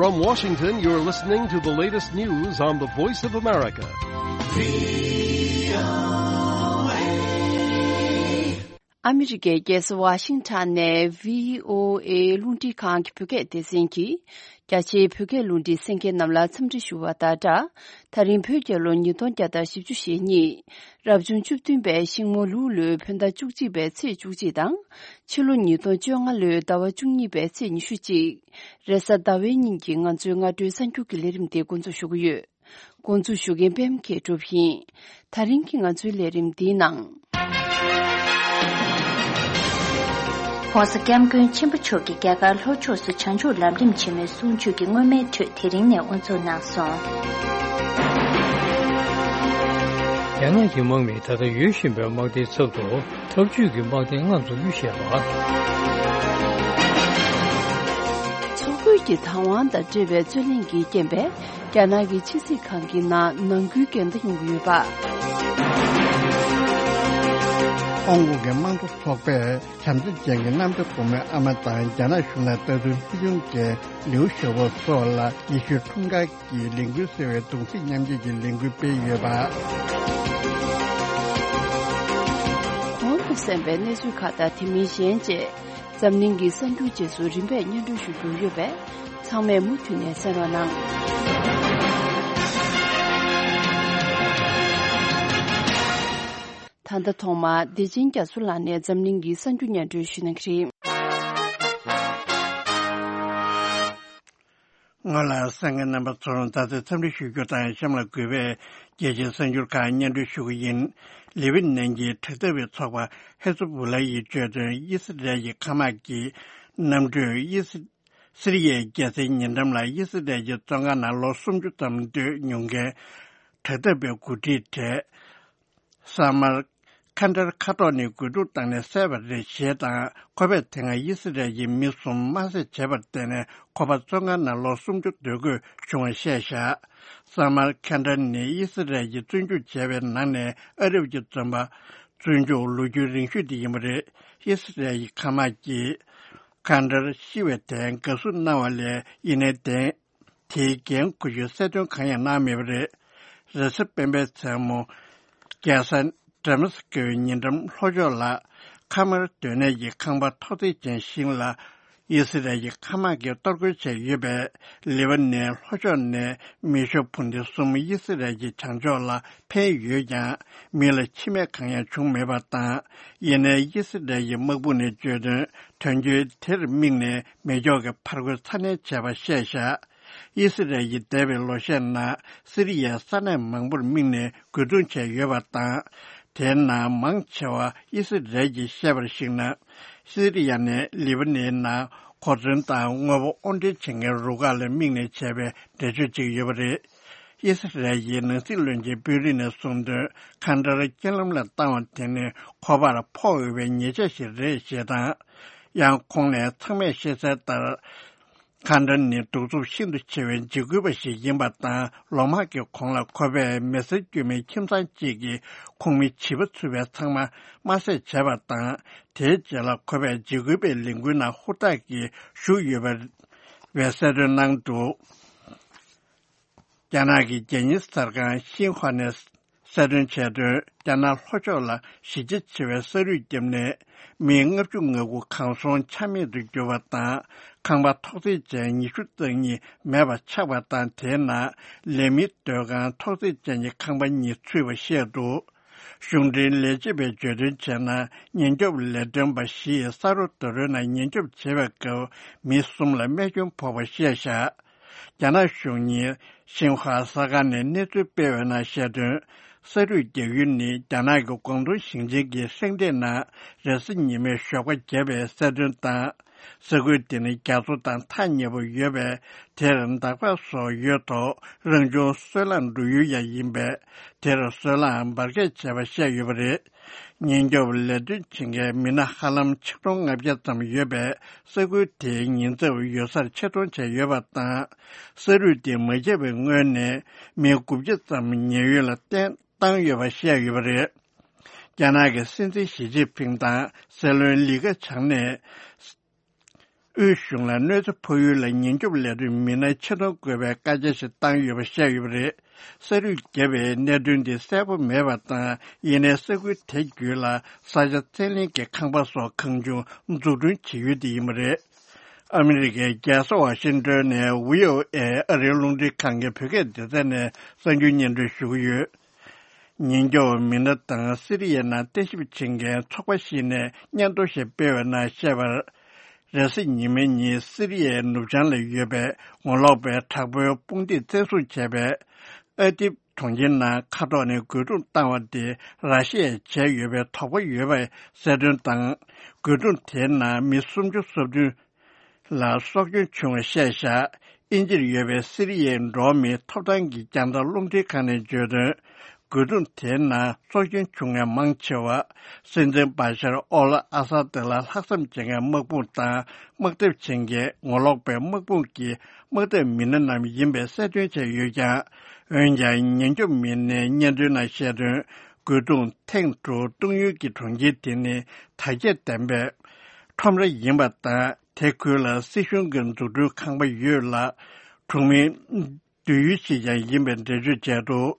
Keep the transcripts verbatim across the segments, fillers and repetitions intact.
From Washington, you're listening to the latest news on the Voice of America. ཨ་མི་རི་ཀའི་རྒྱལ་ས་ཝ་ཤིང་ཊོན་ནས་བྷི་ཨོ་ཨེ་རླུང་འཕྲིན་ཁང་གི་བོད་སྐད་སྡེ་ཚན་གྱིས། རྒྱ་ཆེའི་བོད་སྐད་རླུང་འཕྲིན་གསན་མཁན་རྣམས་ལ་འཚམས་འདྲི་ཞུ་བ་དང་སྦྲགས། ད་རིང་བོད་རྒྱལ་ལོ་ཉིས་སྟོང་བརྒྱ་དང་བཞི་བཅུ་ཞེ་གཉིས། རབ་བྱུང་བཅུ་བདུན་པའི་ཤིང་མོ་ལུག་ལོའི་བོད་ཟླ་བཅུ་གཅིག་པའི་ཚེས་བཅུ་གཅིག་དང་། ཕྱི་ལོ་ཉིས་སྟོང་བཅོ་ལྔ་ལོའི་ཟླ་བ་བཅུ་གཉིས་པའི་ཚེས་ཉི་ཤུ་གཅིག་རེས་གཟའ་ཟླ་བའི་ཉིན་གྱི་ང་ཚོའི་སྔ་དྲོའི་གསར་འགྱུར་གྱི་ལས་རིམ་དེ་འགོ་འཛུགས་ཞུ་གི་ཡོད། འགོ་འཛུགས་ཞུ་མཁན་པད་མ་མཁས་གྲུབ་ཡིན། ད་རིང་གི་ང་ཚོའི་ལས་རིམ་འདིའི་ནང་། ྋགོང་ས་ྋསྐྱབས་མགོན་ཆེན་པོ་མཆོག་གིས་རྒྱ་གར་ལྷོ་ཕྱོགས་སུ་བྱང་ཆུབ་ལམ་རིམ་ཆེན་མོའི་གསུང་ཆོས་ཀྱི་མངོན་མེད་ཁྲོད་དེ་རིང་ནས་དབུ་འཛུགས་གནང་སོང་། རྒྱ་ནག་གི་དམག་མིས་ད་ལྟ་ཡོད་བཞིན་པའི་དམག་སྡེའི་ཚབ་ཏུ་འཐབ་ཇུས་ཀྱི་དམག་སྡེ་ལྔ་འཛུགས་རྒྱུ་བཤད་པ། འཚོ་གོས་ཀྱི་བདག་དབང་དང་འབྲེལ་བའི་རྩོད་གླེང་གི་རྐྱེན་པས། རྒྱ་ནག་གི་ཕྱི་སྲིད་ཁང་གི་ནང་ནང་ཁུལ་འགལ་ཟླ་ཡོང་གི་ཡོད་པ། ཧོང་ཀོང་གི་དམངས་གཙོ་ཚོགས་པས་བྱམས་བརྩེ་ཅན་གྱི་གནམ་བདེ་སྒོ་མོའི་ཨ་མ་དང་རྒྱ་ནག་གཞུང་ལ་ལྟ་སྐུལ་ལྷུག་རྒྱུན་གྱི་ལིའུ་ཞའོ་པོ་སོགས་ལ་ཡེ་ཤུའི་འཁྲུངས་སྐར་གྱི་ལས་འགུལ་ཟེར་བའི་གདུང་སེམས་མཉམ་སྐྱེད་ཀྱི་ལས་འགུལ་སྤེལ་ཡོད་པ། གོང་དུ་གསན་པའི་གནས་ཚུལ་ཁག་དང་དེ་མིན་གཞན་བཅས། འཛམ་གླིང་གི་གསར་འགྱུར་རྗེས་སུ་རིམ་པས་སྙན་སྒྲོན་ཞུ་རྒྱུ་ཡོད་པས། ཚང་མས་མུ་མཐུད་ནས་གསན་རོགས་གནང་། ད་ལྟ་ཐོག་མར་བདེ་ཆེན་རྒྱ་མཚོ་ལགས་ནས་འཛམ་གླིང་གི་གསར་འགྱུར་སྙན་སྒྲོན་ཞུ་གནང་གི་རེད། སྔོན་ལ་གསན་མཁན་རྣམ་པ་ཚོར་ད་ལྟའི་འཚམས་འདྲི་ཞུ་རྒྱུ་དང་གཤམ་ལ་འགོད་པའི་རྒྱལ་སྤྱིའི་གསར་འགྱུར་ཁག་སྙན་སྒྲོན་ཞུ་གི་ཡིན། ལེ་བྷ་ནན་གྱི་དྲག་འཐབ་པའི་ཚོགས་པ་ཧེ་ཛ་བྷོ་ལ་ཡིས་བརྗོད་དོན། ཨི་སི་རལ་གྱི་མཁའ་དམག་གིས་གནམ་གྲུས་ཨི་སི་སི་རི་ཡའི་རྒྱལ་སའི་ཉེ་འགྲམ་ལ་ཨི་སི་རལ་གྱི་བཙོན་ཁང་ནང་ལོ་སུམ་ཅུ་ཙམ་སྡོད་མྱོང་མཁན་དྲག་འཐབ་པའི་འགོ་ཁྲིད་གྲས་སཱ་མར་ཁན་ཏར་མཁའ་ཐོག་ནས་རྒོལ་རྡུང་བཏང་ནས་བསད་པ་རེད་ཞེས་དང་། ཁོ་པས་དེ་སྔ་ཨི་སི་རལ་གྱི་མི་གསུམ་དམར་བསད་བྱས་པར་བརྟེན་ནས་ཁོ་པ་བཙོན་ཁང་ནང་ལོ་སུམ་ཅུ་སྡོད་དགོས་བྱུང་བ་བཤད་བཞག་སཱ་མར་ཁན་ཏར་ནི་ཨི་སི་རལ་གྱིས་བཙོན་འཇུག་བྱས་པའི་ནང་ནས་ཨ་རབ་ཀྱི་བཙོན་པ་བཙོན་འཇུག་ལོ་རྒྱུས་རིང་ཤོས་དེ་ཡིན་པ་རེད། ཨི་སི་རལ་གྱི་མཁའ་དམག་གིས་ཁན་ཏར་ཤི་བའི་དོན་དགའ་བསུ་གནང་བ་ལས་ཡིན་ནའི་བདེན། དེའི་འགན་འཁུར་རྒྱུའི་གསལ་སྟོན་གང་ཡང་གནང་མེད་པ་རེད། རེས་གཟའ་སྤེན་པའི་མཚན་མོ། རྒྱལ་ས་ཌེ་མ་སི་ཀོའི་ཉེ་འགྲམ་ལྷོ་ཕྱོགས་ལ་ཁ་མར་སྡོད་གནས་ཀྱི་ཁང་པ་ཐོག་བརྩེགས་ཅན་ཞིག་ལ་ཨི་སི་རལ་གྱི་མཁའ་དམག་གིས་གཏོར་རྒོལ་བྱས་ཡོད་པས། ལེ་བ་ནན་ལྷོ་ཕྱོགས་ནས་མི་ཤོ་འཕུར་མདེལ་གསུམ་ཨི་སི་རལ་གྱི་བྱང་ཕྱོགས་ལ་འཕེན་ཡོད་ཀྱང་། མི་ལ་འཆི་རྨས་གང་ཡང་བྱུང་མེད་པ་དང་། ཡིན་ནའི་ཨི་སི་རལ་གྱི་དམག་དཔུང་ནས་བརྗོད་དོན། དོན་རྐྱེན་དེར་དམིགས་ནས་མེ་སྒྱོགས་ཀྱི་ཕར་རྒོལ་ཚ་ནན་བྱས་པ་བཤད་བཞག་ཨི་སི་རལ་གྱིས་འདས་པའི་ལོ་ཤས་ནང་སི་རི་ཡའི་ས་གནས་མང་པོར་དམིགས་ནས་རྒོལ་རྡུང་བྱས་ཡོད་པ་དང་། དེའི་ནང་མང་ཆེ་བ་ཨི་སི་རལ་གྱིས་བཤད་པར་གཞིགས་ན། སི་རི་ཡ་ནས་ལི་བ་ནན་ནང་གོ་མཚོན་དང་དངོས་པོ་དབོར་འདྲེན་བྱེད་མཁན་རུ་ཁག་ལ་དམིགས་ནས་བྱས་པའི་འགྲེལ་བརྗོད་ཅིག་ཡོད་པ་རེད། ཨི་སི་རལ་གྱི་ནང་སྲིད་བློན་ཆེན་པུ་ཏིན་ནས་གསུངས་དོན། ཁ་འདར་རྐྱེན་ལམ་ལ་བཏང་བ་དེ་ནི་ཁོ་པར་ཕོག་འོས་པའི་ཉེས་ཆད་ཞིག་རེད་ཞེས་དང་། ཡང་ཁོང་ནས་ཚང་མས་ཤེས་གསལ་ལྟར། ཁ་འདར་ནི་གདུག་རྩུབ་ཤིན་ཏུ་ཆེ་བའི་འཇིགས་སྐུལ་བ་ཞིག་ཡིན་པ་དང་། ལོ་མང་གི་གོང་ལ་ཁོ་པས་མི་སེར་དཀྱུས་མའི་ཁྱིམ་ཚང་གཅིག་གི་ཁོངས་མི་བྱིས་པ་ཚུད་པའི་ཚང་མ་དམར་བསད་བྱས་པ་དང་། དེའི་རྗེས་ལ་ཁོ་པས་འཇིགས་སྐུལ་བའི་ལས་འགུལ་ནང་ཧུར་ཐག་གིས་ཞུགས་ཡོད་པ་བའི་གསལ་སྟོན་གནང་འདུག་རྒྱ་ནག་གི་རྒྱལ་སྙན་གསར་ཁང་ཤིན་ཧྭ་ནས་གསལ་སྟོན་བྱས་དོན། རྒྱ་ནག་ལྷོ་ཕྱོགས་ལ་གཞི་རྒྱ་ཆེ་བའི་ས་རུད་བརྒྱབ་ནས་མི་ལྔ་བཅུ་ང་དགུ་གང་སོང་ཆ་མེད་དུ་གྱུར་བ་དང་། ཁང་པ་ཐོག་བརྩེགས་ཅན་ཉི་ཤུ་རྩ་གཉིས་མེད་པར་ཆགས་པ་དང་། དེའི་ནང་ལས་མིའི་སྡོད་ཁང་ཐོག་བརྩེགས་ཅན་གྱི་ཁང་པ་གཉིས་ཚུད་པ་བཤད་འདུག་གཞུང་འབྲེལ་ལས་བྱེད་པས་བརྗོད་དོན་བྱས་ན། ཉེན་སྐྱོབ་ལས་དོན་པ་བཞིས་ས་རོ་རྡོ་རོའི་ནང་ཉེན་སྐྱོབ་བྱེད་པའི་སྐབས་མི་གསུམ་ལ་རྨས་སྐྱོན་ཕོག་པ་བཤད་བཞག་རྒྱ་ནག་གཞུང་གཉིས་ཤིན་ཧྭ་གསར་ཁང་ནས་གནས་ཚུལ་སྤེལ་བའི་ནང་བཤད་དོན། ས་རུད་རྒྱག་ཡུལ་ནི་རྒྱ་ནག་གི་ཀོང་ཏུང་ཞིང་ཆེན་གྱི་སེང་འབྲས་ནང་རེས་གཟའ་ཉི་མའི་ཞོགས་པ་བརྒྱབ་པའི་གསལ་སྟོན་དང་། ས་ཁུལ་དེ་ནི་རྒྱ་མཚོ་དང་ཐག་ཉེ་པོ་ཡོད་པས། དེར་འདག་པ་སོགས་ཡོད་ཐོག་རང་བྱུང་སོལ་རླངས་འགྲོ་ཡུལ་ཡང་ཡིན་པས། དེར་སོལ་རླངས་འབར་གས་བྱས་པ་བཤད་ཡོད་པ་རེད། ཉེན་སྐྱོབ་ལས་དོན་བྱེད་མཁན་མི་སྣ་ཧ་ལམ་ཆིག་སྟོང་ལྔ་བརྒྱ་ཙམ་ཡོད་པས། ས་ཁུལ་དེའི་ཉེན་ཚབས་ཡོད་སར་ཆེད་གཏོང་བྱས་ཡོད་པ་དང་། ས་རུད་དེ་མ་ཁྱབ་པའི་སྔོན་ནས་མི་དགུ་བརྒྱ་ཙམ་ཉེན་གཡོལ་ལ་བཏང་བཏང་ཡོད་པ་བཤད་ཡོད་པ་རེད། རྒྱ་ནག་གི་སྲིད་འཛིན་ཞི་ཅིན་ཕིང་དང་སྲིད་བློན་ལི་ཁེ་ཆང་ནས། དབུས་གཞུང་ལ་གནོད་འཚེ་ཕོག་ཡུལ་ལ་ཉེན་སྐྱོབ་ལས་དོན་མི་སྣ་ཕྱིར་གཏོང་དགོས་པའི་བཀའ་རྒྱ་ཞིག་བཏང་ཡོད་པ་བཤད་ཡོད་པ་རེད། ས་རུད་བརྒྱབ་པའི་གནད་དོན་འདི་གསལ་པོ་མེད་པ་དང་། ཡིན་ནའི་ས་ཁུལ་དེ་བརྒྱུད་ལ་ས་ཆ་བཙན་ལེན་གྱི་ཁང་པ་སོགས་གང་བྱུང་འཛུགས་སྐྲུན་བྱེད་ཡུལ་དེ་ཡིན་པ་རེད། ཨ་མི་རི་ཀའི་རྒྱལ་ས་ཝ་ཤིང་ཏོན་ནས་བྷི་ཨོ་ཨེ་ཨ་རིའི་རླུང་འཕྲིན་ཁང་གི་བོད་སྐད་སྡེ་ཚན་ནས་གསར་འགྱུར་སྙན་སྒྲོན་ཞུ་གི་ཡོད། ཉེན་སྐྱོབ་མི་སྣ་དང་སི་རི་ཡའི་ནང་བརྟན་ཞིབ་བྱེད་མཁན་ཚོགས་པ་ཞིག་ནས་སྙན་ཐོ་ཞིག་སྤེལ་བའི་ནང་བཤད་པར། རེས་གཟའ་ཉི་མའི་ཉིན་སི་རི་ཡའི་ནུབ་བྱང་ལ་ཡོད་པའི་ངོ་ལོག་པའི་དྲག་པོའི་དཔུང་སྡེས་བཙན་བཟུང་བྱས་པའི་ཨ་དིབ་གྲོང་ཁྱེར་ནང་མཁའ་ཐོག་ནས་རྒོལ་རྡུང་བཏང་བ་དེ་ར་ཤི་ཡས་བྱས་ཡོད་པའི་དོགས་པ་ཡོད་པའི་གསལ་སྟོན་དང་། རྒོལ་རྡུང་དེའི་ནང་མི་སུམ་ཅུ་སོ་བདུན་ལ་སྲོག་སྐྱོན་བྱུང་བ་བཤད་བཞག་དབྱིན་ཇིར་ཡོད་པའི་སི་རི་ཡའི་འགྲོ་བ་མིའི་ཐོབ་ཐང་གི་རྒྱང་ཐག་རླུང་འཕྲིན་ཁང་ནས་བརྗོད་དོན། རྒོལ་རྡུང་དེའི་ནང་སྲོག་སྐྱོན་བྱུང་མཁན་མང་ཆེ་བ། སྲིད་འཛིན་བྷ་ཤར་ཨོལ་ཨ་ས་ཏི་ལ་ལྷག་བསམ་བྱེད་མཁན་དམག་དཔུང་དང་དམག་འཐབ་བྱེད་མཁན་ངོ་ལོག་པའི་དམག་དཔུང་གི་དམག་འཐབ་མི་སྣ་རྣམས་ཡིན་པའི་གསལ་སྟོན་བྱས་ཡོད་ཀྱང་། འོན་ཀྱང་། ཉེན་སྐྱོབ་མི་སྣའི་སྙན་ཐོའི་ནང་བཤད་དོན། རྒོལ་རྡུང་ཐེངས་དྲུག་གཏོང་ཡུལ་གྱི་གྲོང་ཁྱེར་དེ་ནི་དར་རྒྱས་ལྡན་པའི་ཁྲོམ་ར་ཡིན་པ་དང་། དེ་ཁུལ་ལ་སྲིད་གཞུང་གི་འཛུགས་སྐྲུན་ཁང་པ་ཡོད་ལ། གྲོང་མིའི་སྡོད་ཡུལ་ཞིག་ཀྱང་ཡིན་པའི་འགྲེལ་བརྗོད་བྱས་འདུག་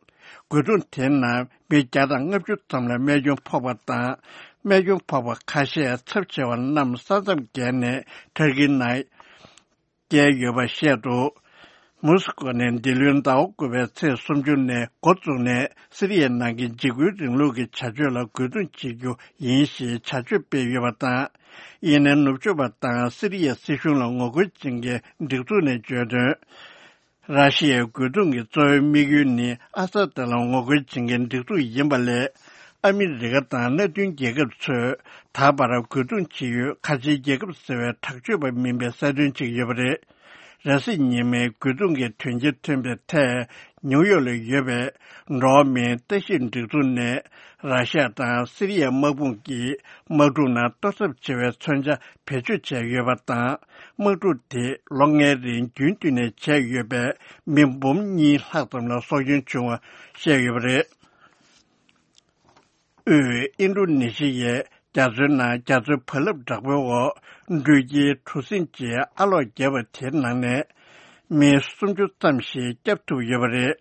རྒོལ་རྡུང་དེའི་ནང་མི་བརྒྱ་དང་ལྔ་བཅུ་ཙམ་ལ་རྨས་སྐྱོན་ཕོག་པ་དང་། རྨས་སྐྱོན་ཕོག་པ་ཁ་ཤས་ཚབས་ཆེ་བ་རྣམས་ས་མཚམས་བརྒལ་ནས་ཐར་ཀིའི་ནང་བསྐྱལ་ཡོད་པ་བཤད་འདུག་མོ་སི་ཀོ་ནས་འདི་ལོའི་ཟླ་བ་དགུ་པའི་ཚེས་སུམ་ཅུ་ནས་འགོ་བཙུགས་ནས་སི་རི་ཡའི་ནང་གི་འཇིགས་སྐུལ་རིང་ལུགས་ཀྱི་བྱ་སྤྱོད་ལ་རྒོལ་རྡུང་བྱེད་རྒྱུ་ཡིན་ཞེས་བྱ་སྤྱོད་སྤེལ་ཡོད་པ་དང་། ཡིན་ནའི་ནུབ་ཕྱོགས་པ་དང་སི་རི་ཡའི་སྲིད་གཞུང་ལ་ངོ་རྒོལ་བྱེད་མཁན་སྒྲིག་འཛུགས་ནས་བརྗོད་དོན། ར་ཤི་ཡའི་རྒོལ་རྡུང་གི་གཙོ་བོའི་དམིགས་ཡུལ་ནི་ཨ་ས་ཏི་ལ་ངོ་རྒོལ་བྱེད་མཁན་སྒྲིག་འཛུགས་ཡིན་པ་ལས། ཨ་མི་རི་ཀ་དང་མནའ་མཐུན་རྒྱལ་ཁབ་ཚོས་ད་བར་རྒོལ་རྡུང་བྱེད་ཡུལ་ཁ་ཆེའི་རྒྱལ་ཁབ་ཟེར་བའི་དྲག་སྤྱོད་པ་མིན་པའི་གསལ་སྟོན་བྱེད་ཀྱི་ཡོད་པ་རེད། རེས་གཟའ་ཉི་མའི་རྒོལ་རྡུང་གི་དོན་རྐྱེན་ཐོན་པའི་ཐད། ནིའུ་ཡོག་ལ་ཡོད་པའི་འགྲོ་བ་མིའི་ལྟ་ཞིབ་སྒྲིག་འཛུགས་ནས། ར་ཤ་ཡ་དང་སི་རི་ཡའི་དམག་དཔུང་གིས་དམག་འཁྲུག་ནང་གཏོར་ཚབས་ཆེ་བའི་མཚོན་ཆ་བེད་སྤྱོད་བྱས་ཡོད་པ་དང་། དམག་འཁྲུག་དེ་ལོ་ལྔའི་རིང་རྒྱུན་མཐུད་ནས་བྱས་ཡོད་པས། མི་འབུམ་གཉིས་ལྷག་ཙམ་ལ་སྲོག་སྐྱོན་བྱུང་བ་བཤད་ཡོད་པ་རེད། དབུས་ཨིན་རུ་ནེ་ཤི་ཡའི་རྒྱ་མཚོའི་ནང་རྒྱ་མཚོའི་བག་ལེབ་དྲག་པོའི་འོག་འགྲུལ་སྐྱེལ་གྲུ་གཟིངས་ཀྱིས་ཨ་ལོག་བརྒྱབ་པ་དེའི་ནང་ནས་མི་སུམ་ཅུ་ཙམ་ཞིག་བསྐྱབས་ཐུབ་ཡོད་པ་རེད།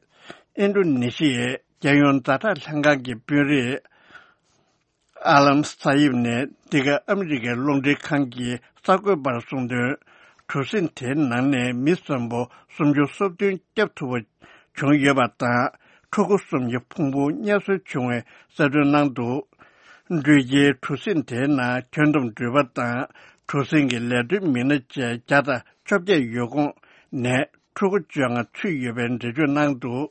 ཨིན་རུ་ནེ་ཤི་ཡའི་རྒྱལ་ཡོངས་ཛ་དྲག་ལྷན་ཁང་གི་དཔོན་རིགས་ཨ་ལམ་ས་ཡིབ་ནས་འདི་ག་ཨ་མི་རི་ཀའི་རླུང་འཕྲིན་ཁང་གི་གསར་འགོད་པར་གསུངས་དོན། གྲུ་གཟིངས་དེའི་ནང་ནས་མི་གསོན་པོ་སུམ་ཅུ་སོ་བདུན་བསྐྱབས་ཐུབ་པ་བྱུང་ཡོད་པ་དང་། ཕྲུ་གུ་གསུམ་གྱི་ཕུང་པོ་རྙེད་སོན་བྱུང་བའི་གསལ་སྟོན་གནང་འདུག་འགྲུལ་སྐྱེལ་གྲུ་གཟིངས་དེའི་ནང་ཁྱོན་བསྡོམས་འགྲུལ་པ་དང་གྲུ་གཟིངས་ཀྱི་ལས་དོན་མི་སྣ་བཅས་བརྒྱ་དང་བཅོ་བརྒྱད་ཡོད་ཁོངས་ནས་ཕྲུ་གུ་བཅོ་ལྔ་ཚུད་ཡོད་པའི་འགྲེལ་བརྗོད་གནང་འདུག་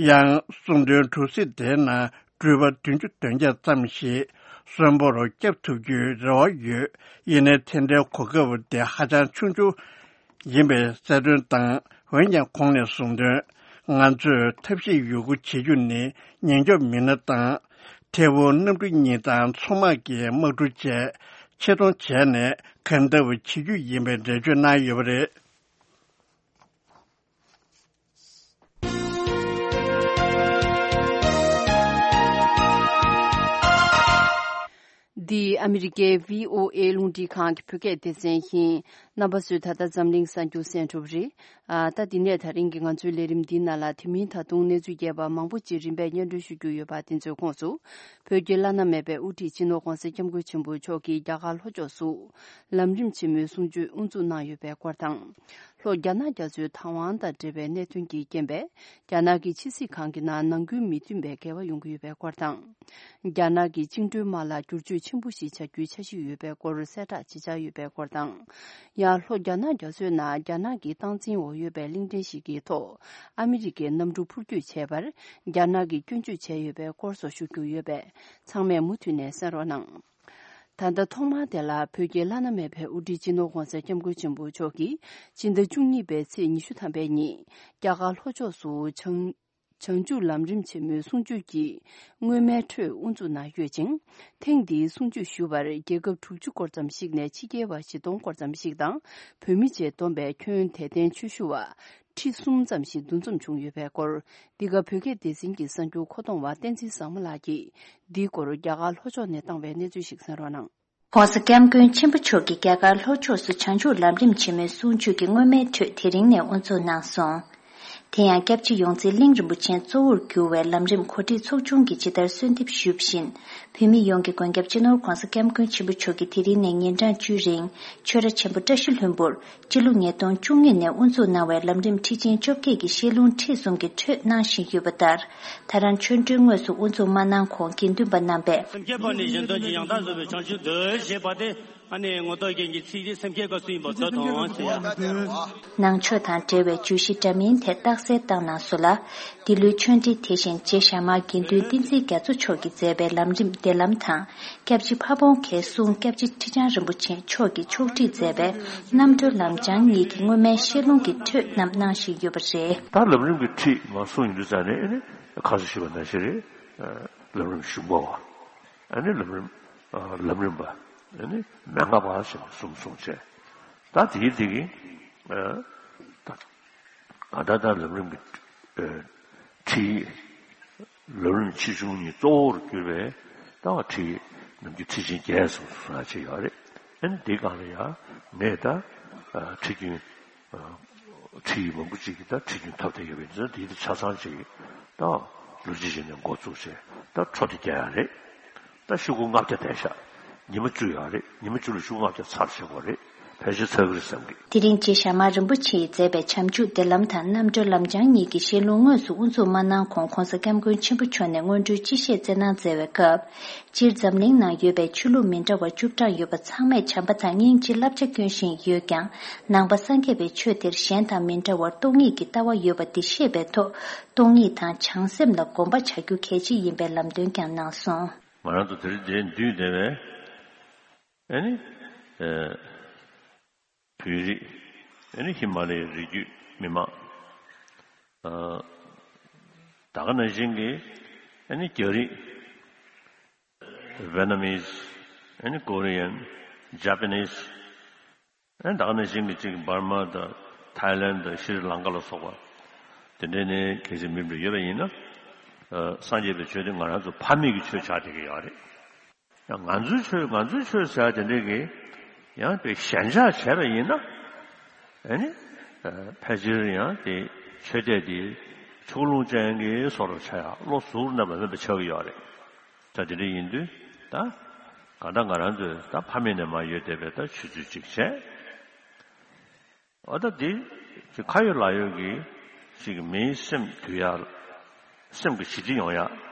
ཡང་གསུངས་དོན། གྲུ་གཟིངས་དེའི་ནང་འགྲུལ་པ་བདུན་ཅུ་དོན་བརྒྱད་ཙམ་ཞིག་གསོན་པོར་བསྐྱབ་ཐུབ་རྒྱུའི་རེ་བ་ཡོད། ཡིན་ནའི་དེ་འདྲའི་གོ་སྐབས་དེ་ཧ་ཅང་ཆུང་ཆུང་ཡིན་པའི་གསལ་སྟོན་དང་། འོན་ཀྱང་ཁོང་ནས་གསུངས་དོན། ང་ཚོས་ཐབས་ཤེས་ཡོད་རྒུ་བྱེད་རྒྱུ་ནི་ཉེན་སྐྱོབ་མི་སྣ་དང་། ཐད་འཕུར་གནམ་གྲུ་གཉིས་དང་མཚོ་དམག་གི་དམག་གྲུ་བཅས་ཆེད་གཏོང་བྱས་ནས་གང་ལྟར་བྱེད་རྒྱུ་ཡིན་པའི་འགྲེལ་བརྗོད་གནང་ཡོད་པ་རེད། འདི་ཨ་མི་རི་ཀའི་བྷི་ཨོ་ཨེ་རླུང་འཕྲིན་ཁང་གི་བོད་སྐད་སྡེ་ཚན་ཡིན། རྣམ་པ་ཚོས་ད་ལྟ་འཛམ་གླིང་གསར་འགྱུར་གསན་གྲུབ་རེད། ཨ། ད་འདི་ནས་ད་རིང་གི་ང་ཚོའི་ལས་རིམ་འདིའི་ནང་ལ་དེ་མིན་ད་དུང་གནས་ཚུལ་རྒྱས་པ་མང་པོ་ཅིག་རིམ་པས་སྙན་སྒྲོན་ཞུ་རྒྱུ་ཡོད་པ་དེ་ཚོའི་ཁོངས་སུ། བོད་ཀྱི་བླ་ན་མེད་པའི་དབུ་ཁྲིད་སྤྱི་ནོར་༧གོང་ས་༧སྐྱབས་མགོན་ཆེན་པོ་མཆོག་གིས་རྒྱ་གར་ལྷོ་ཕྱོགས་སུ་ལམ་རིམ་ཆེན་མོའི་གསུང་ཆོས་དབུ་འཛུགས་གནང་ཡོད་པའི་སྐོར་དང་། ལྷོ་རྒྱ་ནག་རྒྱ་མཚོའི་བདག་དབང་དང་འབྲེལ་བའི་གནད་དོན་གྱི་རྐྱེན་པས། རྒྱ་ནག་གི་ཕྱི་སྲིད་ཁང་གི་ནང་ནང་ཁུལ་མི་མཐུན་པའི་འགལ་བ་ཡོང་གི་ཡོད་པའི་སྐོར་དང་། རྒྱ་ནག་གི་བཅིངས་འགྲོལ་དམག་ལ་བསྒྱུར་བཅོས་ཆེན་པོ་ཞིག་བྱ་རྒྱུའི་འཆར་གཞི་ཡོད་པའི་སྐོར་གསལ་བསྒྲགས་བྱེད་འཆར་ཡོད་པའི་སྐོར་དང་། ཡང་ལྷོ་རྒྱ་ནག་རྒྱ་མཚོའི་ནང་རྒྱ་ནག་གི་སྟངས་འཛིན་འོག་ཡོད་པའི་གླིང་ཕྲན་ཞིག་གི་ཐོག་ཨ་མི་རི་ཀའི་གནམ་གྲུ་འཕུར་སྐྱོད་བྱས་པར་རྒྱ་ནག་གིས་སྐྱོན་བརྗོད་བྱས་ཡོད་པའི་སྐོར་སོགས་ཞུ་རྒྱུ་ཡོད་པས། ཚང་མས་མུ་མཐུད་ནས་གསན་རོགས་གནང་། ད་ལྟ་ཐོག་མར་དེ་ལ་བོད་ཀྱི་བླ་ན་མེད་པའི་དབུ་ཁྲིད་སྤྱི་ནོར་༧གོང་ས་༧སྐྱབས་མགོན་ཆེན་པོ་མཆོག་གིས་སྤྱི་ཟླ་བཅུ་གཉིས་པའི་ཚེས་ཉི་ཤུ་ཐམ་པའི་ཉིན་རྒྱ་གར་ལྷོ་ཕྱོགས་སུ་བྱང་། བྱང་ཆུབ་ལམ་རིམ་ཆེན་མོའི་གསུང་ཆོས་ཀྱི་སྔོན་མའི་འཕྲོས་དབུ་འཛུགས་གནང་ཡོད་ཅིང་། ཐེངས་འདིའི་གསུང་ཆོས་ཞུ་བར་རྒྱལ་ཁབ་དྲུག་ཅུ་སྐོར་ཙམ་ཞིག་ནས་ཕྱི་རྒྱལ་བ་བཞི་སྟོང་སྐོར་ཙམ་ཞིག་དང་བོད་མི་བཅས་བསྡོམས་པའི་ཁྱོན་དད་ལྡན་ཆོས་ཞུ་བ་ཁྲི་གསུམ་ཙམ་ཞིག་འདུ་འཛོམས་བྱུང་ཡོད་པའི་སྐོར། འདི་ག་བོད་སྐད་སྡེ་ཚན་གྱི་གསར་འགྱུར་མཁོ་གཏོང་བ་བསྟན་འཛིན་བཟང་མོ་ལགས་ཀྱིས་འདིའི་སྐོར་རྒྱ་གར་ལྷོ་ཕྱོགས་ནས་བཏང་བའི་གནས་ཚུལ་ཞིག་གསན་རོགས་གནང་། ༸གོང་ས་༸སྐྱབས་མགོན་ཆེན་པོ་མཆོག་གིས་རྒྱ་གར་ལྷོ་ཕྱོགས་སུ་བྱང་ཆུབ་ལམ་རིམ་ཆེན་མོའི་གསུང་ཆོས་ཀྱི་སྔོན་མའི་འཕྲོས་དེ་རིང་ནས་དབུ་འཛུགས་གནང་སོང་། དེ་ཡང་སྐྱབས་རྗེ་ཡོངས་འཛིན་གླིང་རིན་པོ་ཆེ་གཙོ་བོར་གྱུར་བའི་ལམ་རིམ་གོ་སྒྲིག་ཚོགས་ཆུང་གིས་ཇི་ལྟར་གསོལ་འདེབས་ཞུས་པ་བཞིན། བོད་མི་ཡོངས་ཀྱི་མགོན་སྐྱབས་སྤྱི་ནོར་༸གོང་ས་༸སྐྱབས་མགོན་ཆེན་པོ་མཆོག་གིས་དེ་རིང་ནས་ཉིན་གྲངས་བཅུ་རིང་ཆོས་ར་ཆེན་པོ་བཀྲ་ཤིས་ལྷུན་པོར་སྤྱི་ལོ་ཉིས་སྟོང་བཅུ་གཉིས་ནས་དབུ་འཛུགས་གནང་བའི་ལམ་རིམ་ཁྲིད་ཆེན་བཅོ་བརྒྱད་ཀྱི་བཤད་ལུང་ཁྲིད་གསུམ་གྱི་འཕྲོས་གནང་བཞིན་ཡོད་པ་ལྟར། ད་རང་ཆོ་འཕྲུལ་དངོས་སུ་དབུ་འཛུགས་མ་གནང་གོང་དགེ་འདུན་པ་རྣམ་པས། སེམས་བསྐྱེད་པ་ནི་གཞན་དོན་གྱི་ཡང་དག་བཟོད་པའི་བྱང་ཆུབ་འདོད་ཅེས་པ་སྟེ། ཨ་ནི་ངོ་ཐོག་རྒྱན་གྱི་ཚིག་འདི་སེམས་བསྐྱེད་སྐབས་སུ་ཡིན་པར་མཛོད་དོ་ཞེས། ནང་ཆོས་དང་འབྲེལ་བའི་བརྗོད་གཞི་འདྲ་མིན་ཐད་རྟགས་གསལ་བཏང་གནང་སོང་ལ། འདི་ལོའི་ཆོ་འཕྲུལ་དེ་བཞིན་རྗེ་ཞྭ་དམར་དགེ་འདུན་བསྟན་འཛིན་རྒྱ་མཚོ་མཆོག་གིས་མཛད་པའི་ལམ་རིམ་བདེ་ལམ་དང་། སྐྱབས་རྗེ་ཕ་བོང་ཁའི་གསུང་སྐྱབས་རྗེ་ཁྲི་བྱང་རིན་པོ་ཆེ་མཆོག་གིས་ཕྱོགས་སྒྲིག་མཛད་པའི་རྣམ་གྲོལ་ལམ་བྱང་གཉིས་ཀྱི་སྔོན་མའི་བཤད་ལུང་གི་འཕྲོས་རྣམས་གནང་བཞིན་ཡོད་པ་རེད། ད་ལམ་རིམ་གྱི་ཁྲིད་མར་གསུངས་ཡོང་དུས་ཙང་ནས་ཨ་ནི་ཁ་སང་ཞུས་པ་ནང་བཞིན་རེད། ལམ་རིམ་གཞུང་པ་བ། ཨ་ནི་ལམ་རིམ་ལམ་རིམ་པ། ཨ་ནི་མན་ངག་པ་ཞེས་པ་གསུམ་གསུངས་བྱས། ད་དེའི་དེ་གི་ད་ག་ད་ལྟ་ལམ་རིམ་གྱི་ཁྲིད་ལམ་རིམ་ཆེ་ཆུང་གཉིས་གཙོ་བོར་གྱུར་པའི་ད་བ་ཁྲིད་ནམ་རྒྱུན་ཁྲིད་ཆེན་བརྒྱད་གསུམ་གསུང་ཡ་ཅིག་ཡོད་རེད། ཨ་ནི་དེའི་སྒང་ལ་ཡང་ངས་ད་ཁྲིད་རྒྱུན། ཁྲིད་ཡིག་མང་པོ་ཅིག་གིས་ད་ཁྲིད་རྒྱུན་ཐོབ་བསྡད་ཡོད་པ་ཡིན་ཙང་དེ་དེ་ཆ་ཚང་ཅིག་ད་ལོ་རྒྱུས་ཅིག་ནས་འགོ་བཙུགས་བྱས་ད་འཕྲོ་དེ་རྒྱག་ཡ་རེད། ད་ཤོག་གུ་ལྔ་བརྒྱ་བསྡད་ཤག་ཉི་མ་བཅུ་ཡོད་རེད། ཉི་མ་བཅུ་ལ་ཤོག་གུ་ལྔ་བརྒྱ་ཚར་བྱེད་དགོས་རེད། ཕལ་ཆེར་ཚར་གི་རེད་བསམ་གི། དེ་རིང་རྗེ་ཞྭ་དམར་རིན་པོ་ཆེ་ཡིས་མཛད་པའི་བྱང་ཆུབ་བདེ་ལམ་དང་རྣམ་གྲོལ་ལམ་བྱང་གཉིས་ཀྱི་བཤད་ལུང་དངོས་སུ་དབུ་འཛུགས་མ་གནང་གོང་༸གོང་ས་༸སྐྱབས་མགོན་ཆེན་པོ་མཆོག་ནས་སྔོན་འགྲོའི་སྤྱི་བཤད་སྩལ་གནང་མཛད་པའི་སྐབས། སྤྱིར་འཛམ་གླིང་ནང་ཡོད་པའི་ཆོས་ལུགས་མི་འདྲ་བ་བཅུ་གྲངས་ཡོད་པ་ཚང་མས་བྱམས་པ་དང་སྙིང་རྗེ་བསླབ་བྱ་སྐྱོན་བཞིན་ཡོད་ཀྱང་། ནང་པ་སངས་རྒྱས་པའི་ཆོས་དེར་གཞན་དང་མི་འདྲ་བར་སྟོང་ཉིད་ཀྱི་ལྟ་བ་ཡོད་པ་འདི་ཤེས་པའི་ཐོག་སྟོང་ཉིད་དང་བྱང་སེམས་ལ་གོམས་པ་བྱ་རྒྱུ་གལ་ཆེ་ཡིན་པའི་ལམ་སྟོན་ཀྱང་གནང་སོང་། ང་རང་ཚོ་དེ་རིང་འདིར་འདུས་བསྡད་པའི་ཨ་ནི་ཨ་བོད་རིགས། ཨ་ནི་ཧི་མ་ལ་ཡའི་རི་རྒྱུད་མི་མང་། ཨ་ད་ག་ནང་བཞིན་གྱི་ཨ་ནི་རྒྱ་རིགས། Vietnamese། ཨ་ནི་Korean། Japanese། ཨ་ནི་ད་ག་ནང་བཞིན་གྱི་ཅིག་འབར་མ་དང་ཐའི་ལན་དང་ཤྲི་ལང་ཀ་ལ་སོགས་པ་དེ་འདྲའི་ནས་གལ་སྲིད་མི་འདྲ་ཡོད་པ་ཡིན་ན། ཨ་སངས་རྒྱས་པའི་ཆོས་དེ་ང་རང་ཚོ་ཕ་མེས་ཀྱི་ཆོས་ཆགས་བསྡད་ཀྱི་ཡོད་རེད། ཡང་ང་ཚོའི་ཆོས་ང་ཚོའི་ཆོས་ཟེར་བ་དེ་འདྲའི་གི་ཡང་དེ་ཞེན་ཆགས་བྱས་པ་ཡིན་ན། ཨ་ནི་ཕལ་ཆེར་ཡང་དེ་ཆོས་དད་དེ་ཕྱོགས་ལྷུང་ཅན་གྱི་བཟོ་འདྲ་ཆགས་ཡག་བློ་གཟུ་བོར་གནས་པ་མིན་པ་ཆགས་ཀྱི་ཡོད་རེད། ད་དེ་འདྲ་ཡིན་དུས་ད་གང་ལྟར་ང་རང་ཚོས་ད་ཕ་མེས་ནས་མར་ཡོད་བསྡད་པའི་ད་ཆོས་ཚུལ་ཅིག་བྱས། འོ་ད་འདི་ཅིག་ཁ་ཡོད་ལག་ཡོད་ཀྱི་ཅིག་མིའི་སེམས་འདུལ་ཡ། སེམས་ཀྱི་ཞི་བདེ་ཡོང་ཡ།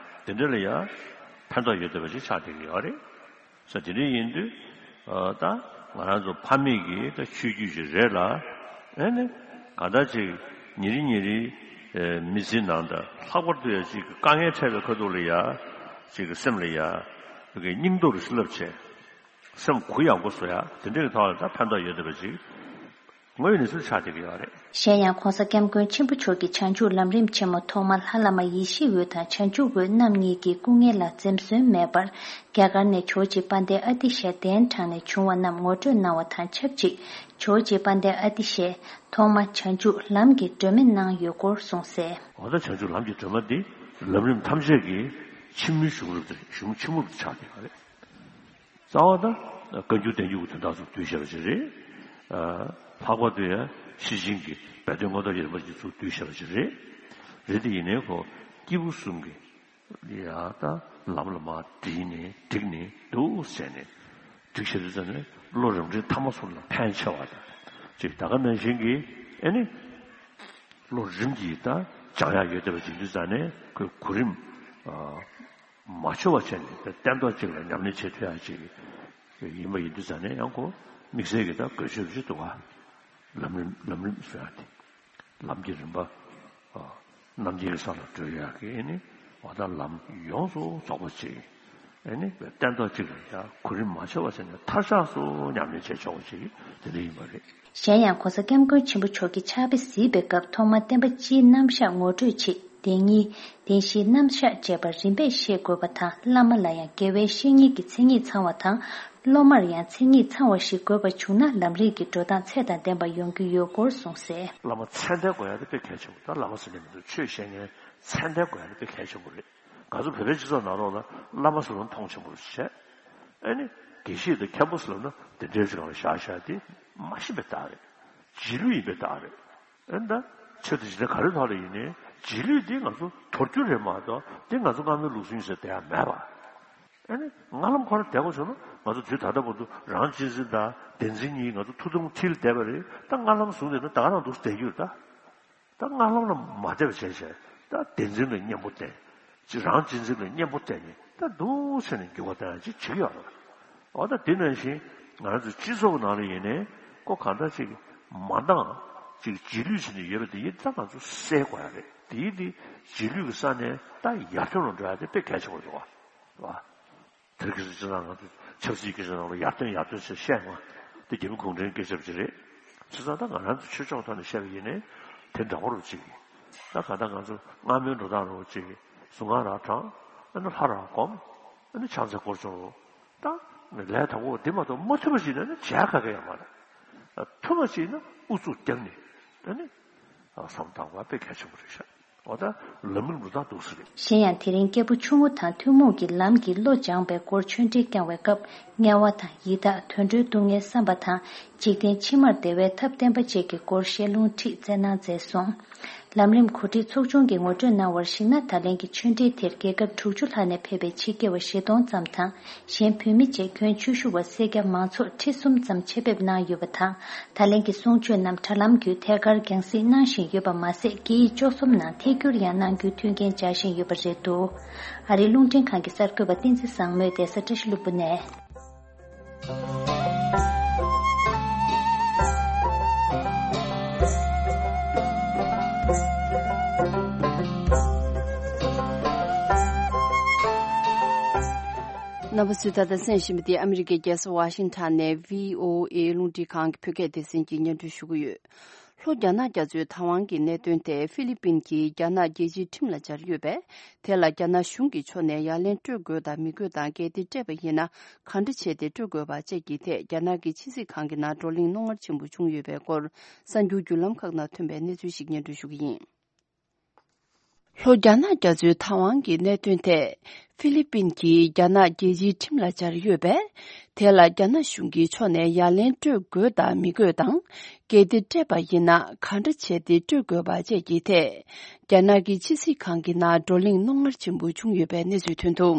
དེ་འདྲ་ལ་ཡ་ཕན་ཐོགས་ཡོད་བསྡད་པ་ཅིག་ཆགས་བསྡད་ཀྱི་ཡོད་རེད། ས་དེ་འདྲ་ཡིན་དུས་ད་ང་རང་ཚོ་ཕ་མེས་ཀྱི་ད་ཆོས་བརྒྱུད་ཅིག་རེད་ལ། ཨེ་ནི་གང་ལྟར་ཅིག་ཉིན་རེ་ཉིན་རེའི་མི་ཚེའི་ནང་དང་ལྷག་པར་དུ་ཡ་ཅིག་དཀའ་ངལ་འཕྲད་པའི་ཁ་ཐུག་ལ་ཡ་ཅིག་སེམས་ལ་ཡ་སྙིང་སྟོབས་བསླབ་བྱས། སེམས་གུ་ཡངས་པོ་བཟོ་ཡ་དེ་འདྲའི་ཐོག་ལ་ད་ཕན་ཐོགས་ཡོད་བསྡད་པ་ཅིག་དངོས་ཡོད་གནས་ཚུལ་ཆགས་བསྡད་ཀྱི་ཡོད་རེད། གཞན་ཡང་༸གོང་ས་༸སྐྱབས་མགོན་ཆེན་པོ་མཆོག་གིས་བྱང་ཆུབ་ལམ་རིམ་ཆེན་མོ་ཐོག་མར་ལྷ་བླ་མ་ཡེ་ཤེས་འོད་དང་བྱང་ཆུབ་འོད་རྣམ་གཉིས་ཀྱི་སྐུ་ངལ་ལ་འཛེམ་ཟོན་མེད་པར་རྒྱ་གར་ནས་ཇོ་བོ་རྗེ་དཔལ་ལྡན་ཨ་ཏི་ཤ་གདན་དྲངས་ནས་བྱུང་བ་རྣམས་ངོ་སྤྲོད་གནང་བ་དང་ཆབས་ཅིག་ཇོ་བོ་རྗེ་དཔལ་ལྡན་ཨ་ཏི་ཤས་ཐོག་མ་བྱང་ཆུབ་ལམ་གྱི་སྒྲོན་མེ་གནང་ཡོད་སྐོར་གསུངས་གསལ། འོ་ད་བྱང་ཆུབ་ལམ་གྱི་སྒྲོན་མ་འདི་ལམ་རིམ་ཐམས་ཅད་ཀྱི་ཕྱི་མོའི་གཞུང་ལུགས་དེ་གཞུང་ཆེན་མོ་ཆགས་བསྡད་པ་རེད། རྩ་བ་དང་བཀའ་འགྱུར་བསྟན་འགྱུར་གྱི་དོན་དག་ཚོ་བསྡུས་བཞག་པ་ཞིག་རེད། ལྷག་པར་དུ་ཡང་ཤེར་ཕྱིན་གྱི་སྦས་དོན་མངོན་རྟོགས་ཀྱི་རིམ་པ་ཅིག་ཚུར་བསྡུས་བཞག་པ་ཞིག་རེད། རེད་དེ་ཡིན་ནའི་ཁོ་སྐྱེས་བུ་གསུམ་གྱི་ཡ་ད་ལམ་ལ་མར་བསྒྲིགས་ནས་བསྒྲིགས་ནས་འདུག་ཟེར་ནས་བསྒྲིགས་བཞག་དུས་ཙམ་ནས་བློ་རིམ་གྲོའི་ཐ་མ་གསུམ་ལ་ཕན་ཆེ་བ་དང་ཅིག་ད་ག་ནང་བཞིན་གྱི་ཨེ་ནི་བློ་རིམ་གྱིས་ད་སྦྱང་ཡག་ཡོད་བསྡད་པ་ཅིག་དུས་ཙམ་ནས་ཁོའི་གོ་རིམ་མ་འཆོལ་བ་བྱས་ནས་སྟན་ཐོག་གཅིག་ལ་ཉམས་ལེན་བྱེད་ཐུབ་ཡག་ཅིག་ཡིན་པ་ཡིན་དུས་ཙང་ནས་ཡང་ཁོ་དམིགས་བསལ་གྱི་ད་དགོས་ཆོད་ཅིག་འདུག་ག་ལམ་རིམ་ལམ་རིམ་ཟེར་ཡག་དེ་ལམ་གྱི་རིམ་པ་རྣམ་མཁྱེན་གྱི་ས་ལ་བགྲོད་ཡག་གི་ཨེ་ནི་འོ་ད་ལམ་ཡོངས་སུ་རྫོགས་པ་ཅིག་ཨེ་ནི་སྟན་ཐོག་གཅིག་ལ་ཡང་གོ་རིམ་མ་འཆོལ་བ་བྱས་ནས་མཐར་ཆགས་སུ་ཉམས་ལེན་བྱེད་ཆོག་པ་ཅིག་དེ་འདྲ་ཡིན་པ་རེད། གཞན་ཡང་༸གོང་ས་༸སྐྱབས་མགོན་ཆེན་པོ་མཆོག་གིས་ཕྱག་དཔེ་གཟིགས་པའི་སྐབས་ཐོག་མར་བསྟན་པ་སྤྱིའི་རྣམ་གཞག་ངོ་སྤྲོད་ཆེད་བདེན་གཉིས། བདེན་བཞིའི་རྣམ་གཞག་བཅས་པ་རིམ་པས་ཤེས་དགོས་པ་དང་བླ་མ་ལ་ཡང་དགེ་བའི་བཤེས་གཉེན་གྱི་མཚན་ཉིད་ཚང་བ་དང་སློབ་མར་ཡང་མཚན་ཉིད་ཚང་བ་ཞིག་དགོས་པ་བྱུང་ན་ལམ་རིམ་གྱི་འགྲོ་སྟངས་ཚད་དང་ལྡན་པ་ཡོང་རྒྱུ་ཡོད་སྐོར་གསུངས་གསལ། བླ་མ་མཚན་ལྡན་དགོས་ཡ་དེ་དཔེ་གལ་ཆེན་པོ། ད་བླ་མ་ཟེར་ནས་མི་འདུག་ཆོས་བཤད་མཁན་མཚན་ལྡན་དགོས་ཡ་དེ་དཔེ་གལ་ཆེན་པོ་རེད། ང་ཚོ་བོད་པའི་སྤྱི་ཚོགས་ནང་ལོགས་ལ་བླ་མ་ཟེར་བ་མཐོང་ཆེན་པོ་བྱས། ཨེ་ནི། དགེ་བཤེས་དང་མཁན་པོ་ཟེར་ལབ་ན་དེ་འདྲའི་ཅིག་ལ་བཞག་བཞག་དེ་མ་ཤེས་པའི་རྟགས་རེད། རྗེས་ལུས་ཡིན་པའི་རྟགས་རེད། ཨེ་ད། ཆེད་དུ་ཇི་ལྟར་ག་རེ་ཐོག་ལ་ཡིན་ནའི་རྗེས་ལུས་འདི་ང་ཚོ་དོར་རྒྱུ་རེད་མ་གཏོགས་འདི་ང་ཚོ་སྔ་མའི་ལུགས་སྲོལ་ཡིན་ཟེར་བསྡད་ཡ་མེད་པ། ཨ་ནི་སྔ་ལམ་ཁོ་རང་བསྡད་དགོས་བྱུང་ན་ང་ཚོ་དུས་ད་ལྟ་བར་དུ་རང་གཅེས་འཛིན་དང་བདེན་འཛིན་གཉིས་ང་ཚོ་ཐུགས་དམ་ཁྲིད་ལ་བསྡད་པ་རེད། ད་སྔ་ལམ་བཟུང་བསྡད་ན་ད་ག་རང་འདུག་བསྡད་རྒྱུ་རེད་ད། ད་སྔ་ལམ་ལ་མ་བསྡད་པ་བྱས་བྱས་ད་བདེན་འཛིན་ལ་གཉེན་པོ་བསྟེན། ཅི་རང་གཅེས་འཛིན་ལ་གཉེན་པོ་བསྟེན་ནས་ད་འདུག་ཟེར་ནས་འགྱུར་བ་གཏོང་ཡ་ཅིག་བྱེད་ཀྱི་ཡོད་རེད། འོ་ད་དེ་ནང་བཞིན་ང་རང་ཚོ་སྤྱི་ཚོགས་ནང་ལ་ཡིན་ནའི་ཁོ་གང་འདྲ་ཅིག་མ་འདང་ཅིག་རྗེས་ལུས་བྱས་ནས་ཡོད་པ་དེ་ཡིན་ད་ང་ཚོ་སེལ་དགོས་ཡ་རེད། དེ་ཡིན་དེ་རྗེས་ལུས་ཀྱི་ས་ནས་ད་ཡར་ཐོན་ལ་འགྲོ་ཡ་དེ་དཔེ་གལ་ཆེན་པོ་རེད་བ། དེར་གྱི་སྤྱི་ཚོགས་ནང་དུ་ཆབ་སྲིད་ཀྱི་སྤྱི་ཚོགས་ལ་ཡར་ཐོན་ཡར་ཐོན་ཞེས་བཤད་ཡོང་བ་དེ་རྒྱལ་བུ་གུང་ཁྲན་སྐུ་ཞབས་ཀྱི་རེད། བྱས་ཙང་ད་ང་རང་ཚོ་ཆོས་ཕྱོགས་ཐོག་ནས་བཤད་པ་ཡིན་ནའི་དེ་འདྲ་བོ་རུ་ཅིག་ཡིན། ད་གང་ལྟར་ང་ཚོ་སྔ་མོའི་འགྲོ་སྟངས་རུ་ཅིག་གཟུངས་སྔགས་རང་བགྲང་། ཨ་ནི་ལྷ་རང་སྒོམ། ཨ་ནི་ཕྱག་འཚལ་སྐོར་སྦྱོང་རུ། ད་ལས་དང་པོ་འདི་མ་གཏོགས་མ་ཐུབ་པ་ཞིག་ཡིན་ན་ནི་བྱས་ཁ་ཁ་ཡང་མ་རེད། ཐུབ་པ་ཞིག་ཡིན་ན་ཨུ་ཚུགས་བརྒྱབ་ནས་ཨ་ནི་བསམ་བཏང་བ་དཔེ་གལ་ཆེན་པོ་རེད་ཤག་འོ་ད་ལམ་རིམ་རུ་ད་འདུག་སེ་རེད། གཞན་ཡང་དེ་རིང་སྐྱེས་བུ་ཆུང་ངུ་དང་ཐུན་མོང་གི་ལམ་གྱི་བློ་སྦྱངས་པའི་སྐོར་ཆོས་འབྲེལ་བསྐྱངས་པའི་སྐབས་དམྱལ་བ་དང་ཡི་དྭགས་དུད་འགྲོའི་སྡུག་བསྔལ་བསམ་པ་དང་འཇིག་རྟེན་ཕྱི་མར་བདེ་བའི་ཐབས་བསྟན་པ་བཅས་ཀྱི་སྐོར་བཤད་ལུང་ཁྲིད་སྩལ་གནང་མཛད་སོང་། ལམ་རིམ་གོ་སྒྲིག་ཚོགས་ཆུང་གིས་ངོ་སྤྲོད་གནང་བར་གཞིགས་ན། ད་ལན་གྱི་ཆོས་འབྲེལ་དེར་རྒྱལ་ཁབ་དྲུག་ཅུ་ལྷག་ནས་ཕེབས་པའི་ཕྱི་རྒྱལ་བ་བཞི་སྟོང་ཙམ་དང་གཞན་བོད་མི་བཅས་ཁྱོན་ཆེ་ཤོས་བ་སེར་སྐྱ་མང་ཚོགས་ཁྲི་གསུམ་ཙམ་ཆེད་ཕེབས་གནང་ཡོད་པ་དང་། ད་ལན་གྱི་གསུང་ཆོས་རྣམས་དྲ་ལམ་བརྒྱུད་ཐད་ཀར་རྒྱང་སྲིང་གནང་བཞིན་ཡོད་པ་མ་ཟད། སྐད་ཡིག་བཅུ་གསུམ་ནང་ཐད་སྒྱུར་ཡང་གནང་རྒྱུའི་མཐུན་རྐྱེན་སྦྱར་བཞིན་ཡོད་པ་རེད་འདུག་ཨ་རིའི་རླུང་འཕྲིན་ཁང་གི་གསར་འགོད་པ་བསྟན་འཛིན་བཟང་མོས་བསྡད་ས་བཀྲ་ཤིས་ལྷུན་པོ་ནས། རྣམ་པ་ཚོས་ད་ལྟ་གསན་བཞིན་པ་དེ་ཨ་མི་རི་ཀའི་རྒྱལ་ས་ཝ་ཤིང་ཊོན་ནས་བྷི་ཨོ་ཨེ་རླུང་འཕྲིན་ཁང་གི་བོད་སྐད་སྡེ་ཚན་གྱིས་སྙན་སྒྲོན་ཞུ་གི་ཡོད། ལྷོ་རྒྱ་ནག་རྒྱ་མཚོའི་ཐའེ་ཝན་གྱི་གནད་དོན་དེ་ཧྥི་ལི་པིན་གྱིས་རྒྱ་ནག་རྒྱལ་སྤྱིའི་ཁྲིམས་ལ་སྦྱར་ཡོད་པས། དེ་ལ་རྒྱ་ནག་གཞུང་གི་ཕྱོགས་ནས་ཡ་ལན་སྤྲོད་དགོས་དང་མི་དགོས་དང་། གལ་ཏེ་སྤྲད་པ་ཡིན་ན་ག་འདྲ་བྱས་ཏེ་སྤྲོད་དགོས་པ་བཅས་ཀྱི་ཐད་རྒྱ་ནག་གི་ཕྱི་སྲིད་ཁང་གི་ནང་བགྲོ་གླེང་རྣོ་ངར་ཆེན་པོ་བྱུང་ཡོད་པའི་སྐོར་གསར་འགྱུར་བརྒྱུད་ལམ་ཁག་ནང་ཐོན་པའི་གནས་ཚུལ་ཞིག་སྙན་སྒྲོན་ཞུ་གི་ཡིན། ལྷོ་རྒྱ་ནག་རྒྱ་མཚོའི་ཐའེ་ཝན་གྱི་གནད་དོན་ཐད་ཧྥི་ལི་པིན་གྱིས་རྒྱ་ནག་རྒྱལ་སྤྱིའི་ཁྲིམས་ལ་སྦྱར་ཡོད་པས། དེ་ལ་རྒྱ་ནག་གཞུང་གི་ཕྱོགས་ནས་ཡ་ལན་སྤྲོད་དགོས་དང་མི་དགོས་དང་། གལ་ཏེ་སྤྲད་པ་ཡིན་ན་ག་འདྲ་བྱས་ཏེ་སྤྲོད་དགོས་པ་བཅས་ཀྱི་ཐད། རྒྱ་ནག་གི་ཕྱི་སྲིད་ཁང་གི་ནང་བགྲོ་གླེང་རྣོ་ངར་ཆེན་པོ་བྱུང་ཡོད་པའི་གནས་ཚུལ་ཐོན་འདུག་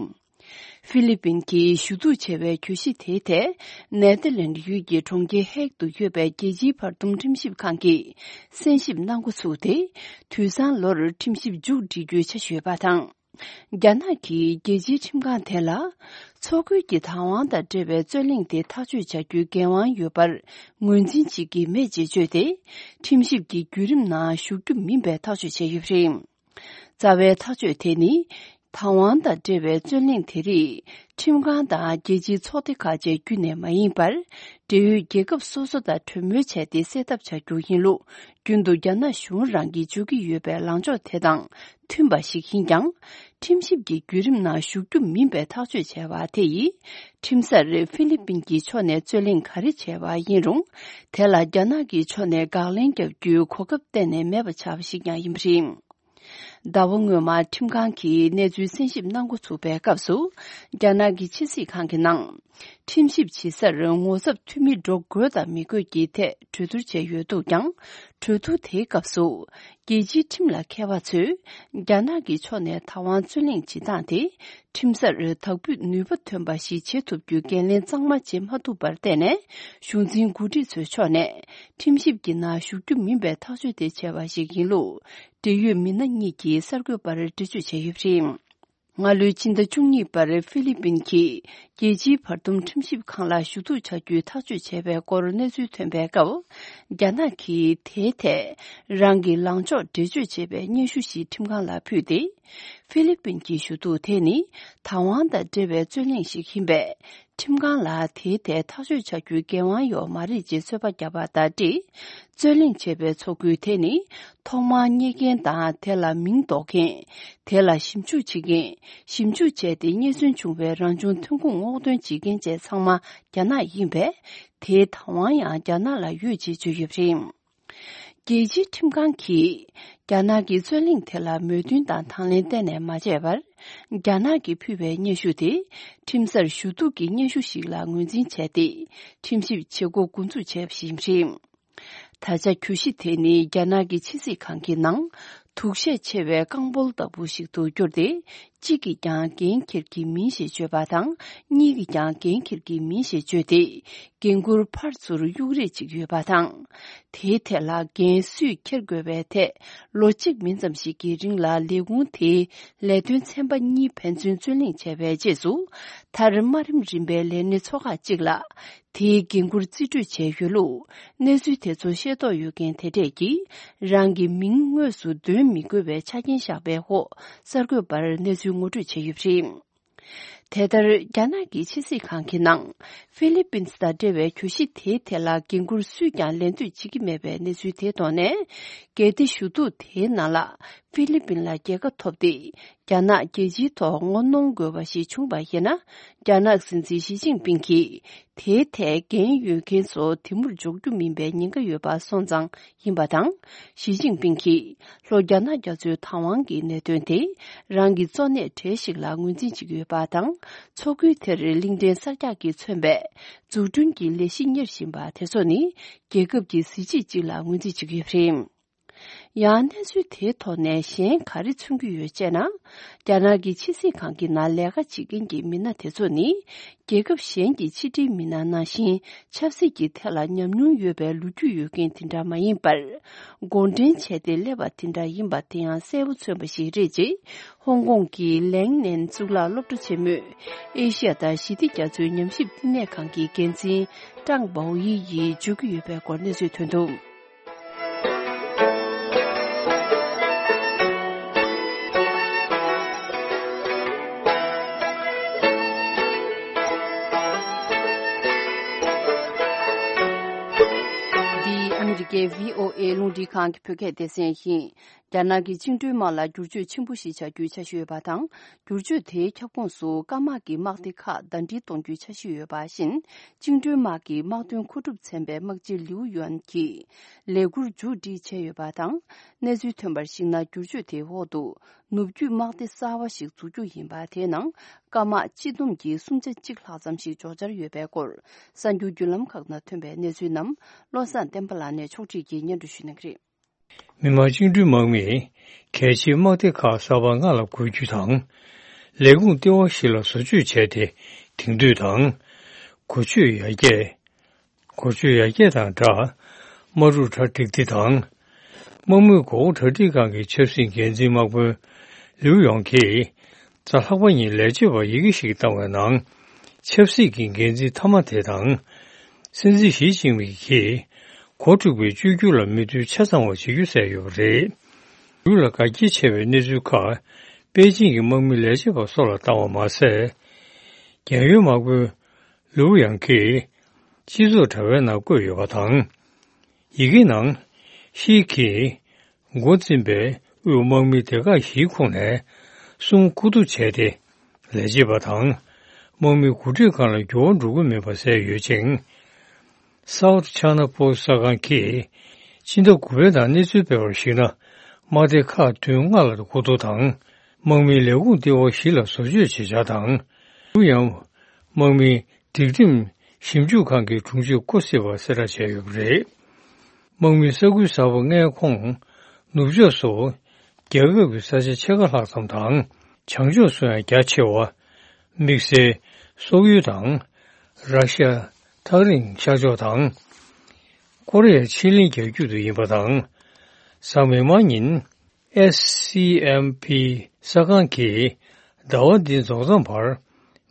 ཧྥི་ལི་པིན་གྱིས་ཞུ་གཏུག་བྱས་པའི་གྱོད་གཞི་དེའི་ཐད། ནེ་ཐར་ལེན་ཌི་ཡུལ་གྱི་གྲོང་ཁྱེར་ཧེག་ཏུ་ཡོད་པའི་རྒྱལ་སྤྱིའི་བར་འདུམ་ཁྲིམས་ཞིབ་ཁང་གིས་གསན་ཞིབ་གནང་འགོ་ཚུགས་ཏེ། དུས་སང་ལོར་ཁྲིམས་ཞིབ་མཇུག་སྒྲིལ་རྒྱུའི་འཆར་གཞི་ཡོད་པ་དང་། རྒྱ་ནག་གིས་རྒྱལ་སྤྱིའི་ཁྲིམས་ཁང་དེ་ལ། མཚོ་ཁུལ་གྱི་ཐའེ་ཝན་དང་འབྲེལ་བའི་རྩོད་གླེང་དེ་ཐག་གཅོད་བྱ་རྒྱུའི་འགན་དབང་ཡོད་པར་ངོས་འཛིན་བྱེད་ཀྱི་མེད་ཅེས་བརྗོད་དེ། ཁྲིམས་ཞིབ་ཀྱི་བརྒྱུད་རིམ་ནང་ཞུགས་རྒྱུ་མིན་པའི་ཐག་གཅོད་བྱས་ཡོད་པ་རེད། རྩ་བའི་ཐག་གཅོད་དེ་ནི། ཐའེ་ཝན་དང་འབྲེལ་བའི་རྩོད་གླེང་དེ་རིགས་ཁྲིམས་ཁང་དང་རྒྱལ་སྤྱིའི་ཚོགས་སྡེ་ཁག་བཅས་བརྒྱུད་ནས་མ་ཡིན་པར། འབྲེལ་ཡོད་རྒྱལ་ཁབ་སོ་སོ་དང་གྲོས་མོལ་བྱས་ཏེ་སེལ་ཐབས་བྱ་རྒྱུ་ཡིན་ལུགས། རྒྱུན་དུ་རྒྱ་ནག་གཞུང་རང་གིས་འཇོག་གི་ཡོད་པའི་ལངས་ཕྱོགས་དེ་དང་མཐུན་པ་ཞིག་ཡིན་ཀྱང་། ཁྲིམས་ཞིབ་ཀྱི་བརྒྱུད་རིམ་ནང་ཞུགས་རྒྱུ་མིན་པའི་ཐག་གཅོད་བྱས་པ་དེ་ཡིས། ཁྲིམས་སར་ཧྥི་ལི་པིན་གྱི་ཕྱོགས་ནས་རྩོད་གླེང་ག་རེ་བྱས་པ་ཡིན་རུང་། དེ་ལ་རྒྱ་ནག་གི་ཕྱོགས་ནས་དགག་ལན་རྒྱག་རྒྱུའི་གོ་སྐབས་གཏན་ནས་མེད་པ་ཆགས་པ་ཞིག་ཀྱང་ཡིན་པ་རེད། ཟླ་བ་སྔོན་མ་ཁྲིམས་ཁང་གིས་གནས་ཚུལ་གསན་ཞིབ་གནང་འགོ་ཚུགས་པའི་སྐབས་སུ། རྒྱ་ནག་གི་ཕྱི་སྲིད་ཁང་གི་ནང་། ཁྲིམས་ཞིབ་བྱེད་སར་ངོ་ཚབ་འཐུས་མི་འགྲོ་དགོས་དང་མི་དགོས་ཀྱི་ཐད་གྲོས་བསྡུར་བྱས་ཡོད་འདུག་ཀྱང་། གྲོས་བསྡུར་དེའི་སྐབས་སུ། རྒྱལ་སྤྱིའི་ཁྲིམས་ལ་མཁས་པ་ཚོས། རྒྱ་ནག་གི་ཕྱོགས་ནས་ཐའེ་ཝན་རྩོད་གླེང་བྱེད་སྟངས་དེ། ཁྲིམས་སར་དག་འབུད་ནུས་པ་ཐོན་པ་ཞིག་བྱེད་ཐུབ་རྒྱུའི་འགན་ལེན་གཙང་མ་བྱེད་མ་ཐུབ་པར་བརྟེན་ནས། གཞུང་འཛིན་འགོ་ཁྲིད་ཚོའི་ཕྱོགས་ནས། ཁྲིམས་ཞིབ་ཀྱི་ནང་ཞུགས་རྒྱུ་མིན་པའི་ཐག་གཅོད་དེ་བྱས་པ་ཞིག་ཡིན་ལུགས། འབྲེལ་ཡོད་མི་སྣ་གཉིས་ཀྱིས་གསར་འགོད་པར་འགྲེལ་བརྗོད་བྱས་ཡོད་པ་རེད། སྔ་ལོའི་ཕྱི་ཟླ་བཅུ་གཉིས་པར་ཧྥི་ལི་པིན་གྱིས་རྒྱལ་སྤྱིའི་བར་འདུམ་ཁྲིམས་ཞིབ་ཁང་ལ་ཞུ་གཏུག་བྱ་རྒྱུའི་ཐག་གཅོད་བྱས་པའི་སྐོར་གནས་ཚུལ་ཐོན་པའི་སྐབས། རྒྱ་ནག་གིས་དེའི་ཐད་རང་གི་ལངས་ཕྱོགས་འགྲེལ་བརྗོད་བྱེད་པའི་སྙན་ཞུ་ཞིག་ཁྲིམས་ཁང་ལ་ཕུལ་ཏེ། ཧྥི་ལི་པིན་གྱི་ཞུ་གཏུག་དེ་ནི་ཐའེ་ཝན་དང་འབྲེལ་བའི་རྩོད་གླེང་ཞིག་ཡིན་པས། ཁྲིམས་ཁང་ལ་དེའི་ཐད་ཐག་གཅོད་བྱ་རྒྱུའི་འགན་དབང་ཡོད་མ་རེད་ཅེས་ཚོད་དཔག་བརྒྱབ་པ་དང་འབྲེལ། རྩོད་གླེང་བྱས་པའི་ཚོགས་ཁུལ་དེ་ནི་ཐོག་མར་རྙེད་མཁན་དང་དེ་ལ་མིང་འདོགས་མཁན། དེ་ལ་ཞིབ་འཇུག་བྱེད་མཁན། ཞིབ་འཇུག་བྱས་ཏེ་རྙེད་སོན་བྱུང་བའི་རང་བྱུང་ཐོན་ཁུངས་སྔོག་འདོན་བྱེད་མཁན་བཅས་ཚང་མ་རྒྱ་ནག་ཡིན་པས། དེའི་བདག་དབང་ཡང་རྒྱ་ནག་ལ་ཡོད་ཅེས་བརྗོད་ཡོད་པ་རེད། རྒྱལ་སྤྱིའི་ཁྲིམས་ཁང་གིས་རྒྱ་ནག་གི་རྩོད་གླེང་དེ་ལ་མོས་མཐུན་དང་དང་ལེན་གཏན་ནས་མ་བྱས་པར། རྒྱ་ནག་གིས་ཕུལ་བའི་སྙན་ཞུ་དེ་ཁྲིམས་སར་ཞུ་གཏུག་གི་སྙན་ཞུ་ཞིག་ལ་ངོས་འཛིན་བྱས་ཏེ། ཁྲིམས་ཞིབ་བྱེད་སྒོ་འགོ་འཛུགས་བྱས་པ་ཞིག་རེད། ད་ཆ་གྱོད་གཞི་དེ་ནི་རྒྱ་ནག་གི་ཕྱི་སྲིད་ཁང་གི་ནང་དུག་ཤས་ཆེ་བའི་རྐང་སྤོལ་ལྟ་བུ་ཞིག་ཏུ་གྱུར་ཏེ། གཅིག་གིས་ཀྱང་འགན་འཁྱེར་གྱི་མིན་ཞེས་བརྗོད་པ་དང་། གཉིས་ཀྱིས་ཀྱང་འགན་འཁྱེར་གྱི་མིན་ཞེས་བརྗོད་དེ། འགན་འཁུར་ཕར་ཚུར་གཡུག་རེས་བྱེད་ཀྱི་ཡོད་པ་དང་། དེའི་ཐད་ལ་འགན་སུས་འཁྱེར་དགོས་པའི་ཐད། ལོ་གཅིག་མིན་ཙམ་ཞིག་གི་རིང་ལ་ལས་ཁུངས་དེའི་ལས་དོན་ཚན་པ་གཉིས་ཕན་ཚུན་རྩོད་གླེང་བྱས་པའི་རྗེས་སུ། མཐར་དམའ་རིམ་རིམ་པའི་ལས་སྣེ་ཚོ་ཁག་ཅིག་ལ། དེའི་འགན་འཁུར་རྩིས་སྤྲོད་བྱས་ཡོད་ལུགས། གནས་ཚུལ་དེ་ཚོ་ཤེས་རྟོགས་ཡོད་མཁན་དེ་གྲས་ཀྱིས། རང་གི་མིང་དངོས་སུ་འདོན་མི་དགོས་པའི་ཆ་རྐྱེན་བཞག་པའི་འོག་གསར་འགོད་པར་གནས་ཚུལ་ངོ་སྤྲོད་བྱས་ཡོད་པ་རེད། དེ་ལྟར། རྒྱ་ནག་གི་ཕྱི་སྲིད་ཁང་གི་ནང་། ཧྥི་ལི་པིན་དང་འབྲེལ་བའི་གྱོད་གཞི་དེའི་ཐད་ལ། འགན་འཁུར་སུས་ཀྱང་ལེན་འདོད་བྱེད་ཀྱི་མེད་པའི་གནས་ཚུལ་དེའི་ཐོག་ནས། གལ་ཏེ་ཞུ་གཏུག་དེའི་ནང་ལ། ཧྥི་ལི་པིན་ལ་རྒྱལ་ཁ་ཐོབ་སྟེ། རྒྱ་ནག་རྒྱལ་སྤྱིའི་ཐོག་ངོ་གནོང་དགོས་པ་ཞིག་བྱུང་བ་ཡིན་ན། རྒྱ་ནག་སྲིད་འཛིན་ཞི་ཅིན་ཕིང་གིས། དེའི་ཐད་འགན་ཡོད་མཁན་ཚོ་དེ་མུར་འཇོག་རྒྱུ་མིན་པའི་ཉེན་ཁ་ཡོད་པ་སོང་ཙང་ཡིན་པ་དང་། ཞི་ཅིན་ཕིང་གིས། ལྷོ་རྒྱ་ནག་རྒྱ་མཚོའི་བདག་དབང་གི་གནད་དོན་དེ། རང་གི་གཙོ་གནད་གྲས་ཤིག་ལ་ངོས་འཛིན་བྱེད་ཀྱི་ཡོད་པ་དང་། མཚོ་ཁུལ་དེར་གླིང་ཕྲན་གསར་རྒྱག་གིས་མཚོན་པའི། འཛུགས་སྐྲུན་གྱི་ལས་གཞི་གཉེར་བཞིན་པ་དེ་ཚོ་ནི། རྒྱལ་ཁབ་ཀྱི་གཟི་བརྗིད་ཅིག་ལ་ངོས་འཛིན་བྱེད་ཀྱི་ཡོད་པ་རེད། ཡང་། གནས་ཚུལ་དེའི་ཐོག་ནས་གཞན་ག་རེ་མཚོན་གྱི་ཡོད་ཅེ་ན། རྒྱ་ནག་གི་ཕྱི་སྲིད་ཁང་གི་ནང་ལས་ཀ་བྱེད་མཁན་གྱི་མི་སྣ་དེ་ཚོ་ནི། རྒྱལ་ཁབ་གཞན་གྱི་ཕྱི་འབྲེལ་མི་སྣ་ནང་བཞིན། ཆབ་སྲིད་ཀྱི་ཐད་ལ་ཉམས་མྱོང་ཡོད་པའི་ལོ་རྒྱུས་ཡོད་མཁན་དེ་འདྲ་མ་ཡིན་པར། འགོ་འདྲེན་བྱས་ཏེ་སླེབས་པ་དེ་འདྲ་ཡིན་པ་དེ་ཡང་གསལ་པོ་མཚོན་པ་ཞིག་རེད་ཅེས། ཧོང་ཀོང་གི་ལེང་ནན་གཙུག་ལག་སློབ་གྲྭ་ཆེན་མོས། ཨེ་ཤི་ཡ་དང་ཞི་བདེ་རྒྱ་མཚོའི་ཉམས་ཞིབ་བསྟི་གནས་ཁང་གི་འགན་འཛིན་ཀྲང་པའོ་ཡི་ཡིས་བརྗོད་ཀྱི་ཡོད་པའི་སྐོར་གནས་ཚུལ་ཐོན་འདུག། འདི་ཨ་མི་རི་ཀའི་བྷི་ཨོ་ཨེ་རླུང་འཕྲིན་ཁང་གི་བོད་སྐད་སྡེ་ཚན་ཡིན། རྒྱ་ནག་གི་བཅིངས་འགྲོལ་དམག་ལ་བསྒྱུར་བཅོས་ཆེན་པོ་ཞིག་བྱ་རྒྱུའི་འཆར་གཞི་ཡོད་པ་དང་། བསྒྱུར་བཅོས་དེའི་ཁྱབ་ཁོངས་སུ་སྐམ་དམག་གི་དམག་སྡེ་ཁག་ཟླ་སྒྲིལ་གཏོང་རྒྱུའི་འཆར་གཞི་ཡོད་པ་བཞིན། བཅིངས་འགྲོལ་དམག་གི་དམག་དོན་མཁོ་སྒྲུབ་ཚན་པའི་དམག་སྤྱི་ལིའུ་ཡོན་གྱིས་ལས་འཁུར་མཇུག་སྒྲིལ་བྱས་ཡོད་པ་དང་། གནས་ཚུལ་ཐོན་པར་གཞིགས་ན། བསྒྱུར་བཅོས་དེའི་འོག་ཏུ་ནུབ་རྒྱུད་དམག་སྡེ་གསར་བ་ཞིག་འཛུགས་རྒྱུ་ཡིན་པ། དེའི་ནང་སྐམ་དམག་སྤྱི་བསྡོམས་ཀྱིས་གསུམ་ཆ་གཅིག་ལྷག་ཙམ་ཞིག་འབྱོར་འཆར་ཡོད་པའི་སྐོར། གསར་འགྱུར་བརྒྱུད་ལམ་ཁག་ནང་ཐོན་པའི་གནས་ཚུལ་རྣམས་བློ་བཟང་བསྟན་པ་ལགས་ནས་ཕྱོགས་སྒྲིག་གིས་སྙན་སྒྲོན་ཞུ་གནང་གི་རེད། མི་དམངས་བཅིངས་འགྲོལ་དམག་མིས་གལ་ཆེའི་དམག་སྡེ་ཁག་གསར་པ་ལྔ་ལ་བགོ་བཤའ་དང་། ལས་ཁུངས་ལྟེ་བ་བཞི་ལ་བཟོ་བཅོས་བྱས་ཏེ། དེང་དུས་དང་། གོ་ཆོད་ཡར་རྒྱས། གོ་ཆོད་ཡར་རྒྱས་དང་སྦྲགས། དམག་འཁྲུག་གྲ་སྒྲིག་སྟེ་དང་། དམག་མིའི་མགོ་སྐོར་གྲ་སྒྲིག་ཁང་གི་ཆབ་སྲིད་འགན་འཛིན་དམག་དཔོན་ལིའུ་ཡོང་གིས། གཟའ་ལྷག་པ་ཉིན་ལས་བྱེད་པར་ཡི་གེ་ཞིག་བཏང་བའི་ནང་། ཆབ་སྲིད་ཀྱི་འགན་འཛིན་མཐའ་མ་དེ་དང་། སྲིད་འཛིན་ཞི་ཅིན་ཕིང་གིས་འགོ་འཁྲུག་པའི་བཅོས་བསྒྱུར་ལ་མོས་མཐུན་ཆ་ཚང་བ་བྱེད་རྒྱུ་གསལ་ཡོད་པ་རེད། ལིའུ་ལ་དགའ་སྐྱིད་ཆེ་བའི་གནས་ཚུལ་ཁག་པེ་ཅིང་གི་དམག་མི་ལས་བྱེད་པ་སོགས་ལ་བཏང་བ་མ་ཟད། རྒྱལ་ཡོངས་དམག་དཔོན་ལིའུ་ཡང་གིས་སྤྱི་ཚོགས་དྲ་བའི་ནང་བཀོད་ཡོད་པ་དང་། ཡི་གེ་ནང་། ཤི་གིས་འགོ་འཛིན་པའི་དབུས་དམག་མི་སྡེ་ཁག་བཞིའི་ཁོངས་ནས་གསུམ་མཁོ་བསྡུ་བྱས་ཏེ། ལས་བྱེད་པ་དང་། དམག་མི་འགོ་ཁྲིད་ཁང་ལ་འགྱུར་བ་འགྲོ་གི་མེད་པ་གསལ་ཡོད་ཅིང་། South China Post གསར་ཁང་གིས་སྤྱི་ཟླ་དགུ་པའི་ནང་གནས་ཚུལ་སྤེལ་བར་གཞིགས་ན། དམག་སྡེ་ཁག་བདུན་ལྔ་ལ་མཁོ་བསྡུ་དང་། དམག་མིའི་ལས་ཁུངས་ལྟེ་བ་བཞི་ལ་བཟོ་བཅོས་བྱེད་འཆར་དང་། ཡང་། དམག་མིའི་སྒྲིག་ཁྲིམས་ཞིབ་འཇུག་ཁང་གི་དྲུང་ཆེ་ཀོ་སི་ཝ་གསལ་བསྒྲགས་བྱས་ཡོད་པ་རེད། དམག་མིའི་ས་ཁུལ་གསར་པ་ལྔའི་ཁོངས། ནུབ་ཕྱོགས་སུ། རྒྱལ་ཁབ་ཀྱི་ས་ཆ་ཕྱེད་ཀ་ལྷག་ཙམ་དང་། བྱང་ཕྱོགས་སུ་ཡང་རྒྱ་ཆེ་བ། དམིགས་བསལ། སོག་ཡུལ་དང་། ར་ཤ། ཐག་རིང་ཤར་ཕྱོགས་དང་། ཀོ་རི་ཡ་ཆི་ལིང་རྒྱ་རྒྱུད་དུ་ཡིན་པ་དང་། གཟའ་མིག་དམར་ཉིན། S C M P གསར་ཁང་གིས་ཟླ་བ་འདི་རྫོགས་མཚམས་བར་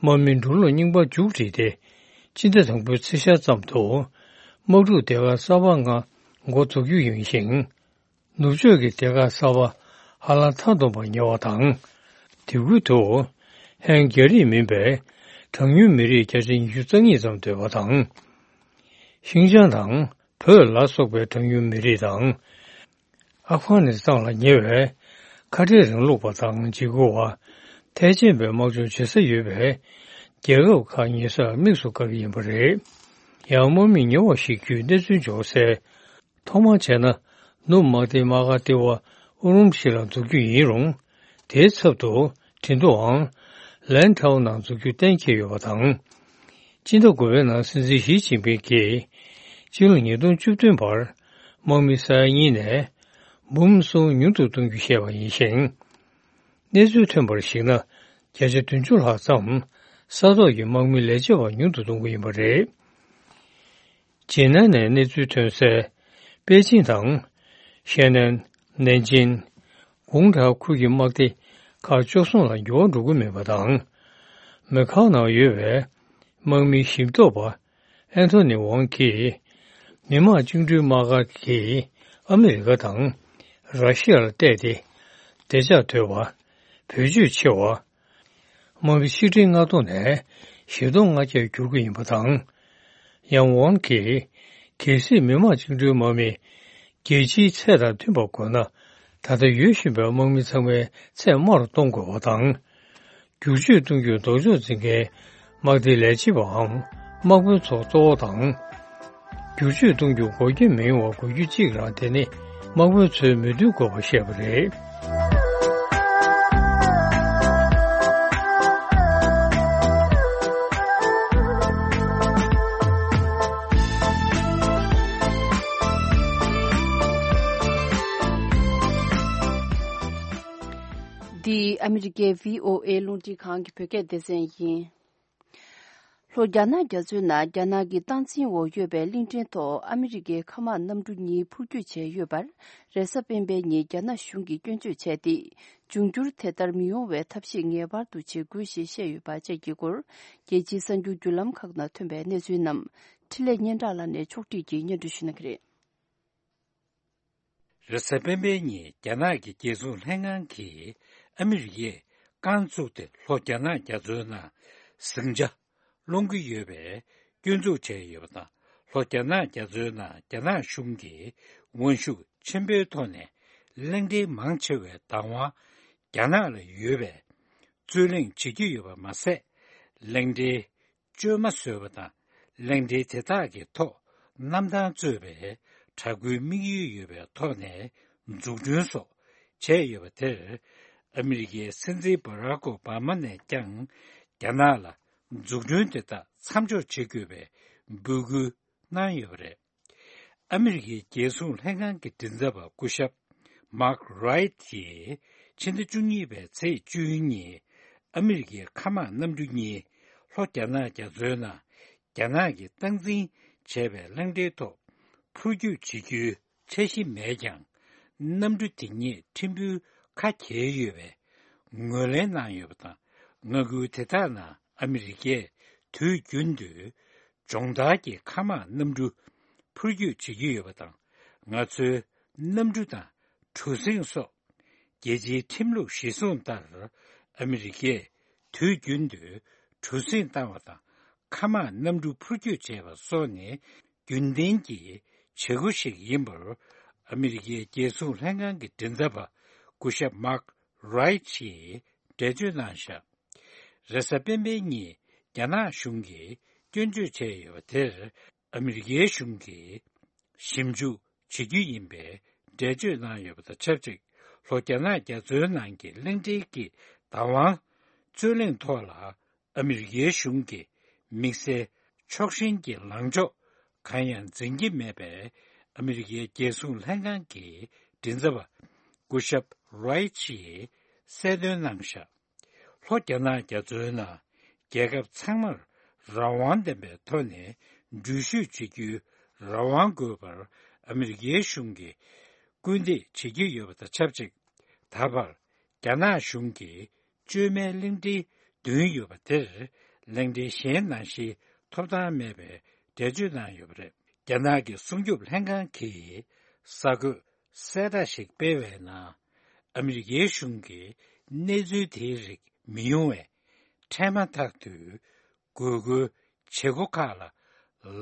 དམག་མིའི་འགྲུལ་ལོག་རྙིང་པ་མཇུག་སྒྲིལ་ཏེ། སྤྱི་ཟླ་དང་པོའི་ཚེས་ཤར་ཙམ་དུ་དམག་འཁྲུག་སྡེ་ཁག་གསར་པ་ལྔ་འགོ་འཛུགས་རྒྱུ་ཡིན་ཞིང་། ནུབ་ཕྱོགས་ཀྱི་སྡེ་ཁག་གསར་པ་ཧ་ལམ་མཐའ་སྟོངས་པར་ཉེ་བ་དང་། དེ་ཁུལ་དུ་ཧན་རྒྱ་རིགས་མིན་པའི་གྲངས་ཉུང་མི་རིགས་བརྒྱ་ཆ་ཉི་ཤུ་རྩ་གཉིས་ཙམ་སྡོད་པ་དང་། ཤིང་ཅང་དང་བོད་ལ་སོགས་པའི་གྲངས་ཉུང་མི་རིགས་དང་། ཨབ་གྷ་ནི་སི་ཐན་ལ་ཉེ་བའི་ཁ་བྲལ་རིང་ལུགས་པ་དང་འཇིགས་སྐུལ་བ། ཐལ་ཆེན་པའི་དམག་སྦྱོང་བྱེད་ས་ཡོད་པའི་རྒྱལ་ཁབ་ཁག་ཉེ་སར་དམིགས་སུ་བཀར་གྱི་ཡིན་པ་རེད། ཡང་དམག་མི་ཉེ་བ་ཞིག་བརྒྱུད་གནས་ཚུལ་འབྱོར་གསལ། ཐོག་མར་བྱས་ན་ནུབ་དམག་སྡེའི་དམག་སྒར་ལྟེ་བ་ཨུ་རུམ་ཤི་ལ་འཛུགས་རྒྱུ་ཡིན་རུང་། དེའི་ཚབ་ཏུ་ དེ་དུའང་ལན་ཐའོ་ནང་འཛུགས་རྒྱུ་གཏན་འཁེལ་ཡོད་པ་དང་། སྤྱི་ཟླ་དགུ་པའི་ནང་སྲིད་འཛིན་ཞི་ཅིན་ཕིང་གིས་སྤྱི་ལོ་ཉིས་སྟོང་བཅུ་བདུན་བར་དམག་མི་ས་ཡ་གཉིས་ནས་འབུམ་གསུམ་ཉུང་དུ་གཏོང་རྒྱུ་བཤད་པ་ཡིན་ཞིང་། གནས་ཚུལ་ཐོན་པར་གཞིགས་ན། བརྒྱ་ཆ་བདུན་ཅུ་ལྷག་ཙམ་ས་ཐོག་གི་དམག་མི་ལས་བྱེད་པ་ཉུང་དུ་གཏོང་གི་ཡིན་པ་རེད། ཇེ་ནན་ནས་གནས་ཚུལ་ཐོན་གསལ། པེ་ཅིང་དང་། ཤན་ནན། ནན་ཅིན། གུང་ཁྲའོ་ཁུལ་གྱི་དམག་སྡེ་ཁག་བཅུ་གསུམ་ལ་འགྱུར་བ་འགྲོ་གི་མེད་པ་དང་། མེ་ཁའོ་ནང་ཡོད་པའི་དམག་མིའི་ཞིབ་འཚོགས་པ་ཨན་ཐོ་ནི་ཝང་གིས། མི་དམངས་བཅིངས་འགྲོལ་དམག་སྒར་གྱིས་ཨ་མི་རི་ཀ་དང་ར་ཤི་ཡ་ལ་གཏད་དེ། བདེ་འཇགས་དོད་པ། བེད་སྤྱོད་ཆེ་བ། དམག་མི་ཆིག་ཁྲི་ལྔ་སྟོང་ནས་བཞི་སྟོང་ལྔ་བརྒྱར་འགྱུར་གྱི་ཡིན་པ་དང་། ཡང་ཝང་གིས། གལ་སྲིད་མི་དམངས་བཅིངས་འགྲོལ་དམག་མི་རྒྱལ་སྤྱིའི་ཚད་དང་མཐུན་པར་དགོས་ན། ད་ལྟ་ཡོད་བཞིན་པའི་དམག་མི་ཚང་མའི་ཚད་དམའ་རུ་གཏོང་དགོས་པ་དང་། བསྒྱུར་བཅོས་གཏོང་རྒྱུར་ལྡོག་ཕྱོགས་འཛིན་མཁན་དམག་སྡེའི་ལས་བྱེད་པའམ་དམག་དཔོན་ཚོ་གཙོ་བོ་དང་། བསྒྱུར་བཅོས་གཏོང་རྒྱུར་འགོག་རྐྱེན་མི་ཡོང་བ་དགོས་རྒྱུ་གཅིག་རང་དེ་ནི་དམག་དཔོན་ཚོའི་མོས་མཐུན་དགོས་པ་བཤད་པ་རེད། འདི་ཨ་མི་རི་ཀའི་བྷི་ཨོ་ཨེ་རླུང་འཕྲིན་ཁང་གི་བོད་སྐད་སྡེ་ཚན་ཡིན། ལྷོ་རྒྱ་ནག་རྒྱ་མཚོའི་ནང་རྒྱ་ནག་གི་སྟངས་འཛིན་འོག་ཡོད་པའི་གླིང་ཕྲན་ཐོག་ཨ་མི་རི་ཀའི་མཁའ་དམག་གནམ་གྲུ་གཉིས་འཕུར་སྐྱོད་བྱས་ཡོད་པར། རེས་གཟའ་སྤེན་པའི་ཉིན་རྒྱ་ནག་གཞུང་གིས་སྐྱོན་བརྗོད་བྱས་ཏེ། འབྱུང་འགྱུར་དེ་ལྟར་མི་ཡོང་བའི་ཐབས་ཤེས་ངེས་པར་དུ་བྱེད་དགོས་ཞེས་བཤད་ཡོད་པ་བཅས་ཀྱི་སྐོར། རྒྱལ་སྤྱིའི་གསར་འགྱུར་བརྒྱུད་ལམ་ཁག་ནང་ཐོན་པའི་གནས་ཚུལ་རྣམས། འཕྲིན་ལས་སྙན་གྲགས་ལགས་ནས་ཕྱོགས་བསྒྲིགས་ཀྱིས་སྙན་སྒྲོན་ཞུ་གནང་གི་རེད། རེས་གཟའ་སྤེན་པའི་ཉིན་རྒྱ་ནག་གི་རྒྱལ་སྲུང་ལྷན་ཁང་གིས་ཨ་མི་རི་ཀས་རྐང་བཙུགས་ཏེ་ལྷོ་རྒྱ་ནག་རྒྱ་མཚོའི་ནང་ཟིང་ཆ་སློང་གི་ཡོད་པའི་སྐྱོན་འཛུགས་བྱས་ཡོད་པ་དང་། ལྷོ་རྒྱ་ནག་རྒྱ་མཚོའི་ནང་རྒྱ་ནག་གཞུང་གིས་དབང་ཤུགས་ཆེན་པོའི་ཐོག་ནས་གླིང་ཕྲན་མང་ཆེ་བའི་བདག་དབང་རྒྱ་ནག་ལ་ཡོད་པའི་རྩོད་གླེང་བྱེད་ཀྱི་ཡོད་པ་མ་ཟད། གླིང་ཕྲན་བཅོས་མ་བཟོས་པ་དང་། གླིང་ཕྲན་དེ་དག་གི་ཐོག་གནམ་ཐང་གཙོས་པའི་དྲག་པོའི་དམིགས་ཡུལ་ཡོད་པའི་ཐོག་ནས་འཛུགས་སྐྲུན་སོགས་བྱས་ཡོད་པ་དེར། ཨ་མི་རི་ཀའི་སྲིད་འཛིན་སྦ་རག་ཨོ་བྷ་མ་ནས་ཀྱང་རྒྱ་ནག་ལ་འཛུགས་སྐྲུན་དེ་དག་མཚམས་འཇོག་བྱེད་དགོས་པའི་འབོད་སྐུལ་གནང་ཡོད་པ་རེད། ཨ་མི་རི་ཀའི་རྒྱལ་སྲུང་ལྷན་ཁང་གི་མགྲིན་ཚབ་པ་སྐུ་ཞབས་མཱག་རའིཊ་ཡིས་ཕྱི་ཟླ་བཅུ་གཉིས་པའི་ཚེས་བཅུ་གཉིས་ཨ་མི་རི་ཀའི་མཁའ་དམག་གནམ་གྲུ་གཉིས་ལྷོ་རྒྱ་ནག་རྒྱ་མཚོའི་ནང་རྒྱ་ནག་གིས་སྟངས་འཛིན་བྱས་པའི་གླིང་ཕྲན་ཐོག་འཕུར་སྐྱོད་བྱེད་རྒྱུའི་འཆར་གཞི་མེད་ཀྱང་། གནམ་གྲུ་དེ་ཉིད་ཕྲན་བུ་ཁ་གྱེས་ཡོད་པའི་ངོས་ལེན་གནང་ཡོད་པ་དང་། མངའ་ཁུལ་དེ་དག་ནང་ཨ་མི་རི་ཀས་དུས་རྒྱུན་དུ་སྦྱོང་བརྡར་གྱི་མཁའ་དམག་གནམ་གྲུ་འཕུར་སྐྱོད་བྱེད་ཀྱི་ཡོད་པ་དང་། ང་ཚོའི་གནམ་གྲུ་དང་གྲུ་གཟིངས་སོགས་རྒྱལ་སྤྱིའི་ཁྲིམས་ལུགས་གཞིར་བཟུང་ལྟར། ཨ་མི་རི་ཀས་དུས་རྒྱུན་དུ་གྲུ་གཟིངས་བཏང་བ་དང་། མཁའ་དམག་གནམ་གྲུ་འཕུར་སྐྱོད་བྱས་པ་སོགས་ནི་རྒྱུན་ལྡན་གྱི་བྱེད་སྒོ་ཞིག་ཡིན་པར། ཨ་མི་རི་ཀའི་རྒྱལ་སྲུང་ལྷན་ཁང་གི་མགྲིན་ཚབ་པ་སྐུ་ཞབས་མཱག་རའིཊ་ཡིས་འགྲེལ་བརྗོད་གནང་བཞག་རེས་གཟའ་སྤེན་པའི་ཉིན་རྒྱ་ནག་གཞུང་གིས་སྐྱོན་བརྗོད་བྱས་ཡོད་པ་དེར། ཨ་མི་རི་ཀའི་གཞུང་གིས་ཞིབ་འཇུག་བྱེད་རྒྱུ་ཡིན་པའི་འགྲེལ་བརྗོད་གནང་ཡོད་པ་དང་ཆབས་ཅིག་ལྷོ་རྒྱ་ནག་རྒྱ་མཚོའི་ནང་གི་གླིང་ཕྲན་གྱི་བདག་དབང་རྩོད་གླེང་ཐོག་ལ། ཨ་མི་རི་ཀའི་གཞུང་གིས་དམིགས་བསལ་ཕྱོགས་ཞེན་གྱི་ལངས་ཕྱོགས་གང་ཡང་འཛིན་གྱི་མེད་པའི་ཨ་མི་རི་ཀའི་རྒྱལ་སྲུང་ལྷན་ཁང་གི་མགྲིན་ཚབ་པ་སྐུ་ཞབས་རའིཊ་ཡིས་གསལ་སྟོན་གནང་བཞག་ལྷོ་རྒྱ་ནག་རྒྱ་མཚོའི་ནང་རྒྱལ་ཁབ་ཚང་མར་རང་དབང་ལྡན་པའི་ཐོག་ནས་འགྲུལ་བཞུད་བྱེད་རྒྱུའི་རང་དབང་དགོས་པར་ཨ་མི་རི་ཀའི་གཞུང་གིས་སྐུལ་འདེད་བྱེད་ཀྱི་ཡོད་པ་དང་ཆབས་ཅིག་ད་བར་རྒྱ་ནག་གཞུང་གིས་བཅོས་མའི་གླིང་ཕྲན་བདུན་ཡོད་པ་དེར་གླིང་ཕྲན་གཞན་ནང་བཞིན་ཐོབ་ཐང་མེད་པའི་འགྲེལ་བརྗོད་གནང་ཡོད་པ་རེད། རྒྱ་ནག་གི་སྲུང་སྐྱོབ་ལྷན་ཁང་གིས་གསར་འགོད་གསལ་བསྒྲགས་ཤིག་སྤེལ་བའི་ནང་། ཨ་མི་རི་ཀའི་གཞུང་གིས་གནས་ཚུལ་དེའི་རིགས་མི་ཡོང་བའི་འཕྲལ་མ་ཐག་ཏུ་དགོས་མཁོའི་བྱེད་སྒོ་ཁག་ལ་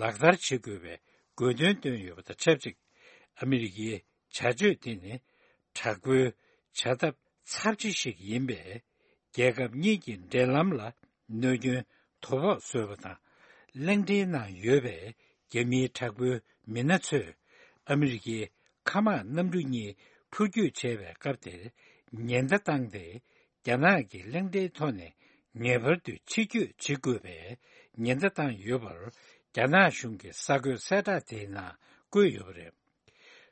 ལག་བསྟར་བྱེད་དགོས་པའི་དགོས་འདུན་བཏོན་ཡོད་པ་དང་ཆབས་ཅིག་ཨ་མི་རི་ཀའི་བྱ་སྤྱོད་དེ་ནི་དྲག་པོའི་བྱ་ཐབས་ཚབས་ཆེ་ཞིག་ཡིན་པས། རྒྱལ་ཁབ་གཉིས་ཀྱི་འབྲེལ་ལམ་ལ་གནོད་སྐྱོན་དོ་ཕོག་བཟོས་པ་དང་། གླིང་ཕྲན་ནང་ཡོད་པའི་རྒྱ་མིའི་དྲག་པོའི་མི་སྣ་ཚོས་ཨ་མི་རི་ཀའི་མཁའ་དམག་གནམ་གྲུ་གཉིས་འཕུར་སྐྱོད་བྱས་པའི་སྐབས་དེར་ཉེན་བརྡ་བཏང་སྟེ། རྒྱ་ནག་གི་གླེང་སྟེགས་ཐོག་ནས་ངེས་པར་དུ་ཕྱིར་སྐྱོད་བྱེད་དགོས་པའི་ཉེན་བརྡ་བཏང་ཡོད་པར། རྒྱ་ནག་གཞུང་གི་གསར་འགོད་གསལ་བསྒྲགས་དེའི་ནང་བཀོད་ཡོད་པ་རེད།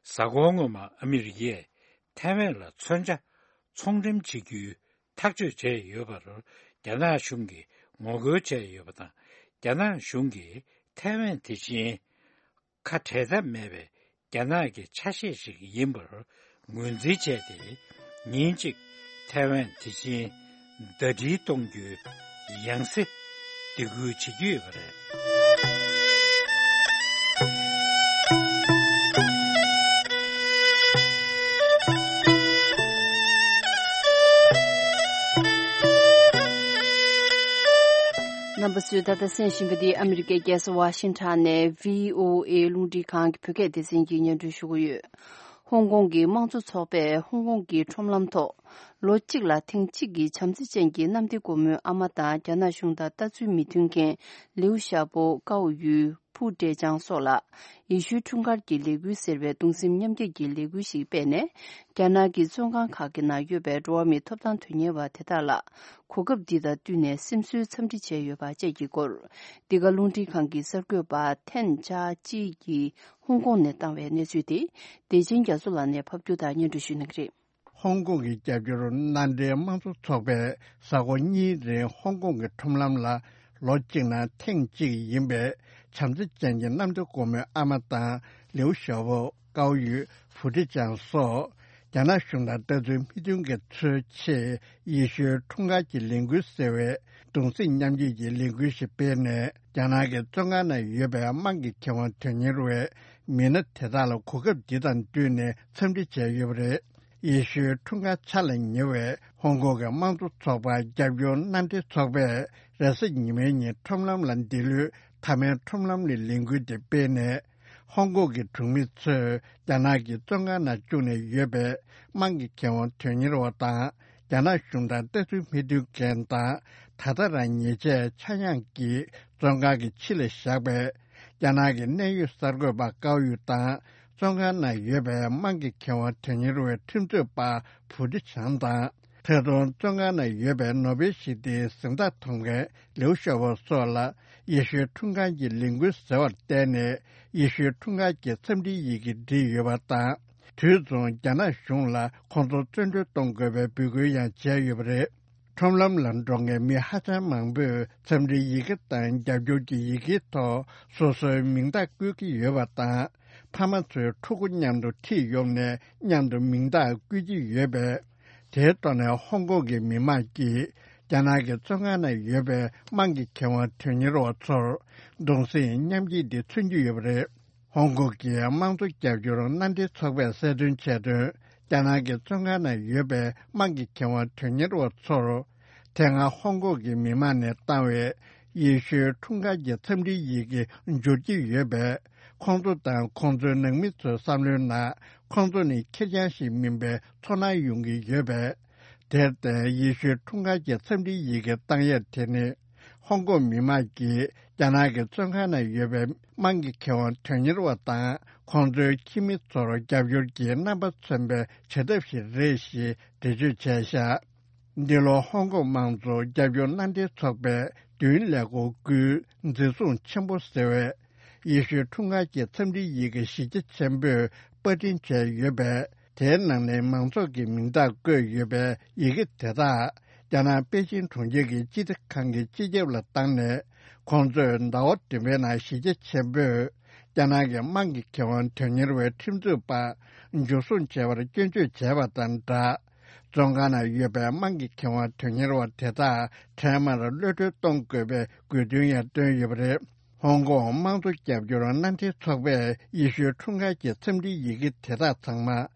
གཟའ་འཁོར་སྔོན་མ་ཨ་མི་རི་ཀས་ཐའེ་ཝན་ལ་མཚོན་ཆ་ཚོང་འགྲེམས་བྱེད་རྒྱུའི་ཐག་གཅོད་བྱས་ཡོད་པར། རྒྱ་ནག་གཞུང་གིས་ངོ་རྒོལ་བྱས་ཡོད་པ་དང་། རྒྱ་ནག་གཞུང་གིས་ཐའེ་ཝན་དེ་བཞིན་ཁ་བྲལ་ཐབས་མེད་པའི་རྒྱ་ནག་གི་ཆ་ཤས་ཤིག་ཡིན་པར་ངོས་འཛིན་བྱས་ཏེ། ཉིན་གཅིག་ཐའེ་ཝན་དེ་བཞིན་ཟླ་སྒྲིལ་གཏོང་རྒྱུའི་ཡང་སེ་སྡིགས་སྐུལ་བྱེད་ཀྱི་ཡོད་པ་རེད། རྣམ་པ་ཚོས་ད་ལྟ་གསན་བཞིན་པ་འདི་ཨ་མི་རི་ཀའི་རྒྱལ་ས་ཝ་ཤིང་ཊོན་ནས་བྷི་ཨོ་ཨེ་རླུང་འཕྲིན་ཁང་གི་བོད་སྐད་སྡེ་ཚན་གྱིས་སྙན་སྒྲོན་ཞུ་གི་ཡོད། ཧོང་ཀོང་གི་དམངས་གཙོ་ཚོགས་པས་ཧོང་ཀོང་གི་ཁྲོམ་ལམ་ཐོག་ལོ་གཅིག་ལ་ཐེངས་གཅིག་གི་བྱམས་བརྩེ་ཅན་གྱི་གནམ་བདེ་སྒོ་མོའི་ཨ་མ་དང་རྒྱ་ནག་གཞུང་དང་ལྟ་ཚུལ་མི་མཐུན་མཁན་ལིའུ་ཞའོ་པོ། ཀའོ་ཡུས། ཕུའུ་ཀྲེ་ཅང་སོགས་ལ་ཡེ་ཤུའི་འཁྲུངས་སྐར་གྱི་ལས་འགུལ་ཟེར་བའི་གདུང་སེམས་མཉམ་སྐྱེད་ཀྱི་ལས་འགུལ་ཞིག་སྤེལ་ནས། རྒྱ་ནག་གི་བཙོན་ཁང་ཁག་གི་ནང་ཡོད་པའི་འགྲོ་བ་མིའི་ཐོབ་ཐང་དོན་གཉེར་བ་དེ་དག་ལ་གོ་སྐབས་འདི་དང་བསྟུན་ནས་སེམས་གསོའི་འཚམས་འདྲི་བྱས་ཡོད་པ་བཅས་ཀྱི་སྐོར། འདི་ག་རླུང་འཕྲིན་ཁང་གི་གསར་འགོད་པ་ཐན་ཅཱ་ཅི་ཡིས་ཧོང་ཀོང་ནས་བཏང་བའི་གནས་ཚུལ་དེ་བདེ་ཆེན་རྒྱ་མཚོ་ལགས་ནས་ཕབ་སྒྱུར་དང་སྙན་སྒྲོན་ཞུ་གནང་གི་རེད། ཧོང་ཀོང་གི་རྒྱབ་སྐྱོར་མནའ་འབྲེལ་དམངས་གཙོ་ཚོགས་པས་གཟའ་འཁོར་གཉིས་རིང་ཧོང་ཀོང་གི་ཁྲོམ་ལམ་ལ་ལོ་གཅིག་ནང་ཐེངས་གཅིག་ཡིན་པའི་བྱམས་བརྩེ་ཅན་གྱི་གནམ་བདེ་སྒོ་མོའི་ཨ་མ་དང་ལིའུ་ཞའོ་པོ། ཀའོ་ཡུས། ཕུའུ་ཀྲེ་ཅང་སོགས་རྒྱ་ནག་གཞུང་དང་ལྟ་ཚུལ་མི་མཐུན་མཁན་ཚོའི་ཆེད་ཡེ་ཤུའི་འཁྲུངས་སྐར་གྱི་ལས་འགུལ་ཟེར་བའི་གདུང་སེམས་མཉམ་སྐྱེད་ཀྱི་ལས་འགུལ་ཞིག་སྤེལ་ནས། རྒྱ་ནག་གི་བཙོན་ཁང་ནང་ཡོད་པའི་དམངས་ཀྱི་ཁེ་དབང་དོན་གཉེར་བའི་མི་སྣ་དེ་དག་ལ་གོ་སྐབས་འདི་དང་བསྟུན་ནས་འཚམས་འདྲི་བྱས་ཡོད་པ་རེད། ཡེ་ཤུའི་འཁྲུངས་སྐར་འཆར་ལ་ཉེ་བའི་ཧོང་ཀོང་གི་དམངས་གཙོ་ཚོགས་པ་རྒྱབ་སྐྱོར་མནའ་འབྲེལ་ཚོགས་པས་རེས་གཟའ་ཉི་མའི་ཉིན་ཁྲོམ་ལམ་ལ་འདི་ལོའི་མཐའ་མའི་ཁྲོམ་ལམ་ནས་ལས་འགུལ་དེ་སྤེལ་ནས། ཧོང་ཀོང་གི་གྲོང་མི་ཚོས་རྒྱ་ནག་གི་བཙོན་ཁང་ནང་བཅུག་ནས་ཡོད་པའི་དམངས་ཀྱི་ཁེ་དབང་དོན་གཉེར་བ་དང་། རྒྱ་ནག་གཞུང་དང་ལྟ་ཚུལ་མི་མཐུན་མཁན་དང་། ད་ལྟ་རང་ཉེས་ཆད་ཆག་ཡང་གི་བཙོན་ཁང་གི་ཕྱི་ལ་བཞག་པའི་རྒྱ་ནག་གི་གནད་ཡོད་གསར་འགོད་པ་ཀའོ་ཡུ་དང་། བཙོན་ཁང་ནང་ཡོད་པའི་དམངས་ཀྱི་ཁེ་དབང་དོན་གཉེར་བའི་ཁྲིམས་རྩོད་པ་ཕུའུ་ཀྲི་ཆང་དང་། ད་དུང་བཙོན་ཁང་ནང་ཡོད་པའི་ནོ་བེལ་ཞི་བདེའི་གཟེངས་རྟགས་ཐོབ་མཁན་ལིའུ་ཞའོ་པོ་སོགས་ལ་ཡེ་ཤུའི་འཁྲུངས་སྐར་གྱི་ལས་འགུལ་ཟེར་བར་བརྟེན་ནས། ཡེ་ཤུའི་འཁྲུངས་སྐར་གྱི་འཚམས་འདྲིའི་ཡི་གེ་བྲིས་ཡོད་པ་དང་། དུས་མཚུངས་རྒྱ་ནག་གཞུང་ལ་ཁོང་ཚོ་བཙོན་གྲོལ་གཏོང་དགོས་པའི་འབོད་སྐུལ་ཡང་བྱས་ཡོད་པ་རེད། ཁྲོམ་ལམ་ལ་འགྲོ་མཁན་མི་ཧ་ཅང་མང་པོས་འཚམས་འདྲིའི་ཡི་གེ་དང་རྒྱབ་སྐྱོར་གྱི་ཡི་གེའི་ཐོག་སོ་སོའི་མིང་རྟགས་བཀོད་ཀྱི་ཡོད་པ་དང་། ཕ་མ་ཚོའི་ཕྲུ་གུ་མཉམ་དུ་ཁྲིད་ཡོང་ནས་མཉམ་དུ་མིང་རྟགས་བཀོད་ཀྱི་ཡོད་པས། དེའི་ཐོག་ནས་ཧོང་ཀོང་གི་མི་མང་གིས་རྒྱ་ནག་གི་བཙོན་ཁང་ནང་ཡོད་པའི་དམངས་ཀྱི་ཁེ་དབང་དོན་གཉེར་བ་ཚོར་གདུང་སེམས་མཉམ་སྐྱེད་འདི་མཚོན་གྱི་ཡོད་པ་རེད། ཧོང་ཀོང་གི་དམངས་གཙོ་རྒྱབ་སྐྱོར་མནའ་འབྲེལ་ཚོགས་པས་གསལ་སྟོན་བྱས་དོན། རྒྱ་ནག་གི་བཙོན་ཁང་ནང་ཡོད་པའི་དམངས་ཀྱི་ཁེ་དབང་དོན་གཉེར་བ་ཚོར། དེ་སྔ་ཧོང་ཀོང་གི་མི་མང་ནས་བཏང་བའི་ཡེ་ཤུའི་འཁྲུངས་སྐར་གྱི་འཚམས་འདྲིའི་ཡི་གེ་འབྱོར་གྱི་ཡོད་པས། ཁོང་ཚོ་དང་ཁོང་ཚོའི་ནང་མི་ཚོའི་བསམ་བློའི་ནང་། ཁོང་ཚོ་ནི་ཁེར་རྐྱང་ཞིག་མིན་པའི་ཚོར་སྣང་ཡོང་གི་ཡོད་པས། དེར་བརྟེན། ཡེ་ཤུའི་འཁྲུངས་སྐར་གྱི་འཚམས་འདྲིའི་ཡི་གེ་བཏང་ཡས་དེ་ནི། ཧོང་ཀོང་མི་མང་གིས་རྒྱ་ནག་གི་བཙོན་ཁང་ནང་ཡོད་པའི་དམངས་ཀྱི་ཁེ་དབང་དོན་གཉེར་བ་དང་། ཁོང་ཚོའི་ཁྱིམ་མི་ཚོར་རྒྱབ་སྐྱོར་གྱི་རྣམ་པ་མཚོན་པའི་བྱེད་ཐབས་ཤིག་རེད་ཞེས་འགྲེལ་བརྗོད་བྱས་བཞག་འདི་ལོ་ཧོང་ཀོང་དམངས་གཙོ་རྒྱབ་སྐྱོར་མནའ་འབྲེལ་ཚོགས་པའི་མདུན་ལས་འགོ་བསྐུལ་འཛིན་བཟུང་ཆེན་པོ་ཟེར་བས། ཡེ་ཤུའི་འཁྲུངས་སྐར་གྱི་འཚམས་འདྲིའི་ཡི་གེ་གཞི་རྒྱ་ཆེན་པོས་པར་སྐྲུན་བྱས་ཡོད་པས། དེའི་ནང་ནས་མང་ཚོགས་ཀྱི་མིང་རྟགས་བཀོད་ཡོད་པའི་ཡི་གེ་དེ་དག་རྒྱ་ནག་པེ་ཅིན་གྲོང་ཁྱེར་གྱི་སྤྱི་བདེ་ཁང་གི་སྤྱི་ཁྱབ་ལ་བཏང་ནས། ཁོང་ཚོས་ཟླ་བ་བདུན་པའི་ནང་གཞི་རྒྱ་ཆེན་པོས་རྒྱ་ནག་གི་དམངས་ཀྱི་ཁེ་དབང་དོན་གཉེར་བའི་ཁྲིམས་རྩོད་པ་འཇུ་བཟུང་བྱས་པར་སྐྱོན་བརྗོད་བྱས་པ་དང་སྦྲགས། བཙོན་ཁང་ནང་ཡོད་པའི་དམངས་ཀྱི་ཁེ་དབང་དོན་གཉེར་བ་དེ་དག་འཕྲལ་མར་གློད་གྲོལ་གཏོང་དགོས་པའི་དགོས་འདུན་ཡང་བཏོན་ཡོད་པ་རེད། ཧོང་ཀོང་དམངས་གཙོ་རྒྱབ་སྐྱོར་མནའ་འབྲེལ་ཚོགས་པས་ཡེ་ཤུའི་འཁྲུངས་སྐར་གྱི་འཚམས་འདྲིའི་ཡི་གེ་དེ་དག་ཚང་མ་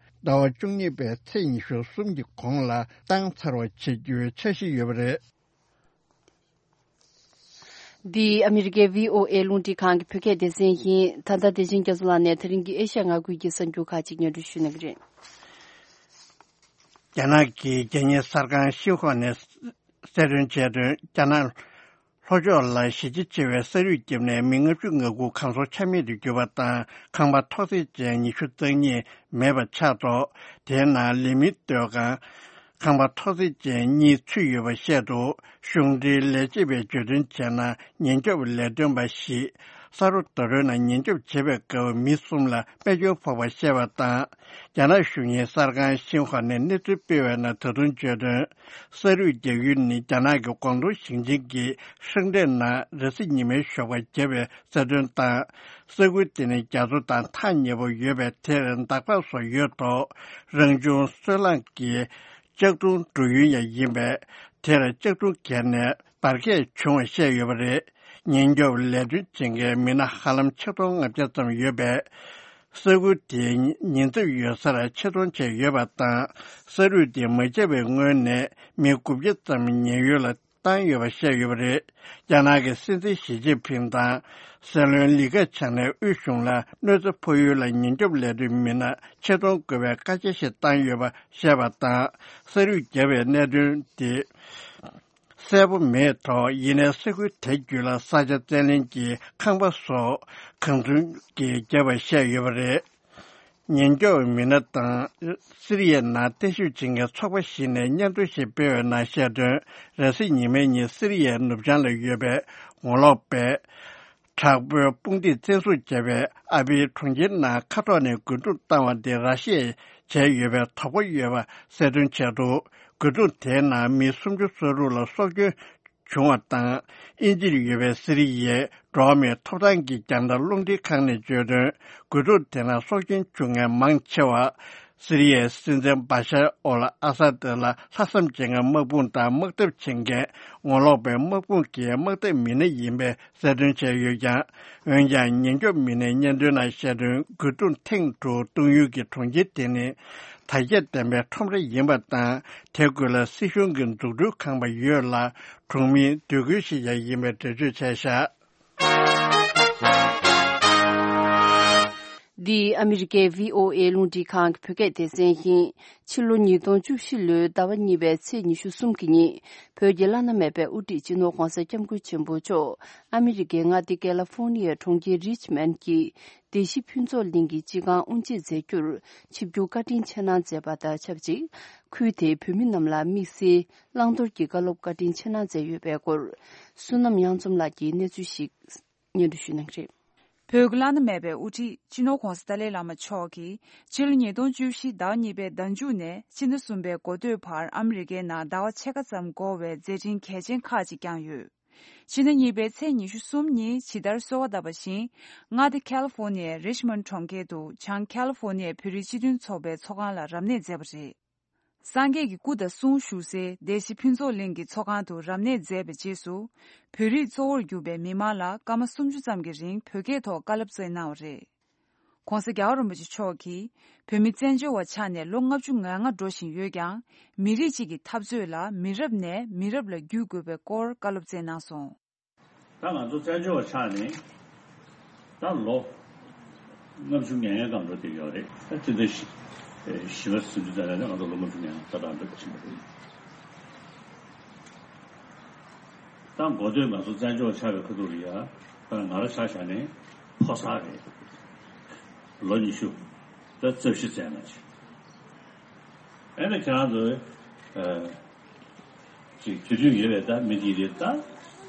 ཟླ་བ་བཅུ་གཉིས་པའི་ཚེས་ཉི་ཤུ་གསུམ་གྱི་གོང་ལ་བཏང་ཚར་བ་བྱེད་རྒྱུའི་འཆར་གཞི་ཡོད་པ་རེད། འདི་ཨ་མི་རི་ཀའི་བྷི་ཨོ་ཨེ་རླུང་འཕྲིན་ཁང་གི་བོད་སྐད་སྡེ་ཚན་ཡིན། ད་ལྟ་བདེ་ཆེན་རྒྱ་མཚོ་ལགས་ནས་ད་རིང་གི་ཨེ་ཤ་ཡ་མངའ་ཁུལ་གྱི་གསར་འགྱུར་ཁག་ཅིག་སྙན་སྒྲོན་ཞུ་གནང་གི་རེད། རྒྱ་ནག་གི་རྒྱལ་གཉེར་གསར་ཁང་ཤིན་ཧྭ་ནས་གསལ་སྟོན་བྱས་དོན། རྒྱ་ནག་ལྷོ་ཕྱོགས་ལ་གཞི་རྒྱ་ཆེ་བའི་ས་རུད་བརྒྱབ་ནས་མི་ལྔ་བཅུ་ང་དགུ་གང་སར་ཆ་མེད་དུ་གྱུར་པ་དང་། ཁང་པ་ཐོག་བརྩེགས་ཅན་ཉི་ཤུ་རྩ་གཉིས་མེད་པ་ཆགས་ཐོག་དེའི་ནང་ལས་མི་སྡོད་ཁང་ ཁང་པ་མཐོ་ཚད་ཅན་གཉིས་ཚུད་ཡོད་པ་བཤད་འདུག་གཞུང་འབྲེལ་ལས་བྱེད་པས་བརྗོད་དོན་བྱས་ན། ཉེན་སྐྱོབ་ལས་དོན་པ་བཞི་ས་རོ་ད་རོལ་ནང་ཉེན་སྐྱོབ་བྱེད་པའི་སྐབས་མི་གསུམ་ལ་རྨས་སྐྱོན་ཕོག་པ་བཤད་པ་དང་། རྒྱ་ནག་གཞུང་གཉེར་གསར་ཁང་ཤིན་ཧྭ་ནས་གནས་ཚུལ་སྤེལ་བའི་ནང་ད་དུང་བརྗོད་དོན། ས་རུད་རྒྱག་ཡུལ་ནི་རྒྱ་ནག་གི་ཀོང་ཏུང་ཞིང་ཆེན་གྱི་ཧྲེང་ཏེ་ནང་རེས་གཟའ་ཉི་མའི་ཞོགས་པ་བརྒྱབ་པའི་གསལ་སྟོན་དང་། ས་ཁུལ་དེ་ནི་རྒྱ་མཚོ་དང་ཐག་ཉེ་པོ་ཡོད་པས། དེར་འདག་པ་སོགས་ཡོད་ཐོག་རང་བྱུང་སོལ་རླངས་ཀྱི་ལྕགས་སྒྲོང་འགྲོ་ཡུལ་ཡང་ཡིན་པས། དེར་ལྕགས་སྒྲོང་བརྒལ་ནས་འབར་གས་བྱུང་བ་བཤད་ཡོད་པ་རེད། ཉེན་སྐྱོབ་ལས་དོན་བྱེད་མཁན་མི་སྣ་ཧ་ལམ་ཆིག་སྟོང་ལྔ་བརྒྱ་ཙམ་ཡོད་པས། ས་ཁུལ་དེའི་ཉེན་ཚབས་ཡོད་སར་ཆེད་གཏོང་བྱས་ཡོད་པ་དང་། ས་རུད་དེ་མ་ཁྱབ་པའི་སྔོན་ནས་མི་དགུ་བརྒྱ་ཙམ་ཉེན་གཡོལ་ལ་བཏང་ཡོད་པ་བཤད་ཡོད་པ་རེད། རྒྱ་ནག་གི་སྲིད་འཛིན་ཞི་ཅིན་ཕིང་དང་སྲིད་བློན་ལི་ཁེ་ཆང་ནས་དབུས་གཞུང་ལ་གནོད་འཚེ་ཕོག་ཡུལ་ལ་ཉེན་སྐྱོབ་ལས་དོན་མི་སྣ་ཆེད་གཏོང་དགོས་པའི་བཀའ་རྒྱ་ཞིག་བཏང་ཡོད་པ་བཤད་པ་དང་། ས་རུད་བརྒྱབ་པའི་གནད་དོན་དེ་གསལ་པོ་མེད་ཐོག་ཡིན་ནའི་ས་ཁུལ་དེ་བརྒྱུད་ལ་ས་ཆ་བཙན་ལེན་གྱི་ཁང་པ་སོགས་གང་ཚུན་གྱིས་བརྒྱབ་པ་བཤད་ཡོད་པ་རེད། ཉེན་སྐྱོབ་མི་སྣ་དང་སི་རི་ཡའི་ནང་བརྟན་བཞུགས་བྱེད་མཁན་ཚོགས་པ་ཞིག་ནས་སྙན་ཐོ་ཞིག་སྤེལ་བའི་ནང་བཤད་དོན། རེས་གཟའ་ཉི་མའི་ཉིན་སི་རི་ཡའི་ནུབ་བྱང་ལ་ཡོད་པའི་ངོ་ལོག་པས་དྲག་པོའི་དཔུང་སྡེས་བཙན་བཟུང་བྱས་པའི་ཨ་པའི་གྲོང་ཁྱེར་ནང་མཁའ་ཐོག་ནས་རྒོལ་རྡུང་བཏང་བ་དེ་ར་ཤི་ཡས་བྱས་ཡོད་པའི་དོགས་པ་ཡོད་པ་གསལ་སྟོན་བྱས་འདུག་རྒོལ་རྡུང་དེའི་ནང་མི་སུམ་ཅུ་སོ་དྲུག་ལ་སྲོག་སྐྱོན་བྱུང་བ་དང་། དབྱིན་ཇིར་ཡོད་པའི་སི་རི་ཡའི་འགྲོ་བ་མིའི་ཐོབ་ཐང་གི་རྒྱང་བསྒྲགས་རླུང་འཕྲིན་ཁང་ནས་བརྗོད་དོན། རྒོལ་རྡུང་དེ་ནང་སྲོག་སྐྱོན་བྱུང་མཁན་མང་ཆེ་བ། སི་རི་ཡའི་སྲིད་འཛིན་བ་ཤར་ཨོལ་ཨ་ས་ཏི་ལ་ལྷག་བསམ་བྱེད་མཁན་དམག་དཔུང་དང་དམག་འཐབ་བྱེད་མཁན་ངོ་ལོག་པའི་དམག་དཔུང་གི་དམག་འཐབ་མི་སྣ་ཡིན་པའི་གསལ་སྟོན་བྱས་ཡོད་ཀྱང་། འོན་ཀྱང་ཉེན་སྐྱོབ་མི་སྣའི་སྙན་ཐོའི་ནང་བཤད་དོན། རྒོལ་རྡུང་ཐེངས་དྲུག་གཏོང་ཡུལ་གྱི་གྲོང་ཁྱེར་དེ་ནི་དར་རྒྱས་ལྡན་པའི་ཁྲོམ་ར་ཡིན་པ་དང་། དེ་ཁུལ་ལ་སྲིད་གཞུང་གི་འཛུགས་སྐྲུན་ཁང་པ་ཡོད་ལ། གྲོང་མིའི་སྡོད་ཁུལ་ཞིག་ཀྱང་ཡིན་པའི་འགྲེལ་བརྗོད་བྱས་བཞག་འདི་ཨ་མི་རི་ཀའི་བྷི་ཨོ་ཨེ་རླུང་འཕྲིན་ཁང་གི་བོད་སྐད་སྡེ་ཚན་ཡིན། ཕྱི་ལོ་ཉིས་སྟོང་བཅུ་བཞི་ལོའི་ཟླ་བ་གཉིས་པའི་ཚེས་ཉི་ཤུ་གསུམ་གྱི་ཉིན། བོད་ཀྱི་བླ་ན་མེད་པའི་དབུ་ཁྲིད་སྤྱི་ནོར་༧གོང་ས་༧སྐྱབས་མགོན་ཆེན་པོ་མཆོག་ཨ་མི་རི་ཀའི་མངའ་སྡེ་ཀེ་ལ་ཧྥོར་ནི་ཡའི་གྲོང་ཁྱེར་རིཆ་མོན་གྱི་སྡེ་བཞི་ཕུན་ཚོགས་གླིང་གི་སྤྱི་ཁང་དབུ་འབྱེད་མཛད་རྒྱུར་ཆིབས་བསྒྱུར་བཀའ་དྲིན་ཆེ་གནང་མཛད་པ་དང་ཆབས་ཅིག་ཁུལ་དེའི་བོད་མི་རྣམས་ལ་དམིགས་བསལ་བླང་དོར་གྱི་བཀའ་སློབ་བཀའ་དྲིན་ཆེ་གནང་མཛད་ཡོད་པའི་སྐོར། བསོད་ནམས་དབྱངས་འཛོམས་ལགས་ཀྱིས་གནས་ཚུལ་ཞིག་སྙན་སྒྲོན་ཞུ་གནང་གི་རེད། བོད་ཀྱི་བླ་ན་མེད་པའི་དབུ་ཁྲིད་སྤྱི་ནོར་༧གོང་ས་ཏཱ་ལའི་བླ་མ་མཆོག་གིས་ཕྱི་ལོ་ཉིས་སྟོང་བཅུ་བཞི་ཟླ་བ་གཉིས་པའི་ཟླ་མཇུག་ནས་སྤྱི་ཟླ་གསུམ་པའི་འགོ་སྟོད་བར་ཨ་མི་རི་ཀའི་ནང་ཟླ་བ་ཕྱེད་ཀ་ཙམ་འགོར་བའི་མཛད་འཕྲིན་གལ་ཆེན་ཁག་ཅིག་བསྐྱངས་ཡོད། ཕྱི་ཟླ་གཉིས་པའི་ཚེས་ཉི་ཤུ་གསུམ་ཉིན་ཇི་ལྟར་གསོལ་བ་བཏབ་པ་བཞིན། མངའ་སྡེ་ཁ་ལི་ཧྥོར་ནི་ཡའི་རིཆ་མོན་གྲོང་ཁྱེར་དུ་བྱང་ཁ་ལི་ཧྥོར་ནི་ཡའི་བོད་རིགས་སྤྱི་མཐུན་ཚོགས་པའི་ཚོགས་ཁང་ལ་རབ་གནས་མཛད་པ་རེད། སངས་རྒྱས་ཀྱི་སྐུ་དང་གསུང་བཞུགས་སའི་སྡེ་བཞི་ཕུན་ཚོགས་གླིང་གི་ཚོགས་ཁང་དུ་རབ་གནས་མཛད་པའི་རྗེས་སུ། བོད་རིགས་གཙོ་བོར་གྱུར་པའི་མི་མང་ལ་སྐར་མ་སུམ་ཅུ་ཙམ་གྱི་རིང་བོད་སྐད་ཐོག་བཀའ་སློབ་སྩལ་གནང་བ་རེད། ྋགོང་ས་རྒྱལ་བ་རིན་པོ་ཆེ་མཆོག་གིས་བོད་མི་བཙན་བྱོལ་བ་ཆགས་ནས་ལོ་ལྔ་བཅུ་ང་ལྔ་འགྲོ་བཞིན་ཡོད་ཀྱང་། མི་རིགས་གཅིག་གི་འཐབ་རྩོད་ལ་མི་རབས་ནས་མི་རབས་ལ་བརྒྱུད་དགོས་པའི་སྐོར་བཀའ་སློབ་སྩལ་གནང་སོང་། ད་ང་ཚོ་བཙན་བྱོལ་བ་ཆགས་ནས་ད་ལོ་ལྔ་བཅུ་ང་ལྔ་སྒང་འགྲོ་བསྡད་ཡོད་རེད། ད་དེ་འདྲ་ཞིག་ཞི་བ་སུ་འདི་ཙམ་ལ་ང་ཚོ་ལོ་ལྔ་བཅུ་ང་ལྔ་ལྟ་སྟངས་འདྲ་ཕྱིན་པ་རེད། ད་འགོ་སྟོད་ང་ཚོ་བཙན་བྱོལ་བ་ཆགས་པའི་ཁ་ཐུག་ལ་ཡ་ད་ང་རང་ཆ་བཞག་ནས་ཕོ་གསར་རེད། ལོ་ཉི་ཤུ་ད་རྩ་བཞི་ཙམ་ན་ཅིག་ཨེ་ནས་ཁྱེད་རང་ཚོ་ཨ་ཅིག་དུས་རྒྱུན་ཡོད་པའི་ད་མི་དེ་རེད། ད་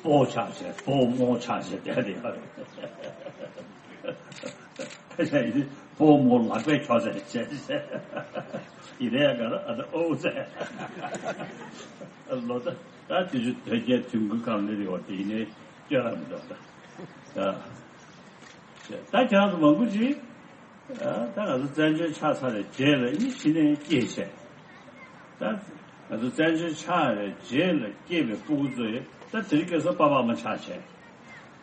སྤོ་ཆགས་བྱས་སྤོ་རྨོ་ཆགས་བྱས་བསྡད་བསྡད་ཡོད་རེད། ཁ་ཤས་ཡིན་སྤོ་རྨོ་ལག་པས་ཁྱོག་ཙམ་བྱས་བྱས་ཡིན་ནའི་ག་རེ་ཨ་ད་ཨོ་ཙེ་ལོ་ད་ད་དུས་རྒྱུན་དོལ་རྒྱལ་དུས་འགོའི་སྒང་ལ་རེད་བ། དེ་ཡིན་ནའི་སྐྱོ་ར་མི་འདུག་ད་ད་ད་ཁྱེད་རང་ཚོ་མང་པོ་ཅིག་ད་ང་ཚོ་བཙན་བྱོལ་ཆགས་ཚར་བའི་རྗེས་ལ་ཨ་ནི་གཞི་ནས་སྐྱེས་བྱས། ད་ང་ཚོ་བཙན་བྱོལ་ཆགས་པའི་རྗེས་ལ་སྐྱེས་པའི་སྤུ་གུ་ཚོ་ཡིས་ད་དེ་རིང་ཁ་སང་པ་ཕ་མ་ཆགས་བྱས།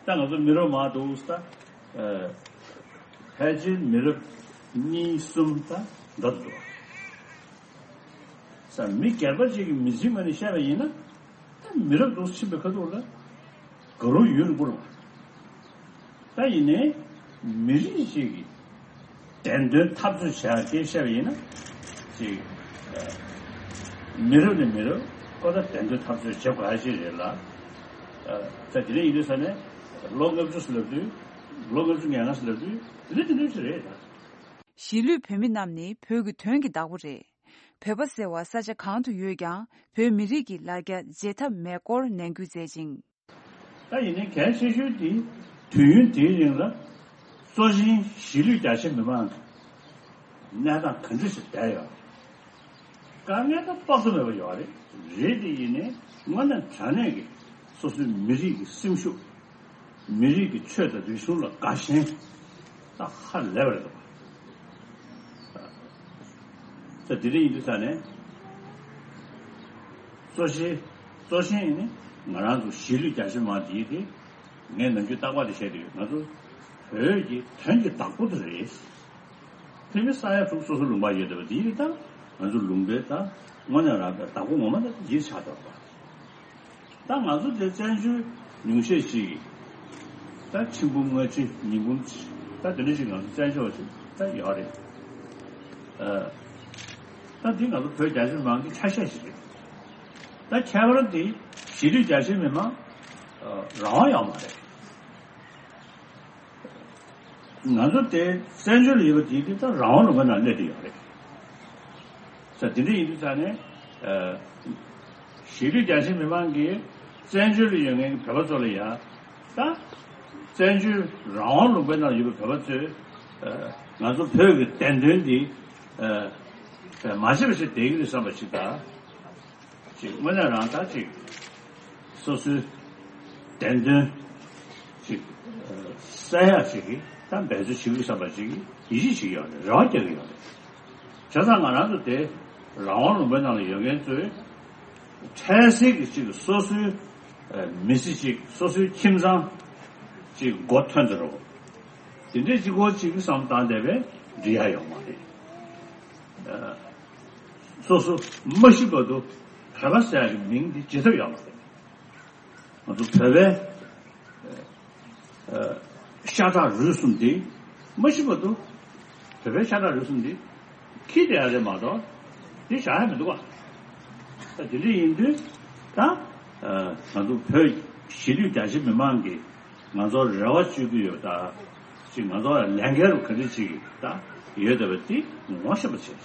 ད་ང་ཚོ་མི་རབས་མང་འདུག་ད་ཕལ་ཆེར་མི་རབས་གཉིས་གསུམ་ད་འགྲོ་འདུག་ས་མི་སྒེར་པ་ཅིག་གི་མི་ཚེའི་ངོས་ནས་བཤད་པ་ཡིན་ན། ད་མི་རབས་འདུག་ཕྱིན་པའི་ཁ་ཐུག་ལ་དགའ་རབ་ཡུན་རིང་པོ་རེད་བ། ད་ཡིན་ནའི་མི་རིགས་ཤིག་གི་བདེན་དོན་འཐབ་རྩོད་བྱེད་ཡག་གི་བཤད་པ་ཡིན་ན་ཅིག་མི་རབས་ནས་མི་རབས་ཁོ་ད་བདེན་དོན་འཐབ་རྩོད་བྱེད་དགོས་ཡག་ཅིག་རེད་ལ། ད་དེ་འདྲ་ཡིན་དུས་ས་ནས་ལོ་ལྔ་བཅུ་ཟེར་ལབ་དུས་ལོ་ལྔ་བཅུ་ང་ལྔ་ཟེར་ལབ་དུས་དེ་འདྲ་དེ་འདྲ་ཞིག་རེད་ད། གཞིས་ལུས་བོད་མི་རྣམས་ནི་བོད་ཀྱི་དོན་གྱི་བདག་པོ་རེད། བོད་པ་ཟེར་བ་ས་ཆ་གང་དུ་ཡོད་ཀྱང་བོད་མི་རིགས་ཀྱི་ལ་རྒྱ་བརྗེད་ཐབས་མེད་སྐོར་ནན་སྐུལ་མཛད་ཅིང་། ད་ཡིན་ནའི་གལ་ཆེ་ཤོས་དེ་དུས་ཡུན་དེའི་རིང་ལ་སྲོག་ཤིང་གཞིས་ལུས་རྒྱ་ཆེ་མི་མང་གི་གནས་སྟངས་ག་འདྲ་ཞིག་བསྡད་ཡོད། དཀའ་ངལ་ད་དཔག་ཏུ་མེད་པ་ཡོད་རེད། རེད་དེ་ཡིན་ནའི་དངོས་གནས་དྲང་གནས་ཀྱི་སོ་སོའི་མི་རིགས་ཀྱི་སེམས་ཤུགས། མི་རིགས་ཀྱི་ཆོས་དང་རིག་གཞུང་ལ་དགའ་ཞེན་ད་ཧ་ལས་པ་རེད་འདུག་ད་དེ་འདྲ་ཡིན་དུས་ཙང་ནས་གཙོ་ཆེ་གཙོ་ཆེན་ཡིན་ནི་ང་རང་ཚོ་གཞིས་ལུས་རྒྱ་ཆེ་མང་དེ་ཡིན་དེ་ངས་ནམ་རྒྱུན་རྟག་པར་དེ་བཤད་དེ་ཡོད། ང་ཚོ་བོད་ཀྱི་དོན་གྱི་བདག་པོ་དེ་རེད། ཕ་མ་ས་ཡ་དྲུག་སོ་སོ་ལུང་པ་ཡོད་བསྡད་པ་དེ་ཡིན་ད་ང་ཚོ་ལུང་པའི་ད་དངོས་གནས་རང་གི་བདག་པོ་ངོ་མ་ད་འདིར་ཆགས་བསྡད་པ། ད་ང་ཚོ་དེ་བཙན་བྱོལ་ཉུང་ཤས་ཤིག་གིས་ད་ཆིག་འབུམ་ལྔ་བཅུ་ཉིས་འབུམ་ད་དེ་འདྲ་ཞིག་ང་ཚོ་བཙན་བྱོལ་བ་ཞིག་ད་ཡོད་རེད། ད་འདི་ང་ཚོ་བོད་རྒྱ་ཆེ་མི་མང་གི་ཆ་ཤས་ཤིག་རེད། ད་ཁྱད་པར་འདི་གཞིས་ལུས་རྒྱ་ཆེ་མི་མང་རང་དབང་ཡོད་མ་རེད། ང་ཚོ་དེ་བཙན་བྱོལ་ལ་ཡོད་པ་དེ་དེ་ད་རང་དབང་ལུང་པའི་ནང་སླེབས་བསྡད་ཡོད་རེད། ས་དེ་འདྲ་ཡིན་དུས་ཙང་ནས་གཞིས་ལུས་རྒྱ་ཆེ་མི་མང་གིས་བཙན་བྱོལ་ལ་ཡོད་མཁན་གྱི་བོད་པ་ཚོ་ལ་ཡང་ད་བཙན་བྱོལ་རང་དབང་ལུང་པའི་ནང་ཡོད་པའི་བོད་པ་ཚོས་ང་ཚོ་བོད་ཀྱི་བདེན་དོན་འདི་མ་བརྗེད་པ་ཞིག་བསྡད་ཀྱི་རེད་བསམ་པ་ཞིག་དང་། ཅིག་དངོས་གནས་རང་ད་ཅིག་སོ་སོའི་བདེན་དོན་ཅིག་གསལ་ཡག་ཅིག་གི་ད་འབད་རྩོལ་བྱེད་དགོས་བསམ་པ་ཅིག་གི་ཡིད་ཆེས་བྱེད་ཀྱི་ཡོད་རེད། རེ་བ་རྒྱག་གི་ཡོད་རེད། བྱས་ཙང་ང་རང་ཚོ་དེ་རང་དབང་ལུང་པའི་ནང་ལ་ཡོད་མཁན་ཚོས་འཕྲལ་སེལ་གྱི་ཅིག་སོ་སོའི་མི་ཚེ་ཅིག་སོ་སོའི་ཁྱིམ་ཚང་ཅིག་མགོ་ཐོན་ཏེ་རོགས་དེ་འདྲས་ཅིག་གོ་ཅིག་གི་བསམ་བཏང་བསྡད་པས་འགྲིག་ཡ་ཡོད་མ་རེད། སོ་སོ་མ་ཤི་བར་དུ་བོད་པ་ཟེར་ཡག་གི་མིང་འདི་བརྗེད་ཐབས་ཡོད་མ་རེད། ང་ཚོ་བོད་པའི་ཤ་ཁྲག་རུས་གསུམ་འདི་མ་ཤི་བར་དུ་བོད་པའི་ཤ་ཁྲག་རུས་གསུམ་འདི་འཁྱེར་བསྡད་ཡ་རེད་མ་གཏོགས་འདི་བཞག་ཡ་མི་འདུག་ག་ད་དེ་འདྲ་ཡིན་དུས་ད་ང་ཚོ་བོད་གཞིས་ལུས་རྒྱ་ཆེ་མི་མང་གིས་ང་ཚོར་རེ་བ་བཅོལ་གྱི་ཡོད་ད་ཅིག་ང་ཚོར་ལས་འགན་རུ་ག་འདྲ་ཅིག་ད་ཡོད་བསྡད་པ་འདི་ངོ་ཤེས་པ་བྱས་ཅིག་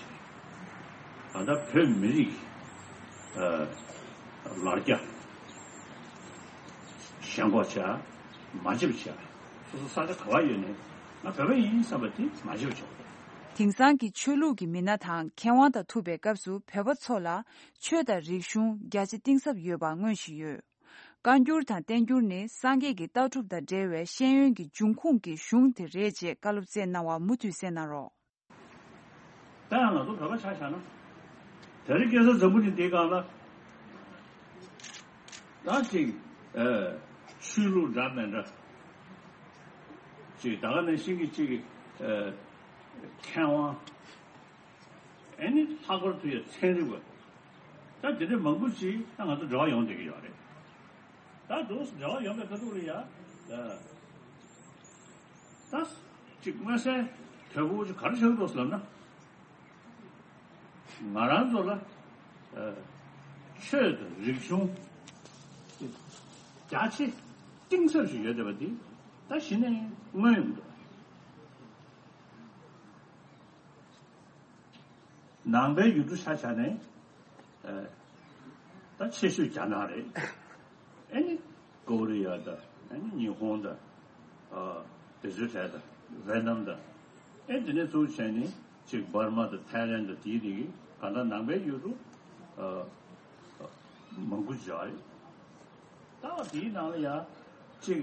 ད་ལྟ་བོད་མི་རིགས་ལ་རྒྱ་ཞེན་ཁོག་བྱས་མ་བརྗེད་པ་བྱས་སོ་སོ་ས་ཆ་ག་བ་ཡོད་ནས་ང་བོད་པ་ཡིན་བསམ་པ་དེ་མ་བརྗེད་པ་བྱས། དེང་སང་གི་ཆོས་ལུགས་ཀྱི་མི་སྣ་དང་མཁས་དབང་དང་ཐུག་པའི་སྐབས་སུ་བོད་པ་ཚོ་ལ་ཆོས་དང་རིག་གཞུང་རྒྱ་ཆེ་གཏིང་ཟབ་ཡོད་པ་མངོན་བཞིན་ཡོད། བཀའ་འགྱུར་དང་བསྟན་འགྱུར་ནི་སངས་རྒྱས་ཀྱི་ལྟ་གྲུབ་དང་འབྲེལ་བའི་ཤེས་ཡོན་གྱི་འབྱུང་ཁུངས་ཀྱི་གཞུང་དེ་རེད་ཅེས་བཀའ་སློབ་སྩལ་གནང་བ་མུ་མཐུད་གསན་གནང་རོགས། ད་ཡང་ང་ཚོ་བོད་པ་ཆ་བཞག་ན། དེ་རིང་ཁ་སང་འཛམ་བུ་གླིང་འདིའི་སྒང་ལ། ད་ཅིག་ཆོས་ལུགས་འདྲ་མི་འདྲ། ཅིག་ད་ག་ནང་བཞིན་གྱི་ཅིག་མཁས་དབང་། ཨེ་ནི་ལྷག་པར་དུ་ཡང་ཚན་རིག་པ། ད་དེ་འདྲ་མང་པོ་ཅིག་ད་ང་ཚོ་འབྲེལ་བ་ཡོང་བསྡད་ཀྱི་ཡོད་རེད། ད་འདུག་འབྲེལ་བ་ཡོང་བའི་ཁ་ཐུག་ལ་ཡ། ད་ཅིག་མངོན་གསལ་དོད་པོ་ཅིག་ག་རེ་ཆགས་འདུག་ཟེར་ན། ང་རང་ཚོ་ལ་ཆོས་དང་རིག་གཞུང་རྒྱ་ཆེ་གཏིང་ཟབ་ཞིག་ཡོད་བསྡད་པ་འདི་ད་གཞི་ནས་མངོན་ཡོང་གི་འདུག་ནང་པའི་ཡུལ་གྲུ་ཆ་བཞག་ནས་ད་ཆེ་ཤོས་རྒྱ་ནག་རེད། ཨེ་ནི་ཀོ་རི་ཡ་དང་ཨེ་ནི་ཉི་ཧོང་དང་དེ་ཚོའི་གྲས་དང་ཝེ་ནམ་དང་ཨེ་དེ་ནས་ཚུར་བྱས་ནས་ཅིག་འབར་མ་དང་ཐའི་ལན་དང་དེའི་རིགས་གང་ལྟར་ནང་པའི་ཡུལ་གྲུ་མང་པོ་ཅིག་ཡོད་རེད། ད་བ་དེའི་ནང་ལ་ཡང་ཅིག་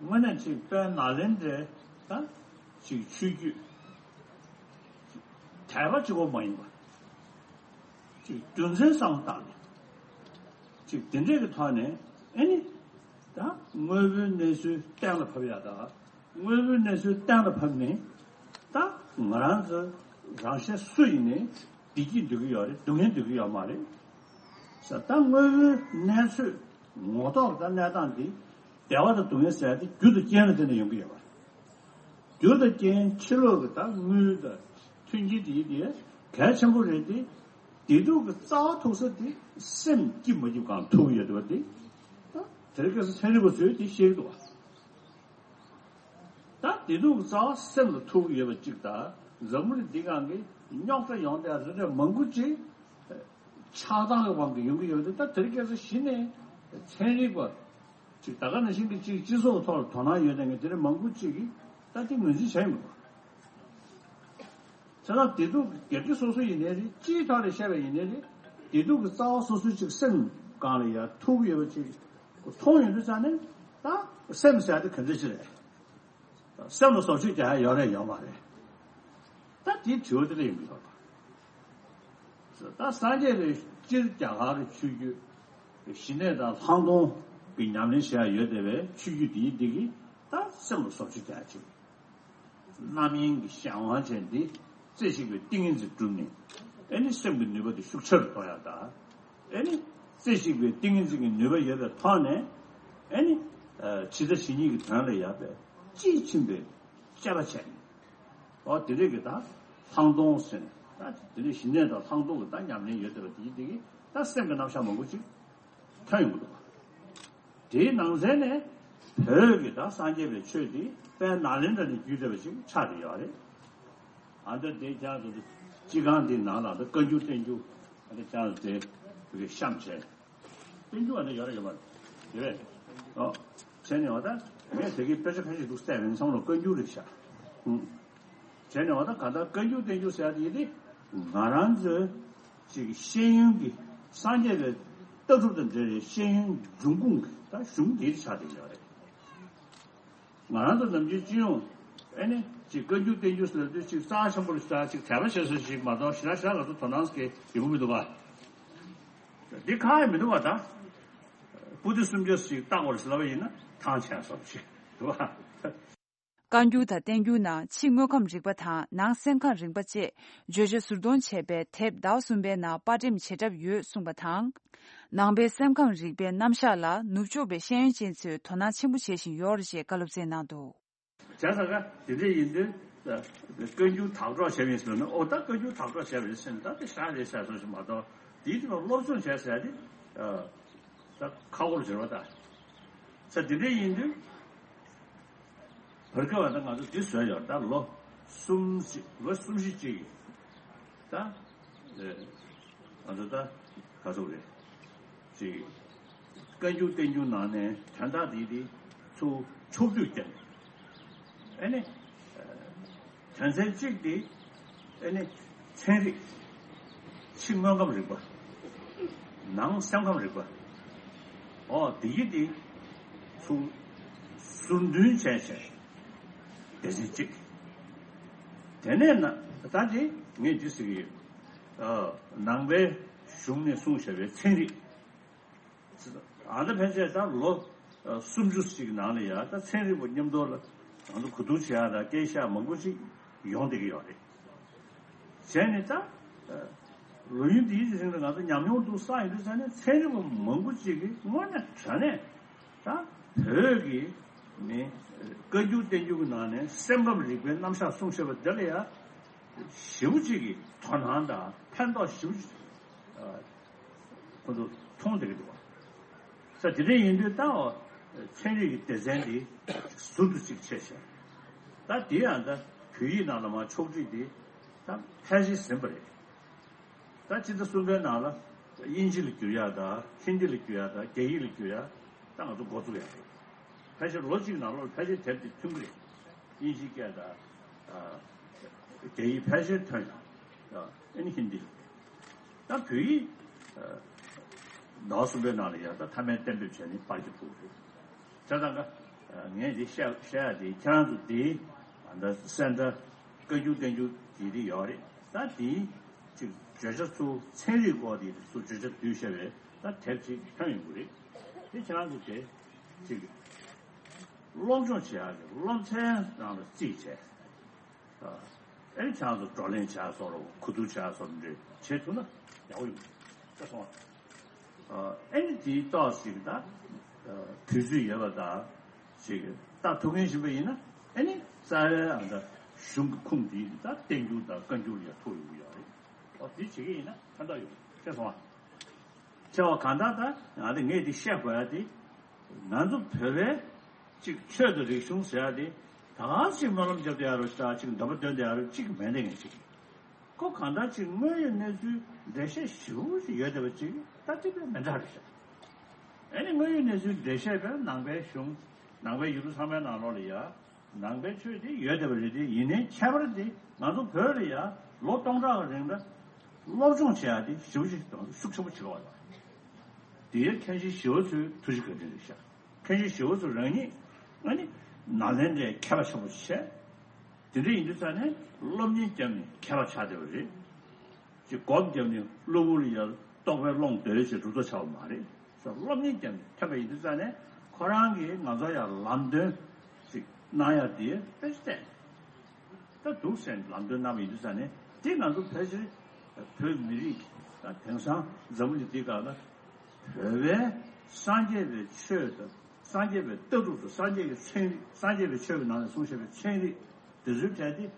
དངོས་གནས་ཅིག་དཔལ་ནཱ་ལེནྡྲའི་ད་ཅིག་ཆོས་བརྒྱུད་དད་པ་གཅིག་པོ་མ་ཡིན་པ་ཅིག་རྒྱུ་མཚན་བསམ་བློ་བཏང་ནས་ཅིག་དེ་འདྲས་ཀྱི་ཐོག་ནས་ཨེ་ནི་ད་དངོས་པོའི་གནས་ཚུལ་གཏན་ལ་ཕབ་ཡག་དང་། དངོས་པོའི་གནས་ཚུལ་གཏན་ལ་ཕབ་ནས་ད་ང་རང་ཚོ་རང་གཞན་སུ་ཡིན་ནའི་བདེ་སྐྱིད་འདོད་ཀྱི་ཡོད་རེད། སྡུག་བསྔལ་འདོད་ཀྱི་ཡོད་མ་རེད་ཟེར། ད་དངོས་པོའི་གནས་ཚུལ་ངོ་ཐོག་ད་གནས་སྟངས་འདི་བདེ་བ་དང་སྡུག་བསྔལ་ཟེར་ཡ་དེ་རྒྱུ་དང་རྐྱེན་ལ་བརྟེན་ནས་ཡོང་གི་ཡོད་པ་རེད། རྒྱུ་དང་རྐྱེན་ཕྱི་ལོགས་ཀྱི་ད་དངུལ་དང་མཐུན་རྐྱེན་དེ་ཡིན་དེ་གལ་ཆེན་པོ་རེད་དེ། བདེ་སྡུག་གི་རྩ་བ་ཐུག་ས་དེ་སེམས་སྐྱིད་མ་སྐྱིད་གང་ཐུག་ཡོད་པ་དེ་ད་དེ་རིང་ཁ་སང་ཚན་རིག་པ་ཚོས་དེ་ཤེས་ཀྱི་འདུག་བ། ད་བདེ་སྡུག་གི་རྩ་བ་སེམས་ལ་ཐུག་གི་ཡོད་པ་གཅིག་དང་འཛམ་བུ་གླིང་འདི་སྒང་གི་རྙོག་དྲ་ཡོང་བསྡད་རེ་རེ་མང་པོ་ཅིག་ ཆགས་སྡང་གི་དབང་གིས་ཡོང་གི་ཡོད་དེ། ད་དེ་རིང་ཁ་སང་གཞི་ནས་ཚན་རིག་པ་ཅིག་ད་ག་ནང་བཞིན་གྱི་ཅིག་སྤྱི་ཚོགས་ཐོག་ལ་དོ་སྣང་ཡོད་མཁན་གྱི་དེ་འདྲ་མང་པོ་ཅིག་གིས་ད་དེ་ངོས་འཛིན་བྱས་ཡོང་གི་འདུག་བྱས་ཙང་བདེ་སྡུག་སྒེར་གྱི་སོ་སོ་ཡིན་ནའི་རེད། སྤྱིའི་ཐོག་ལ་བཤད་པ་ཡིན་ནའི་རེད། བདེ་སྡུག་གི་རྩ་བ་སོ་སོའི་ཅིག་སེམས་སྒང་ལ་ཡ་ཐུག་ཡོད་པ་ཅིག་མཐོང་ཡོང་དུས་ཙང་ནས་ད་སེམས་ཟེར་ཡ་དེ་ག་འདྲ་ཅིག་རེད། སེམས་ལ་བཟོ་བཅོས་རྒྱག་ཡ་ཡོད་རེད་ཡོད་མ་རེད། ད་དེའི་དྲི་བ་དེ་འདྲ་ཡིན་པ་རེད། ད་སངས་རྒྱས་པའི་སྤྱིར་རྒྱ་གར་ཆོས་བརྒྱུད་ཞི་གནས་དང་ལྷག་མཐོང་གི་ཉམས་ལེན་བྱེད་ཡ་ཡོད་བསྡད་པའི་ཆོས་བརྒྱུད་འདིའི་འདི་གིས་ད་སེམས་ལ་བཟོ་བཅོས་རྒྱག་ཡ་ཅིག་རྣམ་གཡེང་གི་གཞན་དབང་ཅན་འདི་རྩེ་གཅིག་པའི་ཏིང་ངེ་འཛིན་བསྒྲུབས་ནས། ཨེ་ནི་སེམས་ཀྱི་ནུས་པ་དེ་ཤུགས་ཆེ་རུ་གཏོང་ཡ་དང་། ཨེ་ནི་རྩེ་གཅིག་པའི་ཏིང་ངེ་འཛིན་གྱི་ནུས་པ་ཡོད་པའི་ཐོག་ནས། ཨེ་ནི་ཇི་ལྟ་ཇི་སྙེད་ཀྱི་དོན་ལ་ཡག་པའི་དཔྱིས་ཕྱིན་པའི་དཔྱད་པ་བྱས་ནས། འོ་དེ་འདྲས་ཀྱི་ད་ལྷག་མཐོང་ཟེར་ནས། ད་དེ་འདྲས་ཞི་གནས་དང་ལྷག་མཐོང་གི་ད་ཉམས་ལེན་ཡོད་བསྡད་པ་དེ་དེ་གིས་ད་སེམས་ཀྱི་རྣམ་གཞག་མང་པོ་ཅིག་ཐོན་ཡོང་གི་འདུག་དེའི་ནང་ཚན་ནས་བོད་ཀྱི་ད་སངས་རྒྱས་པའི་ཆོས་འདི་དཔལ་ནཱ་ལེནྡྲ་ནས་བརྒྱུད་བསྡད་པ་ཞིག་ཆགས་བསྡད་ཡོད་རེད། ཨ་འདི་དེ་ཀྱང་དུ་སྤྱི་ཁང་འདི་ནང་ལ་ད་བཀའ་འགྱུར་བསྟན་འགྱུར་ཨ་འདི་ཀྱང་དུ་དེ་བོད་ཀྱི་གཤམ་བྱས། བསྟན་འགྱུར་ཨ་འདི་ཡོད་རེད་ཡོད་མ་རེད། ཡོད་རེད། ཨོ། བྱས་ནས་བ་ད་ངས་དེ་གའི་དཔེ་ཆ་ཁ་ཤས་འདུག་བལྟས་པ་ཡིན་ཙང་ལ་བཀའ་འགྱུར་རེད་ཤག་ཨུ། བྱས་ནས་བ་ད་ག་ད་བཀའ་འགྱུར་བསྟན་འགྱུར་ཟེར་ཡ་དེ་ཡིན་ཏེ། ང་རང་ཚོའི་ཅིག་ཤེས་ཡོན་གྱི་སངས་རྒྱས་པའི་ལྟ་གྲུབ་དང་འབྲེལ་བའི་ཤེས་ཡོན་འབྱུང་ཁུངས་ཀྱི་ད་གཞུང་འདི་ཆགས་བསྡད་ཡོད་རེད། ང་རང་ཚོ་ནམ་རྒྱུན་སྤྱི་ཡོངས་ཨེ་ནི་ཅིག་བཀའ་འགྱུར་བསྟན་འགྱུར་ཟེར་དུས་ཅིག་རྩ་ཆེན་པོ་ལ་ཞེ་དྲག་ཅིག་དད་པ་བྱེད་སྲོལ་ཞིག་མ་གཏོགས་ཞེ་དྲག་ཞེ་དྲག་ང་ཚོ་དོ་སྣང་གི་ཡོང་གི་མི་འདུག་ག་འདི་ཁག་ཡང་མི་འདུག་ག་ད་པོ་ཏི་སུམ་བརྒྱ་ཞིག་བཏགས་པར་ཟེར་ལབ་པ་ཡིན་ན་ཐང་ཆད་སོང་ཞིག་འདུག་ག་བཀའ་འགྱུར་དང་བསྟན་འགྱུར་ནང་ཕྱི་དངོས་ཁམས་རིག་པ་དང་ནང་སེམས་ཁམས་རིག་པ་བཅས་བརྗོད་བྱ་ཟུར་གཏོང་བྱས་པའི་དེབ་ཟླ་བ་གསུམ་པའི་ནང་པར་འགྲེམས་བྱེད་གྲབས་ཡོད་གསུངས་པ་དང་། ནང་པའི་སེམས་ཁམས་རིག་པའི་རྣམ་གཞག་ལ་ནུབ་ཕྱོགས་པའི་ཤེས་ཡོན་ཅན་ཚོས་དོ་སྣང་ཆེན་པོ་བྱེད་བཞིན་ཡོད་རེད་ཅེས་བཀའ་སློབ་སྩལ་གནང་འདུག་བྱས་ཙང་ཀ་དེ་འདྲ་ཡིན་དུས་བཀའ་འགྱུར་དག་སྒྲོག་བྱས་པ་ཡིན་ཟེར་ན། ཨོ་ད་བཀའ་འགྱུར་དག་སྒྲོག་བྱས་པ་ཡིན་ཟེར་ན་ད་དེ་ཞག་རེད་ཟེར་སོང་ཞིག་མ་གཏོགས་དེའི་དུས་ལ་སློབ་སྦྱོང་བྱས་ཟེར་ཡ་དེ་ད་ཁག་པོ་རེད་བ་ད། ས་དེ་འདྲ་ཡིན་དུས། བར་སྐབས་ད་ང་ཚོ་འདི་བཟོས་ཡོད་ད་ལོ་གསུམ་བཞི་ལོ་གསུམ་བཞི་གཅིག་གི་ད་ཨེ་ང་ཚོ་ད་ག་ཚོད་རེད་ཅིག་བཀའ་འགྱུར་བསྟན་འགྱུར་ནང་ནས་དོན་དག་འདི་འདི་ཚུར་ཕྱོགས་བསྡུས་བསྐྱལ་ནས་ཨེ་ནི་དོན་ཚན་གཅིག་འདི་ཨེ་ནི་ཚན་རིག་ཕྱི་དངོས་ཁམས་རིག་པ། ནང་སེམས་ཁམས་རིག་པ། ཨོ་དེ་ཡི་དེ་ཚུར་ཟུར་འདོན་བྱས་བྱས་སྡེ་ཚན་གཅིག་དེ་ནས་ན་ད་དེ་ངས་འདི་ཟེར་གྱི་ཡོད། ཨ་ནང་པའི་གཞུང་ནས་གསུངས་བཞག་པའི་ཚན་རིག་ཨ་ད་ཕན་ཆད་ད་ལོ་སུམ་ཅུ་ཞིག་ནང་ལ་ཡ་ད་ཚན་རིག་པ་མཉམ་དུ་ལ་ང་ཚོ་གོ་བསྡུར་བྱེད་ཡ་དང་སྐད་ཆ་མང་པོ་ཞིག་ཡོང་བསྡད་ཀྱི་ཡོད་རེད། བྱས་ནས་ད་ལོ་ཡུན་འདིའི་རིང་ལ་ང་ཚོ་ཉམས་མྱོང་འདུག་བསགས་ཡོང་དུས་ཙང་ནས་ཚན་རིག་པ་མང་པོ་ཅིག་གིས་དངོས་གནས་དྲང་གནས་ད་བོད་ཀྱི་ནི་བཀའ་འགྱུར་བསྟན་འགྱུར་གྱི་ནང་ནས་སེམས་ཁམས་རིག་པའི་རྣམ་གཞག་གསུངས་བཞག་པ་འདི་ལ་ཡ་ཞེ་པོ་ཅིག་གི་དོ་སྣང་དང་ཕན་ཐོགས་ཞེ་པོ་ཅིག་ཁོ་ཚོ་མཐོང་བསྡད་ཀྱི་འདུག་བ། ས་དེ་འདྲ་ཡིན་དུས་ད་ཚན་རིག་གི་སྡེ་ཚན་འདི་ཟུར་དུ་གཅིག་ཕྱེ་བྱས། ད་དེ་ཡང་ད་བོད་ཡིག་ནང་ལ་མར་ཕྱོགས་སྒྲིག་འདི་ད་ཕལ་ཆེར་ཟིན་པ་རེད། ད་སྤྱི་ཟླ་གསུམ་པའི་ནང་ལ་དབྱིན་ཇི་ལ་བསྒྱུར་ཡག་དང་ཧིན་དི་ལ་བསྒྱུར་ཡག་དང་རྒྱ་ཡིག་ལ་བསྒྱུར་ཡག་ད་ང་ཚོ་འགོ་བཙུགས་ཡག་རེད། ཕལ་ཆེར་ལོ་གཅིག་ནང་ལོགས་ལ་ཕལ་ཆེར་དེབ་དེ་ཐོན་གྱི་རེད། དབྱིན་ཇིའི་སྐད་དང་། ཨ། རྒྱ་ཡིག་ཕལ་ཆེར་ཐོན་ཡོད། ཨ་ནི་ཧིན་དི། ད་བོད་ཡིག་ཨ། ཟླ་བ་གསུམ་པའི་ནང་ལ་ཡང་ད་མཐའ་མའི་གཏན་འབེབས་བྱས་ནས་པར་རྒྱག་ཐུབ་རེད། བྱས་ཙང་ཀ་ངས་འདི་བཤད་བཤད་ཡ་དེ་ཁྱེད་རང་ཚོ་དེ་ད་སེ་འབྲས་བཀའ་འགྱུར་བསྟན་འགྱུར་དེ་དེ་ཡོད་རེད། ད་དེ་ཅིག་བརྗོད་བྱ་ཚུར་ཚན་རིག་སྐོར་དེ་ཚུར་བརྗོད་བྱ་བསྡུས་བཤད་པའི་ད་དེབ་ཅིག་ཐོན་ཡོང་གི་རེད། དེ་ཁྱེད་རང་ཚོ་དེ་ཅིག་སློབ་སྦྱོང་བྱེད་ཡག་གི་སློབ་ཚན་ནང་ལ་བརྩིས་བྱས། ཨ་ནི་ཁྱེད་རང་ཚོ་བགྲོ་གླེང་བྱ་སོགས་གོ་བསྡུར་བྱ་སོགས་འདྲ་བྱེད་ཐུབ་ན་ཡག་པོ་ཡོང་། ཤེས་སོང་ཨ། ཨ་ནི་དེའི་ཏོག་ཞིག་ད་དུས་ཚོད་ཡོད་པ་ད་ཞིག་ལྟ་ཐུབ་མཁན་ཞིག་ཡིན་ན་ཨ་ནི་རྩ་བའི་ཨ་ད་གཞུང་གི་ཁུངས་དེ་ད་བསྟན་འགྱུར་དང་བཀའ་འགྱུར་ལ་ཐུག་ཡོང་གི་ཡོད་རེད། ཨོ་དེ་བྱེད་ཀྱི་ཡིན་ན་ཕན་ཐོགས་ཡོང་། ཤེས་སོང་ཨ། ཆེ་བ་གང་ལྟར་ད་ང་ཚོ་ངས་འདི་བཤད་དགོས་ཡ་དེ། ང་ཚོ་བོད་པའི་གཅིག་ཆོས་དང་རིག་གཞུང་ཟེར་ཡ་དེ་ད་ག་ཅིག་སྨོན་ལམ་རྒྱབ་བསྡད་ཡ་རོ་ཅིག་འདོན་པ་འདོན་བསྡད་ཡ་རོ་གཅིག་མེད་བསྡད་མཁན་ཅིག་ཁོ་གང་ལྟར་ཅིག་དངོས་ཡོད་གནས་ཚུལ་འགྲེལ་བཤད་ཞིབ་པོ་ཞིག་ཡོད་བསྡད་པ་ཅིག་ད་དེ་དཔེ་མི་འདྲ་རེད་ཤག་ཨ་ནི་དངོས་ཡོད་གནས་ཚུལ་འགྲེལ་བཤད་པས་ནང་པའི་གཞུང་ནང་པའི་ཡུལ་གྲུ་ཚང་མའི་ནང་ལོགས་ལ་ཡ་ནང་པའི་ཆོས་དེ་ཡོད་བསྡད་པ་རེད་དེ། ཡིན་ནའི་ཁྱད་པར་དེ་ང་ཚོ་བོད་ལ་ཡ་ལོ་སྟོང་ཕྲག་གི་རིང་ལ་སློབ་སྦྱོང་བྱེད་ཡ་དེ་ཞིབ་པོ་ཞིག་དང་ཤུགས་ཆེན་པོ་བྱེད་དགོས་པ་དང་། དེའི་མཁན་ཆེན་ཞི་བ་འཚོའི་ཐུགས་རྗེ་བཀའ་དྲིན་རེད་ཤག་མཁན་ཆེན་ཞི་བ་འཚོ་རང་ཉིད་ཨ་ནི་ནཱ་ལེནྡྲའི་མཁས་པ་ཆེན་པོ་བྱས། དེ་འདྲ་ཡིན་དུས་ཙང་ནས་སློབ་གཉེར་བརྒྱབ་ནས་མཁས་པ་ཆགས་བསྡད་པ་རེད། ཅིག་སྒོམ་བརྒྱབ་ནས་གློ་བུར་ཡར་རྟོགས་པའི་ཀློང་རྡོལ་ཅིག་གྲུབ་ཐོབ་ཆགས་པ་མ་རེད། སློབ་གཉེར་བརྒྱབ་ནས་ཐོན་པ་ཡིན་དུས་ཙང་ནས་ཁོ་རང་གིས་ང་ཚོ་ཡར་ལམ་སྟོན་ཅིག་གནང་ཡ་དེ་དཔེ་ཆ་བལྟས། ད་འདུག་སེ་ལམ་སྟོན་གནང་བ་ཡིན་དུས་ཙང་ནས་དེ་ང་ཚོ་ཕལ་ཆེར་བོད་མི་རིགས་ད་དེང་སང་འཛམ་བུ་གླིང་འདི་སྒང་ལ་བོད་པའི་སངས་རྒྱས་པའི་ཆོས་དང་སངས་རྒྱས་པའི་ལྟ་གྲུབ་དང་སངས་རྒྱས་ཀྱི་ཚན་རིག་སངས་རྒྱས་པའི་ཆོས་ཀྱི་ནང་ནས་གསུངས་བཞག་པའི་ཚན་རིག་དེ་ཚོའི་གྲས་དེ་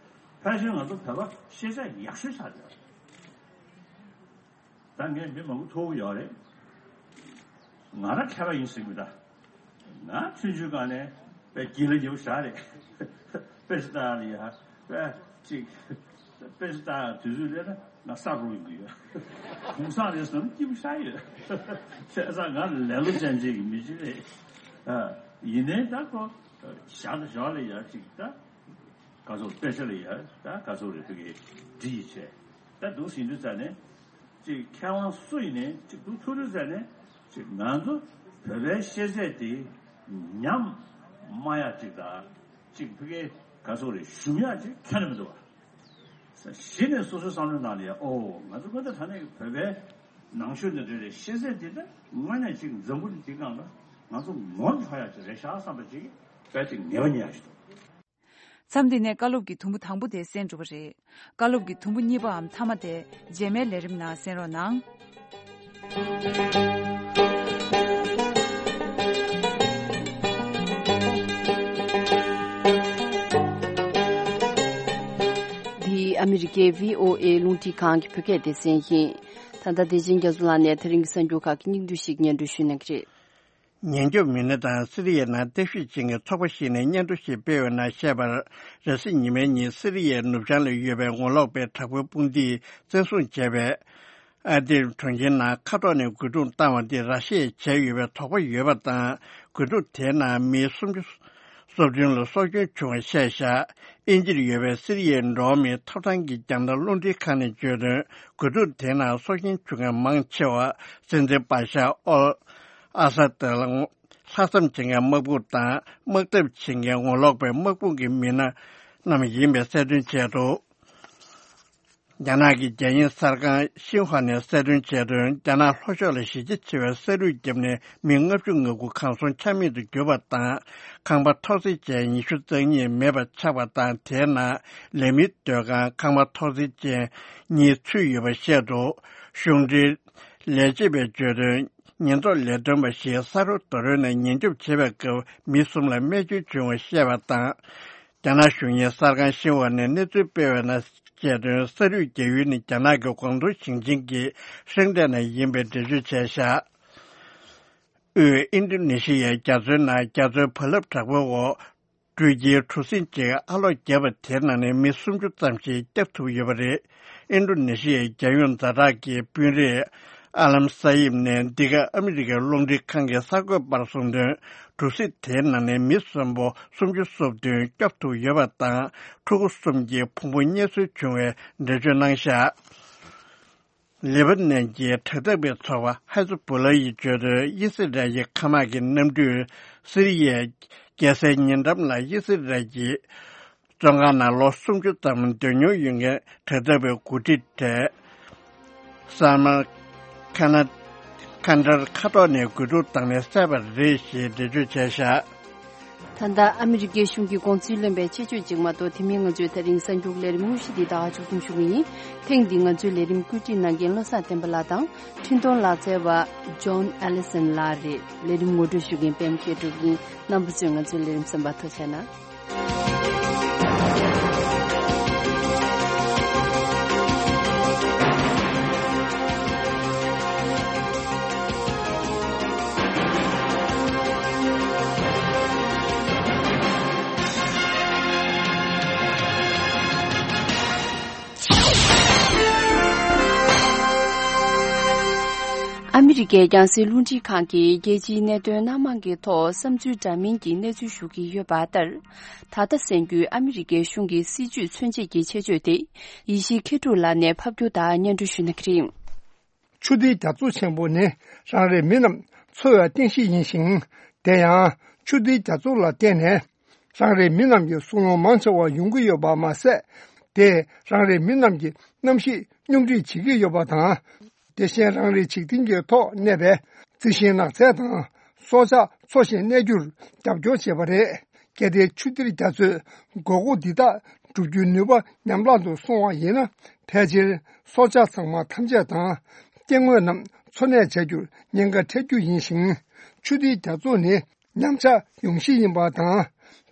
ཕལ་ཆེར་ང་ཚོ་བོད་པ་ཤེས་ཚད་ཡག་ཤོས་ཆགས་བསྡད་པ་རེད། ད་ངས་མི་མང་པོ་ཐུག་གི་ཡོད་རེད། ང་རང་མཁས་པ་ཡིན་ཟེར་གི་མི་འདུག་ང་ཆུང་ཆུང་སྒང་ནས་དཔེ་དགེ་ལ་ཉེ་པོ་ཞེ་དྲག་རེད། དཔེ་ཆ་ལྟ་ཡ་ལ་ཡ་དཔེ་ཅིག་དཔེ་ཆ་ལྟ་ཡ་དུས་ཚོད་སླེབས་ན་ང་ས་རུབ་ཡོང་གི་ཡོད། གུང་སེང་རེད་བསམ་སྐྱིད་པོ་ཞེ་དྲག་ཡོད། བྱས་ཙང་ང་ལེ་ལོ་ཅན་ཅིག་གི་མི་ཅིག་རེད། ཨ། ཡིན་ནའི་ད་ཁོ་བཞག་ད་བཞག་ལ་ཡ་ཅིག་ད། ག་ཚོད་དཔེ་ཆ་ལ་ཡ་ད་ག་ཚོད་རེད། ཕ་གི་འདྲི་ཡི་བྱས། ད་འདུག་སེ་ཡིན་དུས་ཙང་ནས་ཅིག་མཁས་དབང་སུ་ཡིན་ནའི་ཅིག་འདུག་ཐུག་དུས་ཙང་ནས་ཅིག་ང་ཚོ་བོད་པའི་ཤེས་ཚད་དེ་ཉམས་སྨྲ་ཡ་ཅིག་དང་ཅིག་ཕ་གི་ག་ཚོད་རེད་ཞུམ་ཡ་ཅིག་ཁྱོན་ནས་མི་འདུག་བ། གཞི་ནས་སོ་སོའི་བསམ་བློའི་ནང་ལ་ཡ་ཨོ་ང་ཚོ་ཀུན་ཏུ་ད་ནས་བོད་པའི་ནང་ཆོས་འདི་འདྲ་རེད། ཤེས་ཚད་འདི་ད་དངོས་གནས་ཅིག་འཛམ་བུ་གླིང་འདི་སྒང་ལ་ང་ཚོ་ངོ་འཕྲོད་ཡ་ཅིག་རེད་ཤག་བསམ་པ་ཅིག་དཔེ་ཅིག་ངེས་པ་རྙེད་ཡ་ཞིག་འདུག་མཚམས་འདི་ནས་བཀའ་སློབ་ཀྱི་དུམ་བུ་དང་པོ་དེ་གསན་གྲུབ་པ་རེད། བཀའ་སློབ་ཀྱི་དུམ་བུ་གཉིས་པའམ་མཐའ་མ་དེ་རྗེས་མའི་ལས་རིམ་ནང་གསན་རོགས་གནང་། འདི་ཨ་མི་རི་ཀའི་བྷི་ཨོ་ཨེ་རླུང་འཕྲིན་ཁང་གི་བོད་སྐད་སྡེ་ཚན་ཡིན། ད་ལྟ་བདེ་ཆེན་རྒྱ་མཚོ་ལགས་ནས་དེ་རིང་གི་གསར་འགྱུར་ཁག་གི་སྙིང་བསྡུས་ཤིག་སྙན་སྒྲོན་ཞུ་གནང་གི་རེད། ཉེན་སྐྱོབ་མི་སྣ་དང་སི་རི་ཡའི་ནང་བརྟག་ཞིབ་བྱེད་མཁན་ཚོགས་པ་ཞིག་ནས་སྙན་ཐོ་ཞིག་སྤེལ་བའི་ནང་བཤད་པར། རེས་གཟའ་ཉི་མའི་ཉིན་སི་རི་ཡའི་ནུབ་བྱང་ལ་ཡོད་པའི་ངོ་ལོག་པའི་དྲག་པོའི་དཔུང་སྡེས་བཙན་བཟུང་བྱས་པའི་ཨ་དིར་གྲོང་ཁྱེར་ནང་མཁའ་ཐོག་ནས་རྒོལ་རྡུང་བཏང་བ་འདི་ར་ཤི་ཡས་བྱས་ཡོད་པའི་དོགས་པ་ཡོད་པ་དང་། རྒོལ་རྡུང་དེའི་ནང་མི་སུམ་ཅུ་སོ་བདུན་ལ་སྲོག་སྐྱོན་བྱུང་བ་བཤད་བཞག་དབྱིན་ཇིར་ཡོད་པའི་སི་རི་ཡའི་འགྲོ་བ་མིའི་ཐོབ་ཐང་གི་རྒྱང་ལྟ་རླུང་འཕྲིན་ཁང་ནས་བརྗོད་དོན། རྒོལ་རྡུང་དེའི་ནང་སྲོག་སྐྱོན་བྱུང་མཁན་མང་ཆེ་བ་སྲིད་འཛིན་པཱ་ཤར་ཨོལ་ཨ་ས་ཏི་ལ་ལྷག་བསམ་བྱེད་མཁན་དམག་དཔུང་དང་དམག་འཐབ་བྱེད་མཁན་ངོ་ལོག་པའི་དམག་དཔུང་གི་མི་སྣ་རྣམས་ཡིན་པའི་གསལ་སྟོན་བྱས་འདུག་རྒྱ་ནག་གི་རྒྱལ་ཡོངས་གསར་ཁང་ཤིན་ཧྭ་ནས་གསལ་སྟོན་བྱས་དོན། རྒྱ་ནག་ལྷོ་ཕྱོགས་ལ་གཞི་རྒྱ་ཆེ་བའི་ས་རུད་བརྒྱབ་ནས་མི་ལྔ་བཅུ་ང་དགུ་གང་སོང་ཆ་མེད་དུ་གྱུར་པ་དང་། ཁང་པ་འཐོར་བསྲེག་ཅན་ཉི་ཤུ་རྩ་གཉིས་མེད་པ་ཆགས་པ་དང་། དེའི་ནང་ལས་མིའི་སྡོད་ཁང་ཁང་པ་འཐོར་བསྲེག་ཅན་གཉིས་ཚུད་ཡོད་པ་བཤད་འདུག་གཞུང་འབྲེལ་ལས་བྱེད་པས་བརྗོད་དོན། ཉེན་རྟོག་ལས་དོན་པ་ཞིག་ས་རོ་རྡོ་རོལ་ནས་ཉེན་སྐྱོབ་བྱེད་པའི་སྐབས་མི་གསུམ་ལ་རྨས་སྐྱོན་བྱུང་བ་བཤད་པ་དང་། རྒྱ་ནག་གཞུང་གཉེར་གསར་ཁང་ཤིན་ཧྭ་ནས་གནས་ཚུལ་སྤེལ་བའི་ནང་བཤད་དོན། ས་རུད་རྒྱག་ཡུལ་ནི་རྒྱ་ནག་གི་ཀོང་ཏུང་ཞིང་ཆེན་གྱི་ཧྲེང་ཏེ་ནས་ཡིན་པའི་འགྲེལ་བརྗོད་བྱས་བཞག་དབུས་ཨིན་ཌོ་ནེ་ཤི་ཡའི་རྒྱ་མཚོའི་ནང་རྒྱ་མཚོའི་རྦ་རླབས་དྲག་པོའི་འོག་འགྲུལ་སྐྱེལ་གྲུ་གཟིངས་ཅིག་ཨ་ལོག་བརྒྱབ་པ་དེའི་ནང་ནས་མི་སུམ་ཅུ་ཙམ་ཞིག་བསྐྱབས་ཐུབ་ཡོད་པ་རེད། ཨིན་ཌོ་ནེ་ཤི་ཡའི་རྒྱལ་ཡོངས་ཛ་དྲག་གི་དཔོན་རིགས་ཨ་ལམ་ས་ཡིབ་ནས་འདི་ག་ཨ་མི་རི་ཀའི་རླུང་འཕྲིན་ཁང་གི་གསར་འགོད་པར་གསུངས་དོན། གྲུ་གཟིངས་དེའི་ནང་ནས་མི་གསོན་པོ་སུམ་ཅུ་སོ་བདུན་སྐྱོབ་ཐུབ་ཡོད་པ་དང་། ཕྲུ་གུ་གསུམ་གྱི་ཕུང་པོ་རྙེད་སོན་བྱུང་བའི་འགྲེལ་བརྗོད་གནང་བཞག་ལེ་པ་ནན་གྱི་དྲག་འཐབ་པའི་ཚོགས་པ་ཧེ་ཛ་བུ་ལ་ཡིས་བརྗོད་དོན། ཨི་སི་རལ་གྱི་མཁའ་དམག་གི་གནམ་གྲུས་སི་རི་ཡའི་རྒྱལ་སའི་ཉེ་འགྲམ་ལ་ཨི་སི་རལ་གྱི་བཙོན་ཁང་ནང་ལོ་སུམ་ཅུ་ཙམ་སྡོད་མྱོང་ཡོད་མཁན་དྲག་འཐབ་པའི་འགོ་ཁྲིད་དེ་སཱ་མར་ཁ་ན་ཁན་ཌར་མཁའ་ཐོག་ནས་རྒོལ་རྡུང་བཏང་ནས་བསད་པ་རེད་ཞེས་འགྲེལ་བརྗོད་བྱས་བཞག་ད་ལྟ་ཨ་མི་རི་ཀའི་གཞུང་གི་དགོངས་ཚུལ་ལོན་པའི་ཆེད་བརྗོད་ཅིག་མ་གཏོགས། དེ་མིན་ང་ཚོའི་དེ་རིང་གསར་འགྱུར་ལས་རིམ་དངོས་གཞི་འདི་ད་ག་མཇུག་སྡོམ་ཞུ་གི་ཡིན། ཐེངས་འདིའི་ང་ཚོའི་ལས་རིམ་བཀོད་སྒྲིག་གནང་མཁན་བློ་བཟང་བསྟན་པ་ལགས་དང་། འཕྲིན་གཏོང་ལག་རྩལ་བ་ཇོན་ཨེ་ལི་སན་ལགས་རེད། ལས་རིམ་ངོ་སྤྲོད་ཞུ་མཁན་པད་མ་མཁས་གྲུབ་ཡིན། རྣམ་པ་ཚོས་ང་ཚོའི་ལས་རིམ་གསན་པར་ཐུགས་རྗེ་གནང་། ཨ་མི་རི་ཀའི་རྒྱང་སྲིང་རླུང་འཕྲིན་ཁང་གིས་རྒྱལ་སྤྱིའི་གནད་དོན་སྣ་མང་གི་ཐོག་བསམ་ཚུལ་འདྲ་མིན་གྱི་གནས་ཚུལ་ཞུ་གི་ཡོད་པ་ལྟར། ད་ལྟ་གསན་རྒྱུའི་ཨ་མི་རི་ཀའི་གཞུང་གི་སྲིད་ཇུས་མཚོན་བྱེད་ཀྱི་ཆེད་བརྗོད་དེ། ཡེ་ཤེས་མཁས་གྲུབ་ལགས་ནས་ཕབ་སྒྱུར་དང་སྙན་སྒྲོན་ཞུ་གནང་གི་རེད། ཆུ་ཟླའི་རྒྱ་མཚོ་ཆེན་པོ་ནི་རང་རེའི་མི་རྣམས་འཚོ་བའི་རྟེན་གཞི་ཡིན་ཞིང་། དེ་ཡང་ཆུ་ཟླའི་རྒྱ་མཚོ་ལ་བརྟེན་ནས་རང་རེའི་མི་རྣམས་ཀྱི་སྲོག་ལོང་མང་ཆེ་བ་ཡོང་གི་ཡོད་པ་མ་ཟད། དེས་རང་རེའི་མི་རྣམས་ཀྱི་གནམ་གཤིས་སྙོམས་སྒྲིག་བྱེད་ཀྱི་ཡོད་པ་དང་། དེ་བཞིན་རང་རེའི་འཇིག་རྟེན་གྱི་ཐོག་གནས་པའི་རྩི་ཤིང་ནགས་ཚལ་དང་སྲོག་ཆགས་འཚོ་ཞིང་གནས་རྒྱུར་རྒྱབ་སྐྱོར་བྱས་པ་རེད། གལ་ཏེ་ཆུ་གཏེར་རྒྱ་མཚོས་དགོས་མཁོ་འདི་དག་བསྒྲུབ་རྒྱུའི་ནུས་པ་ཉམས་བརླག་ཏུ་སོང་བ་ཡིན་ན། ཕལ་ཆེར་སྲོག་ཆགས་ཚང་མ་ཐམས་ཅད་དང་སྐྱེ་དངོས་རྣམས་འཚོ་གནས་བྱ་རྒྱུར་ཉེན་ཁ་འཕྲད་རྒྱུ་ཡིན་ཞིང་། ཆུ་གཏེར་རྒྱ་མཚོ་ནི་ཉམས་ཆག་ཡོང་གཞི་ཡིན་པ་དང་།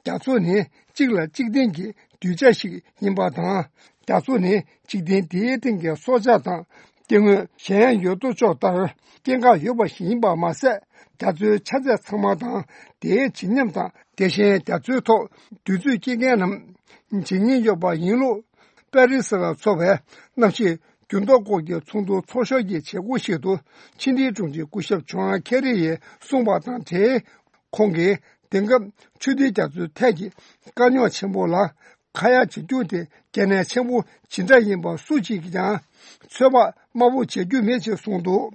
རྒྱ་མཚོ་ནི་གཅིག་ལ་གཅིག་བརྟེན་གྱི་གདུལ་བྱ་ཞིག་ཡིན་པ་དང་། རྒྱ་མཚོ་ནི་འཇིག་རྟེན་འདིའི་སྟེང་གི་སྲོག་ཆགས་དང་སྐྱེ་དངོས་གཞན་ཡོད་དོ་ཅོག་ལྟར་སྐྱེ་འགག་ཡོད་པ་ཞིག་ཡིན་པ་མ་ཟད། རྒྱ་མཚོའི་ཆ་ཚད་ཚང་མ་དང་དེའི་བརྗིད་ཉམས་དང་། དེ་བཞིན་རྒྱ་མཚོའི་ཐོག་དུས་ཚོད་སྐྱེལ་མཁན་རྣམས་བརྗེད་ཉེན་ཡོད་པ་ཡིན་ལུགས། པེ་རི་སི་ལ་འཚོགས་པའི་གནམ་གཤིས་འགྱུར་ལྡོག་སྐོར་གྱི་ཚོགས་འདུ་ཚོགས་ཞོར་གྱི་བྱེད་སྒོ་ཞིག་ཏུ་ཕྱི་དྲིལ་དྲུང་ཆེ་སྐུ་ཞབས་ཇོན་ཁེ་རི་ཡིས་གསུངས་པ་དང་འབྲེལ། ཁོང་གིས་དེང་སྐབས་ཆུ་གཏེར་རྒྱ་མཚོའི་ཐད་ཀྱི་དཀའ་རྙོག་ཆེན་པོ་ལ་ཁ་ཡ་བྱེད་རྒྱུ་དེ་གལ་གནད་ཆེན་པོ་ཇི་འདྲ་ཡིན་པ་སུ་གཅིག་གིས་ཀྱང་ཚོད་དཔག་དམའ་པོ་བྱེད་རྒྱུ་མེད་ཅེས་གསུངས་འདུག་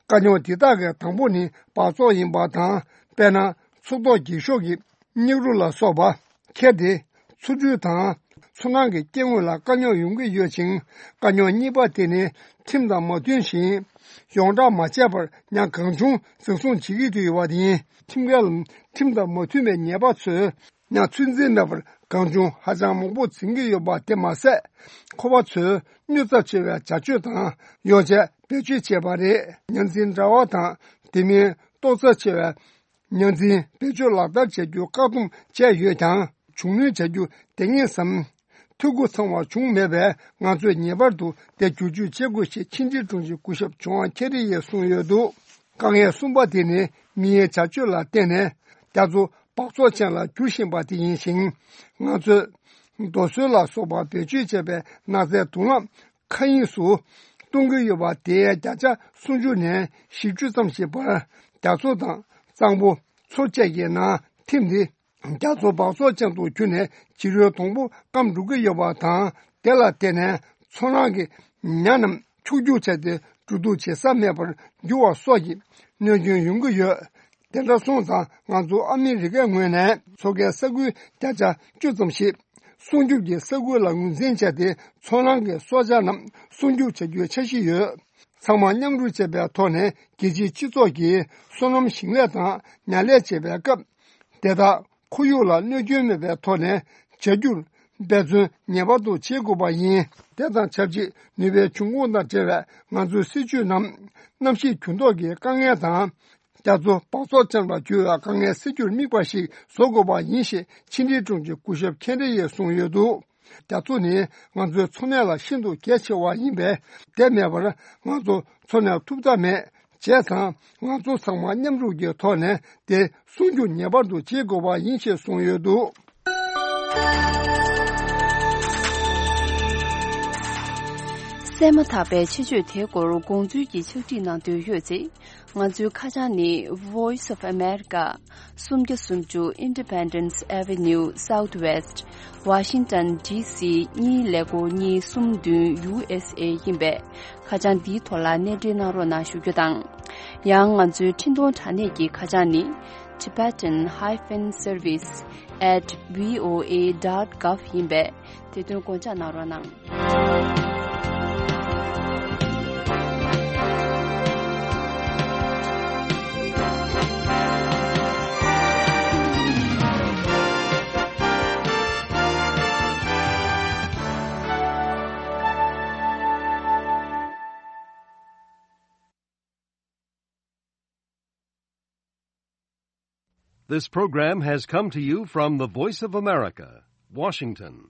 དཀའ་རྙོག་འདི་དག་གི་དང་པོ་ནི་སྦགས་བཙོག་ཡིན་པ་དང་། དཔེར་ན། མཚོ་ཐོག་འགྱིག་ཤོག་གི་མྱུག་རུ་ལ་སོགས་པ། ཁྱེར་ཏེ་མཚོ་འབྲུ་དང་མཚོ་ནང་གི་སྐྱེ་དངོས་ལ་དཀའ་རྙོག་ཡོང་གི་ཡོད་ཅིང་། དཀའ་རྙོག་གཉིས་པ་དེ་ནི་ཁྲིམས་དང་མ་མཐུན་ཞིང་། ཡོངས་བསྒྲགས་མ་བྱས་པར་ཉ་གང་བྱུང་འཛིན་བཟུང་བྱེད་ཀྱི་ཡོད་པ་ཡིན། ཁྲིམས་འགལ་ལམ་ཁྲིམས་དང་མ་མཐུན་པའི་ཉེས་པ་ཚོས་ཉ་ཚོད་འཛིན་མེད་པར་གང་བྱུང་ཧ་ཅང་མང་པོ་འཛིན་གྱི་ཡོད་པ་དེ་མ་ཟད། ཁོ་པ་ཚོས་རྙོག་ཚབས་ཆེ་བའི་བྱ་སྤྱོད་དང་ཡོ་བྱད་བེད་སྤྱོད་བྱས་པ་རེད། ཉ་འཛིན་དྲ་བ་དང་དེ་མིན་ཏོག་ཙམ་ཆེ་བའི་ཉ་འཛིན་བེད་སྤྱོད་ལག་བསྟར་བྱ་རྒྱུ་བཀག་སྡོམ་བྱས་ཡོད་ཀྱང་། བྱུང་གནོད་བྱ་རྒྱུ་དེ་ངེས་སམ། འཐུས་སྒོ་ཚང་བ་བྱུང་མེད་པས། ང་ཚོས་ངེས་པར་དུ་དེ་བསྒྱུར་བཅོས་བྱེད་དགོས་ཞེས་ཕྱི་དྲིལ་དྲུང་ཆེ་སྐུ་ཞབས་ཇོན་ཁེ་རི་ཡིས་གསུངས་ཡོད་འདུག་དཀའ་ངལ་གསུམ་པ་དེ་ནི་མིའི་བྱ་སྤྱོད་ལ་བརྟེན་ནས་རྒྱ་མཚོ་སྦགས་བཙོག་ཅན་ལ་འགྱུར་བཞིན་པ་དེ་ཡིན་ཞིང་། ང་ཚོས་རྡོ་སོལ་ལ་སོགས་པ་བེད་སྤྱོད་བྱས་པའི་ནགས་ཚལ་དུག་རླངས་མཁའ་དབྱིངས་སུ་གཏོང་གི་ཡོད་པ་དེའི་བརྒྱ་ཆ་སུམ་ཅུ་ནས་བཞི་བཅུ་ཙམ་ཞིག་བར་རྒྱ་མཚོ་དང་གཙང་པོ་མཚོ་བཅས་ཀྱི་ནང་ཐིམ་སྟེ། རྒྱ་མཚོ་སྦགས་བཙོག་ཅན་དུ་གྱུར་ནས་ཕྱི་རོལ་དང་པོ་སྐམ་འགྲོ་གི་ཡོད་པ་དང་། དེ་ལ་བརྟེན་ནས་མཚོ་ནང་གི་ཉ་རྣམས་འཁྱུག་འཁྱུག་བྱས་ཏེ་འགྲོ་འདུག་བྱེད་ས་མེད་པར་འགྱུར་བ་སོགས་ཀྱི་གནོད་སྐྱོན་ཡོང་གི་ཡོད། དེ་འདྲ་སོང་ཙང་ང་ཚོ་ཨ་མི་རི་ཀའི་ངོས་ནས་མཚོ་ཁའི་ས་ཁུལ་བརྒྱ་ཆ་བཅུ་ཙམ་ཞིག་སྲུང་སྐྱོབ་ཀྱི་ས་ཁུལ་ལ་ངོས་འཛིན་བྱས་ཏེ། མཚོ་ནང་གི་སྲོག་ཆགས་རྣམས་སྲུང་སྐྱོབ་བྱ་རྒྱུའི་འཆར་གཞི་ཡོད། ཚང་མ་མཉམ་རུབ་བྱས་པའི་ཐོག་ནས་རྒྱལ་སྤྱིའི་སྤྱི་ཚོགས་ཀྱིས་སོ་ནམ་ཞིང་ལས་དང་ཉ་ལས་བྱེད་པའི་སྐབས། དེ་དག་ཁོར་ཡུག་ལ་གནོད་སྐྱོན་མེད་པའི་ཐོག་ནས་བྱ་རྒྱུར་འབད་བརྩོན་ངེས་པར་དུ་བྱེད་དགོས་པ་ཡིན། དེ་དང་ཆབས་ཅིག་ནུས་པའི་འབྱུང་ཁུངས་དང་འབྲེལ་བའི་ང་ཚོའི་སྲིད་ཇུས་རྣམས་གནམ་གཤིས་འགྱུར་ལྡོག་གི་དཀའ་ངལ་དང་། རྒྱ་མཚོ་སྦགས་བཙོག་ཅན་ལ་འགྱུར་བའི་དཀའ་ངལ་སེལ་རྒྱུར་དམིགས་པ་ཞིག་བཟོ་དགོས་པ་ཡིན་ཞེས་ཕྱི་དྲིལ་དྲུང་ཆེ་སྐུ་ཞབས་ཁེ་རི་ཡིས་གསུངས་ཡོད་འདུག་རྒྱ་མཚོ་ནི་ང་ཚོའི་འཚོ་གནས་ལ་ཤིན་ཏུ་གལ་ཆེ་བ་ཡིན་པས། དེ་མེད་པར་ང་ཚོ་འཚོ་གནས་ཐུབ་ཐབས་མེད། བྱས་ཙང་ང་ཚོ་ཚང་མ་མཉམ་རུབ་ཀྱི་ཐོག་ནས་དེ་སྲུང་སྐྱོབ་ངེས་པར་དུ་བྱེད་དགོས་པ་ཡིན་ཞེས་གསུངས་ཡོད་འདུག་གསན་མ་ཐག་པའི་ཆེད་བརྗོད་དེའི་སྐོར་དགོངས་ཚུལ་གྱི་ཕྱག་བྲིས་གནང་འདོད་ཡོད་ཚེ། ང་ཚོའི་ཁ་བྱང་ནི། Voice of America། སུམ་བརྒྱ་སུམ་ཅུ། Independence Avenue Southwest། Washington D C གཉིས་ཀླད་ཀོར་གཉིས་གསུམ་བདུན། U S A ཡིན་པས། ཁ་བྱང་འདིའི་ཐོག་ལ་གནས་འབྲེལ་གནང་རོགས་གནང་ཞུ་རྒྱུ་དང་། ཡང་ང་ཚོའི་འཕྲིན་གཏོང་དྲ་གནས་ཀྱི་ཁ་བྱང་ནི། Tibetan hyphen service at V O A dot gov ཡིན་པས། དེ་དོན་དགོངས་འཇགས་གནང་རོགས་གནང་། This program has come to you from the Voice of America, Washington.